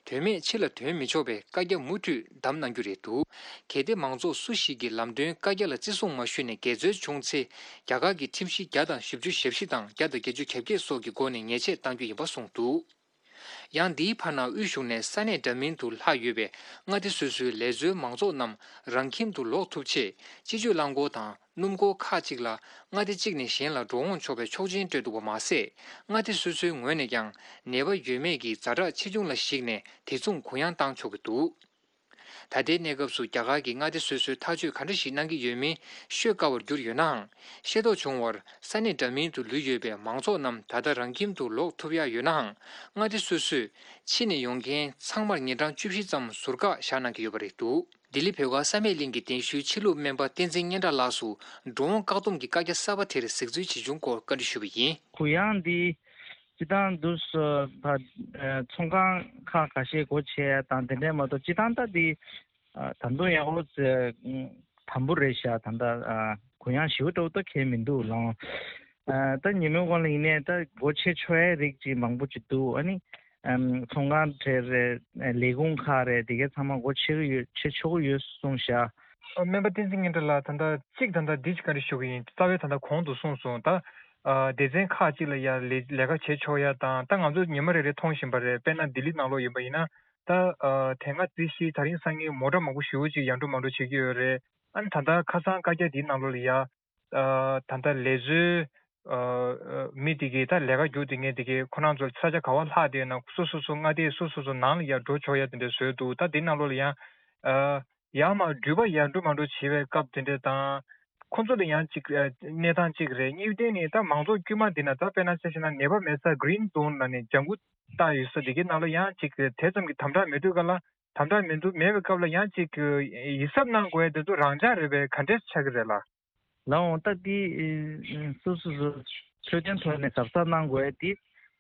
དོན་མེད་ཕྱི་ལ་ཐོན་མི་ཆོག་པའི་བཀའ་རྒྱ་མུ་མཐུད་བསྡམས་གནང་རྒྱུ་རེད་འདུག་གལ་ཏེ་མང་ཚོགས་སུ་ཞིག་གིས་ལམ་སྟོན་བཀའ་རྒྱ་ལ་བརྩི་སྲུང་མ་ཞུས་ནས་འགལ་འཛོལ་བྱུང་ཚེ། རྒྱ་གར་གྱི་ཁྲིམས་གཞི་བརྒྱ་དང་བཞི་བཅུ་ཞེ་བཞི་དང་བརྒྱ་དང་བརྒྱད་ཅུ་གྱ་བརྒྱད་སོགས་ཀྱི་སྒོ་ནས་ཉེས་ཆད་གཏང་རྒྱུ་ཡིན་པ་གསུངས་འདུག་ཡང་འདིའི་བར་ན་དབུས་གཞུང་ནས་ས་གནས་འདྲ་མིན་དུ་ལྷག་ཡོད་པའི་མངའ་སྡེ་སོ་སོའི་ལས་བཟོའི་མང་ཚོགས་རྣམས་རང་ཁྱིམ་དུ་ལོག་ཐུབ་ཆེད། སྤྱི་སྤྱོད་རླངས་འཁོར་དང་སྣུམ་འཁོར་ཁག་ཅིག་ལ་མངའ་སྡེ་གཅིག་ནས་གཞན་ལ་འགྲོ་འོང་ཆོག་པའི་ཆོག་མཆན་སྤྲོད་འདུག་པ་མ་ཟད། མངའ་སྡེ་སོ་སོའི་ངོས་ནས་ཀྱང་ནད་པ་ཡོད་མེད་ཀྱི་ཛ་དྲག་ཆེ་ཆུང་ལ་གཞིགས་ནས་དེ་མཚུངས་གུ་ཡངས་བཏང་ཆོག་གི་འདུག་ད་ལྟའི་གནས་སྐབས་སུ་རྒྱ་གར་གྱི་མངའ་སྡེ་སོ་སོས་ཐག་གཅོད་ག་འདྲ་ཞིག་གནང་གི་ཡོད་མིན་ཤོད་དཀའ་བར་གྱུར་ཡོད་ནའང་། ཤེས་རྟོགས་བྱུང་བར་ས་གནས་འདྲ་མིན་དུ་ལུས་ཡོད་པའི་མང་ཚོགས་རྣམས་ད་ལྟ་རང་ཁྱིམ་དུ་ལོག་ཐུབ་ཡག་ཡོད་ནའང་། མངའ་སྡེ་སོ་སོས་ཕྱི་ནས་ཡོང་མཁན་ཚང་མར་ཉིན་གྲངས་བཅུ་བཞི་ཙམ་ཟུར་བཀག་བཞག་གནང་གི་ཡོད་པ་རེད་འདུག་ལྡི་ལི་བོད་སྒར་བསམ་ཡས་གླིང་གི་གདན་ཞུའི་ཕྱི་ལུགས་སྨན་པ་བསྟན་འཛིན་སྙན་གྲགས་ལགས་སུ་འགྲོ་འོང་བཀག་སྡོམ་གྱི་བཀའ་རྒྱ་གསར་པ་དེར་གཟིགས་འཛུལ་བྱེད་བྱུང་སྐོར་བཀའ་འདྲི་ཞུས་པ་ཡིན། གུ་ཡངས་འདི། སྤྱི་བཏང་དུ་ས་ཕ་ཨ་ཚོང་ཁང་ཁག་ཁ་ཤས་སྒོ་ཕྱེ་ཡ་དང་དེ་འདྲས་མ་གཏོགས་སྤྱི་བཏང་ད་འདི་ཨ་ད་དུང་ཡག་པོ་ཙེ་དམ་པོ་རེད་ཤག་ད་ལྟ་ཨ་གུ་ཡངས་ཞེ་པོ་འདྲ་བོ་ད་གང་ཡང་མི་འདུག་ལགས། ཨ་ད་ཉིན་མོའི་གོང་ལ་ཡིན་ནའི་ད་སྒོ་ཕྱེ་ཆོག་ཡ་རིགས་ཅིག་མང་པོ་ཅིག་འདུག་ཨ་ནི་ཨམ་ཚོང་ཁང་གྲས་རེད། ལས་ཁུངས་ཁག་རེད། དེ་གའི་ཚང་མ་སྒོ་ཕྱེ་གི་ཡོད། ཕྱེ་ཆོག་གི་ཡོད་གསུངས་ཤག་སྨན་པ་བསྟན་འཛིན་སྙན་གྲགས་ལགས། ད་ལྟ་གཅིག་ད་ལྟ་འདི་ཅིག་བཀའ་འདྲི་ཞུ་གི་ཡིན། རྩ་བའི་ད་ལྟ་གོང་དུ་གསུངས་སོང་། ད་ཨ་སྡེ་ཚན་ཁག་ཅིག་ལ་ཡ་ལས་ལས་ཀ་བྱེད་ཆོག་ཡ་དང་། ད་ང་ཚོ་ཉི་མ་རེ་རེ་མཐོང་བཞིན་པ་རེད། དཔེར་ན་ལྡི་ལི་ནང་ལོགས་ཡིན་པ་ཡིན་ན། ད་ཨ་དེ་སྔ་རྩིས་གཞི་ད་རིང་སང་ཉིན་མོ་ཊ་མང་པོ་ཞེ་པོ་ཅིག་ཡར་འགྲོ་མར་འགྲོ་བྱེད་ཀྱི་ཡོད་རེད། ཨ་ནི་ད་ལྟ་ཁ་སང་བཀའ་རྒྱ་འདིའི་ནང་ལོགས་ལ་ཡ་ཨ་ད་ལྟ་ལས་བཟོའི་ཨ་ཨ་མི་དེ་གའི་ད་ལས་ཀ་རྒྱུགས་བསྡད་མཁན་དེ་གའི་ཁོ་རང་ཚོ་ས་ཆ་ག་པར་ལྷག་བསྡད་ན་སོ་སོ་སོ་མངའ་སྡེ་སོ་སོ་སོ་ནང་ལ་ཡ་འགྲོ་ཆོག་ཡ་དེ་འདྲ་བཟོས་འདུག་ད་འདིའི་ནང་ལོགས་ལ་ཡ་ཨ་ཡར་མར་འགྲུལ་པ་ཡར་འགྲོ་མར་འགྲོ་བྱེད་པའི་སྐབས་དེ་འདྲ་དང་། ཁོ་ཚོ་ལ་ཡང་གཅིག་ཨ་གནས་སྟངས་གཅིག་རེད། གཉིས་ནས་ད་མང་ཚོགས་དཀྱུས་མ་འདི་ན་ད་དཔེར་ན་ཆ་བཞག་ན་ནད་པ་མེད་ས་གི་རིན་ཛོན་ལབ་ནས་ལྗང་ཁུ་བཏགས་ཡོད་ས་དེ་གའི་ནང་ལ་ཡང་གཅིག་དེ་ཙམ་གྱི་དམ་དྲག་མེད་དུས་ག་ལ། དམ་དྲག་མི་འདུག་མེད་པའི་སྐབས་ལ་ཡང་གཅིག་ཡིད་གཟབ་གནང་དགོས་ཡ་དེ་ཚོ་རང་འཇགས་རེད་པས། ག་འདྲས་ཆགས་ཀྱི་རེད་ལགས། ལགས་འོང་། ད་འདི་ཨེ་སོ་སོ་སོ་འཕྲོད་བསྟེན་ཐོག་ནས་གཟབ་གཟབ་གནང་དགོས་ཡ་འདི་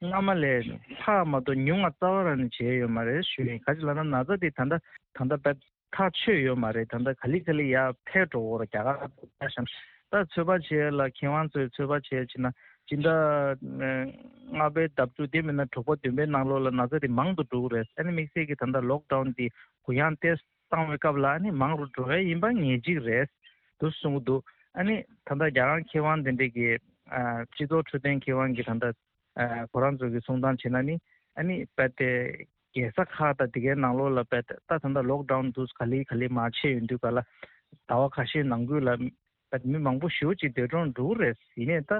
སྔ་མ་ལས་ལྷག་མ་གཏོགས་ཉུང་བ་རྩ་བ་རང་ནས་བྱས་ཡོད་མ་རེད་ཞུ་ཡིན། ག་ཅི་ལབ་ན་ན་ཚ་འདི་ད་ལྟ་ད་ལྟ་བེད་ཐག་ཆོད་ཡོད་མ་རེད། ད་ལྟ་ག་ལེ་ག་ལེ་ཡར་འཕེལ་འགྲོ་གི་རེད། རྒྱ་གར་ད་གཤམ་ད་ཚོད་དཔག་བྱས་ལ་མཁས་དབང་ཚོས་ཚོད་དཔག་བྱས་ཕྱིན་ན་སྤྱི་ཟླ་ལྔ་པའི་ཟླ་དྲུག་དེ་མིན་ན་དྲུག་པ་བདུན་པའི་ནང་ལོགས་ལ་ན་ཚ་དེ་མང་དུ་འགྲོ་གི་རེད། ཨ་ནི་དམིགས་བསལ་གྱི་ད་ལྟ་ལོག་ཌའུན་དེ་གུ་ཡངས་ཏོག་ཙམ་བཏང་བའི་སྐབས་ལ་ཨ་ནི་མང་རུ་འགྲོ་ཡ་ཡིན་པ་ངེས་གཅིག་རེད་འདུག་གསུང་གི་འདུག་ཨ་ནི་ད་ལྟ་རྒྱ་གར་མཁས་དབང་དེ་འདྲས་ཀྱི་ཨ་སྤྱི་ཚོགས་འཕྲོད་བསྟེན་མཁས་དབང་གི་ད་ལྟ་ཨ་ཁོ་རང་ཚོ་གི་གསུང་སྟངས་བྱས་ན་ནི་ཨ་ནི་རྦད་དེ་རྒྱལ་ས་ཁག་དང་དེ་གའི་ནང་ལོགས་ལ་རྦད་དེ་ད་ད་ལྟ་ལོག་ཌའུན་དུ་ག་ལེ་ག་ལེ་མར་ཕྱིན་ཡོང་དུས་ག་ལ་ཟླ་བ་ཁ་ཤས་ནང་ཁུལ་ལ་རྦད་མི་མང་པོ་ཞེ་པོ་ཅིག་འདས་གྲོངས་འགྲོ་གི་རེད། ཡིན་ནའི་ད་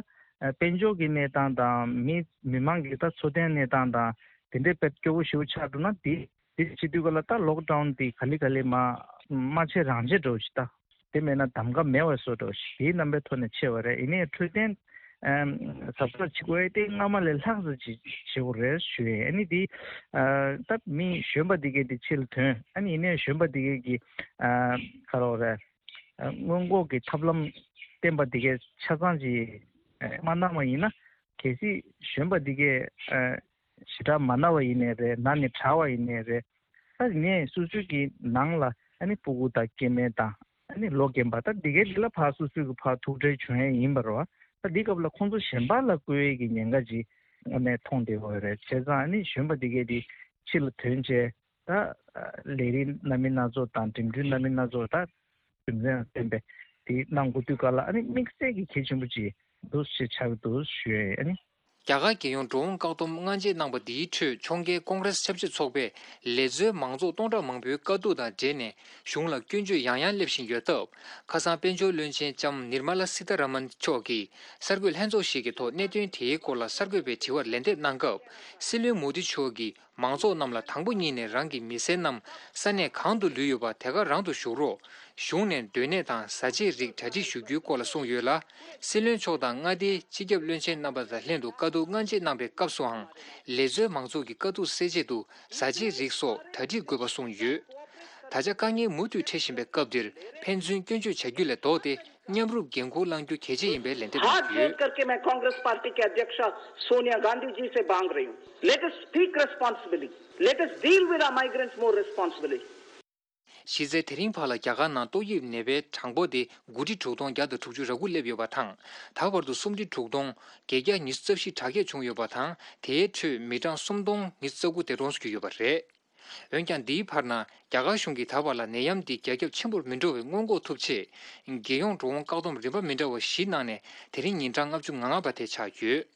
ཨ་དཔལ་འབྱོར་གྱི་གནས་སྟངས་དང་མི་མི་མང་གི་ད་འཚོ་རྟེན་གནས་སྟངས་དང་དེ་འདྲའི་རྦད་སྐྱོ་བོ་ཞེ་པོ་ཆགས་འགྲོ་ན་དེ། དེ་བྱེད་དུས་ག་ལ་ད་ལོག་ཌའུན་དེ་ག་ལེ་ག་ལེ་མ་མ་བྱེད་རང་བྱེད་འགྲོ་ཞིག་ད། དེ་མེད་ན་གདམ་ག་མེད་པ་བཟོ་འགྲོ་ཞིག་དེའི་རྣམ་པའི་ཐོག་ནས་ཕྱེ་བ་རེད། ཡིན་ནའི་འཕྲོད་བསྟེན་གཟབ་གཟབ་བྱེད་དགོས་ཡ་དེ་སྔ་མ་ལས་ལྷག་ཙམ་ཅིག་བྱེད་དགོས་རེད་ཞུ་ཡ་ཡིན། ཨ་ནི་དེ་ད་མི་གཞོན་པ་འདི་གས་དེ་ཕྱི་ལ་ཐོན། ཨ་ནི་ཡིན་ནའི་གཞོན་པ་འདི་གས་ཀྱི་ག་རེ་རེད། སྔོན་འགོག་གི་ཐབས་ལམ་བསྟེན་པ་འདི་གས་ཆ་ཚང་ཅིག་མ་གནང་བ་ཡིན་ན་གལ་སྲིད་གཞོན་པ་འདི་གས་ཞེ་དྲག་མ་ན་བ་ཡིན་ནའི་རེད། ན་ནས་དྲག་པ་ཡིན་ནའི་རེད། ད་ངས་སོ་སོའི་གི་ནང་ལ་ཨ་ནི་སྤུ་གུ་དང་སྐྱེ་དམན་དང་ ཨ་ནི་ལོ་རྒན་པ་ད་འདི་གའི་རིགས་ལ་ཕར་སོ་སོའི་གི་ཕར་ཐུག་འཕྲད་བྱུང་ཡས་ཡིན་པ་རེད་བ། ད་འདི་སྐབས་ལ་ཁོང་ཚོ་གཞན་པ་ལ་བསྐུལ་ཡས་ཀྱི་ཉེན་ཁ་ཅིག་ཨ་ནི་མཐོང་བསྡད་ཡོད་རེད། བྱས་ཙང་ཨ་ནི་གཞོན་པ་འདི་གའི་དེ་ཕྱི་ལ་ཐོན་བྱས། ད་ལས་རིགས་སྣ་མིན་སྣ་ཚོགས་དང་འགྲིམ་འགྲུལ་སྣ་མིན་སྣ་ཚོགས་ད་རྒྱུ་མཚན་ལ་བརྟེན་པའི་དེ་གནང་དགོས་དུས་སྐབས་ལ་ཨ་ནི་དམིགས་བསལ་གྱི་གལ་ཆེན་པོ་ཅིག་འདུག་ཞེས་ཆགས་ཀྱི་འདུག་ཞུ་ཡ་ཡིན། ཨ་ནི། རྒྱ་གར་རྒྱལ་ཡོངས་འགྲོ་འོང་བཀག་སྡོམ་སྔ་རྗེས་གནང་པ་འདིའི་ཁྲོད་ཕྱོགས་འགལ་ཀོང་རེས་ཆབ་སྲིད་ཚོགས་པས་ལས་བཟོའི་མང་ཚོགས་སྟོང་ཕྲག་མང་པོའི་དཀའ་སྡུག་དང་འབྲེལ་ནས་གཞུང་ལ་སྐྱོན་བརྗོད་ཡང་ཡང་སླེབས་བཞིན་ཡོད་སྟབས། ཁ་སང་དཔལ་འབྱོར་བློན་ཆེན་ལྕམ་ནིར་མ་ལ་སི་ཐ་ར་མན་མཆོག་གིས་གསར་འགོད་ལྷན་ཚོགས་ཤིག་གི་ཐོག་གནད་དོན་དེའི་སྐོར་ལ་གསར་འགོད་པའི་དྲི་བར་ལན་འདེབས་གནང་སྐབས། སྲིད་བློན་མོ་དི་མཆོག་གིས། མང་ཚོགས་རྣམས་ལ་དང་པོ་ཉིད་ནས་རང་གི་མི་སེར་རྣམས་ས་གནས་གང་དུ་ལུས་ཡོད་པ་དེ་ག་རང་དུ་བཞུགས་རོགས། གཞུང་ནས་སྡོད་གནས་དང་བཟའ་ཆས་རིགས་གྲ་སྒྲིག་ཞུ་རྒྱུའི་སྐོར་ལ་གསུངས་ཡོད་ལ། སྲིད་བློན་མཆོག་དང་མངའ་སྡེའི་སྤྱི་ཁྱབ་བློན་ཆེན་རྣམ་པ་དང་ལྷན་དུ་བཀའ་བསྡུར་སྔ་རྗེས་གནང་པའི་སྐབས་སུའང་། ལས་བཟོའི་མང་ཚོགས་ཀྱི་དཀའ་སྡུག་སེལ་ཆེད་དུ་བཟའ་ཆས་རིགས་སོགས་གྲ་སྒྲིག་དགོས་པ་གསུངས་ཡོད། ད་ཆ་དཀའ་ངལ་མུ་མཐུད་འཕྲད་བཞིན་པའི་སྐབས་འདིར་ཕན་ཚུན་སྐྱོན་བརྗོད་བྱ་རྒྱུ་ལས་ལྡོག་སྟེ། མཉམ་རུབ་འགན་འཁུར་བླང་རྒྱུ་གལ་ཆེ་ཡིན་པའི་ལན་འདེབས་གནང་ཡོད། हाथ जोड़ करके मैं कांग्रेस पार्टी के अध्यक्ष सोनिया गांधी जी से मांग रही हूँ, let us speak responsibly, let us deal with our migrants more responsibly. གཞི་རྩའི་དེ་རིང་བར་ལ་རྒྱ་གར་ནང་ཏོག་དབྱིབས་ནད་པའི་གྲངས་འབོར་དེ་དགུ་ཁྲི་དྲུག་སྟོང་བརྒྱ་དང་དྲུག་ཅུ་རེ་དགུ་སླེབས་ཡོད་པ་དང་། ད་བར་དུ་སུམ་ཁྲི་དྲུག་སྟོང་བརྒྱད་བརྒྱ་ཉི་ཤུ་རྩ་བཞི་དྲག་སྐྱེད་བྱུང་ཡོད་པ་དང་། དེའི་ཁྲོད་མི་གྲངས་སུམ་སྟོང་ཉི་ཤུ་རྩ་དགུ་དེ་གྲོངས་སུ་གྱུར་ཡོད་པ་རེད། འོན་ཀྱང་། འདིའི་བར་ན་རྒྱ་གར་གཞུང་གིས་ད་བར་ལ་ནད་ཡམས་འདི་རྒྱ་ཁྱབ་ཆེན་པོར་མི་འགྲོ་བའི་སྔོན་འགོག་ཐུབ་ཆེད། རྒྱལ་ཡོངས་འགྲོ་འོང་བཀག་སྡོམ་རིམ་པ་མི་འདྲ་བ་བཞི་གནང་ནས་དེ་རིང་ཉིན་གྲངས་ལྔ་བཅུ་ང་ལྔ་པ་དེ་ཆགས་ཡོད།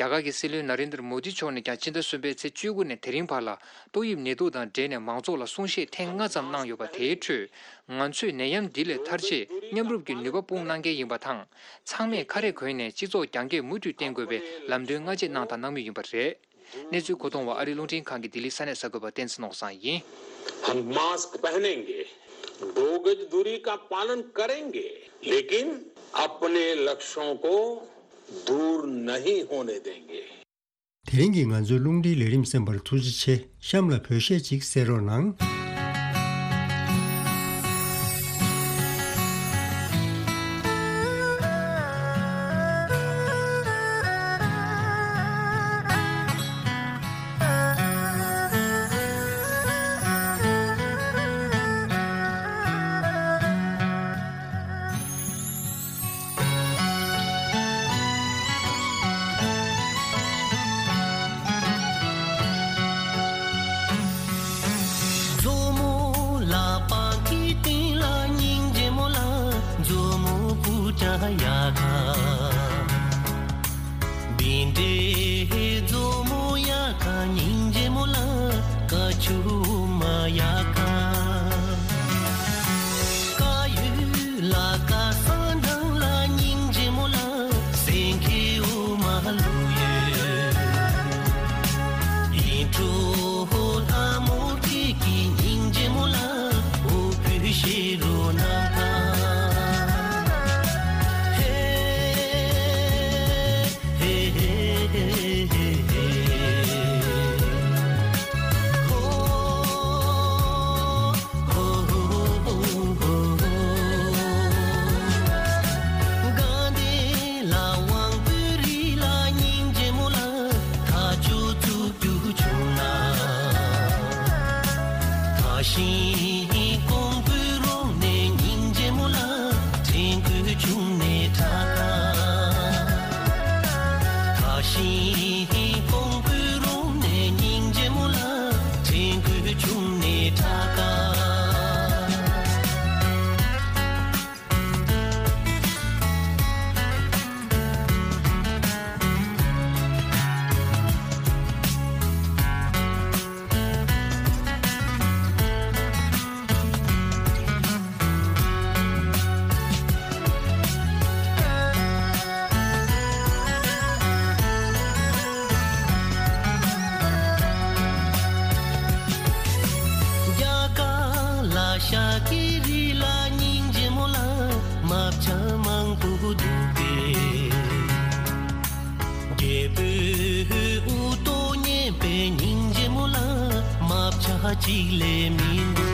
རྒྱ་གར་གྱི་སྲིད་བློན་ན་རེན་དར་མོ་དི་མཆོག་ནས་ཀྱང་ཕྱི་ཟླ་གསུམ་པའི་ཚེས་བཅུ་དགུ་ནས་དེ་རིང་བར་ལ་ཏོག་དབྱིབས་ནད་དུག་དང་འབྲེལ་ནས་མང་ཚོགས་ལ་གསུང་བཤད་ཐེངས་ལྔ་ཙམ་གནང་ཡོད་པ། དེའི་ཁྲོད། ང་ཚོས་ནད་ཡམས་འདི་ལས་ཐར་ཆེད་མཉམ་རུབ་ཀྱི་ནུས་པ་སྤུངས་གནང་གལ་ཡིན་པ་དང་། ཚང་མས་ཁ་རས་གོན་ནས་སྤྱི་ཚོགས་རྒྱང་སྐྱོད་མུ་མཐུད་བསྟེན་དགོས་པའི་ལམ་སྟོན་སྔ་རྗེས་གནང་དང་གནང་མུས་ཡིན་པ་རེད། གནས་ཚུལ་མཁོ་གཏོང་བ་ཨ་རི་རླུང་འཕྲིན་ཁང་གི་ལྡི་ལི་ས་གནས་གསར་འགོད་པ་བསྟན་འཛིན་ནོར་བཟང་ཡིན། हम मास्क पहनेंगे, दो गज दूरी का पालन करेंगे, लेकिन अपने लक्ष्यों को दूर नहीं होने देंगे। དེ་རིང་གི་ང་ཚོའི་རླུང་འཕྲིན་ལས་རིམ་གསན་པར་ཐུགས་རྗེ་ཆེ། གཤམ་ལ་བོད་གཞས་ཅིག་གསན་རོགས་གནང་། མཛོ་མོ་ལ་པང་ཁའི་སྟེང་ལ་སྙིང་རྗེ་མོ་ལ། མཛོ་མོ་ཀུ་ཅ་ཡ་ཁ། བིན་ཏེ་མཛོ་མོ་ཡ་ཁ་སྙིང་རྗེ་མོ་ལ། ཀ་ཆུ་མ་ཡ་ཁ། ཀ་ཡུ་ལ་ཀ་ས་འདྲང་ལ་སྙིང་རྗེ་མོ་ལ། སེང་གེ་འོ་མ་ལུ་ཡོད། ཡིན་གྲོ་ལྷ་མོ་ཁྱེད་ཀྱི་སྙིང་རྗེ་མོ་ལ། འོ་བུ་ཤེ་རོ་ན་ཁ། ཧེ། ཤིང་ཀོང་པོའི་རོང་ནས་སྙིང་རྗེ་མོ་ལ། ཕྲེང་སྐུད་ཆུང་ནས་ཁྲ་ཁ། ཐག་ཤིང་ཀོང་པོའི་རོང་ནས་སྙིང་རྗེ་མོ་ལ། ཕྲེང་སྐུད་ཆུང་ནས་ཁྲ་ཁ། རྒྱ་གར་ལ་ཤ་ཀི་རི་ལ་སྙིང་རྗེ་མོ་ལ། མ་བྱ་མང་པོ་འདུག་སྟེ། རྒྱལ་པོའི་དབུ་ཏོ་མཉེན་པའི་སྙིང་རྗེ་མོ་ལ། མ་བྱ་གཅིག་ལས་མི་འདུག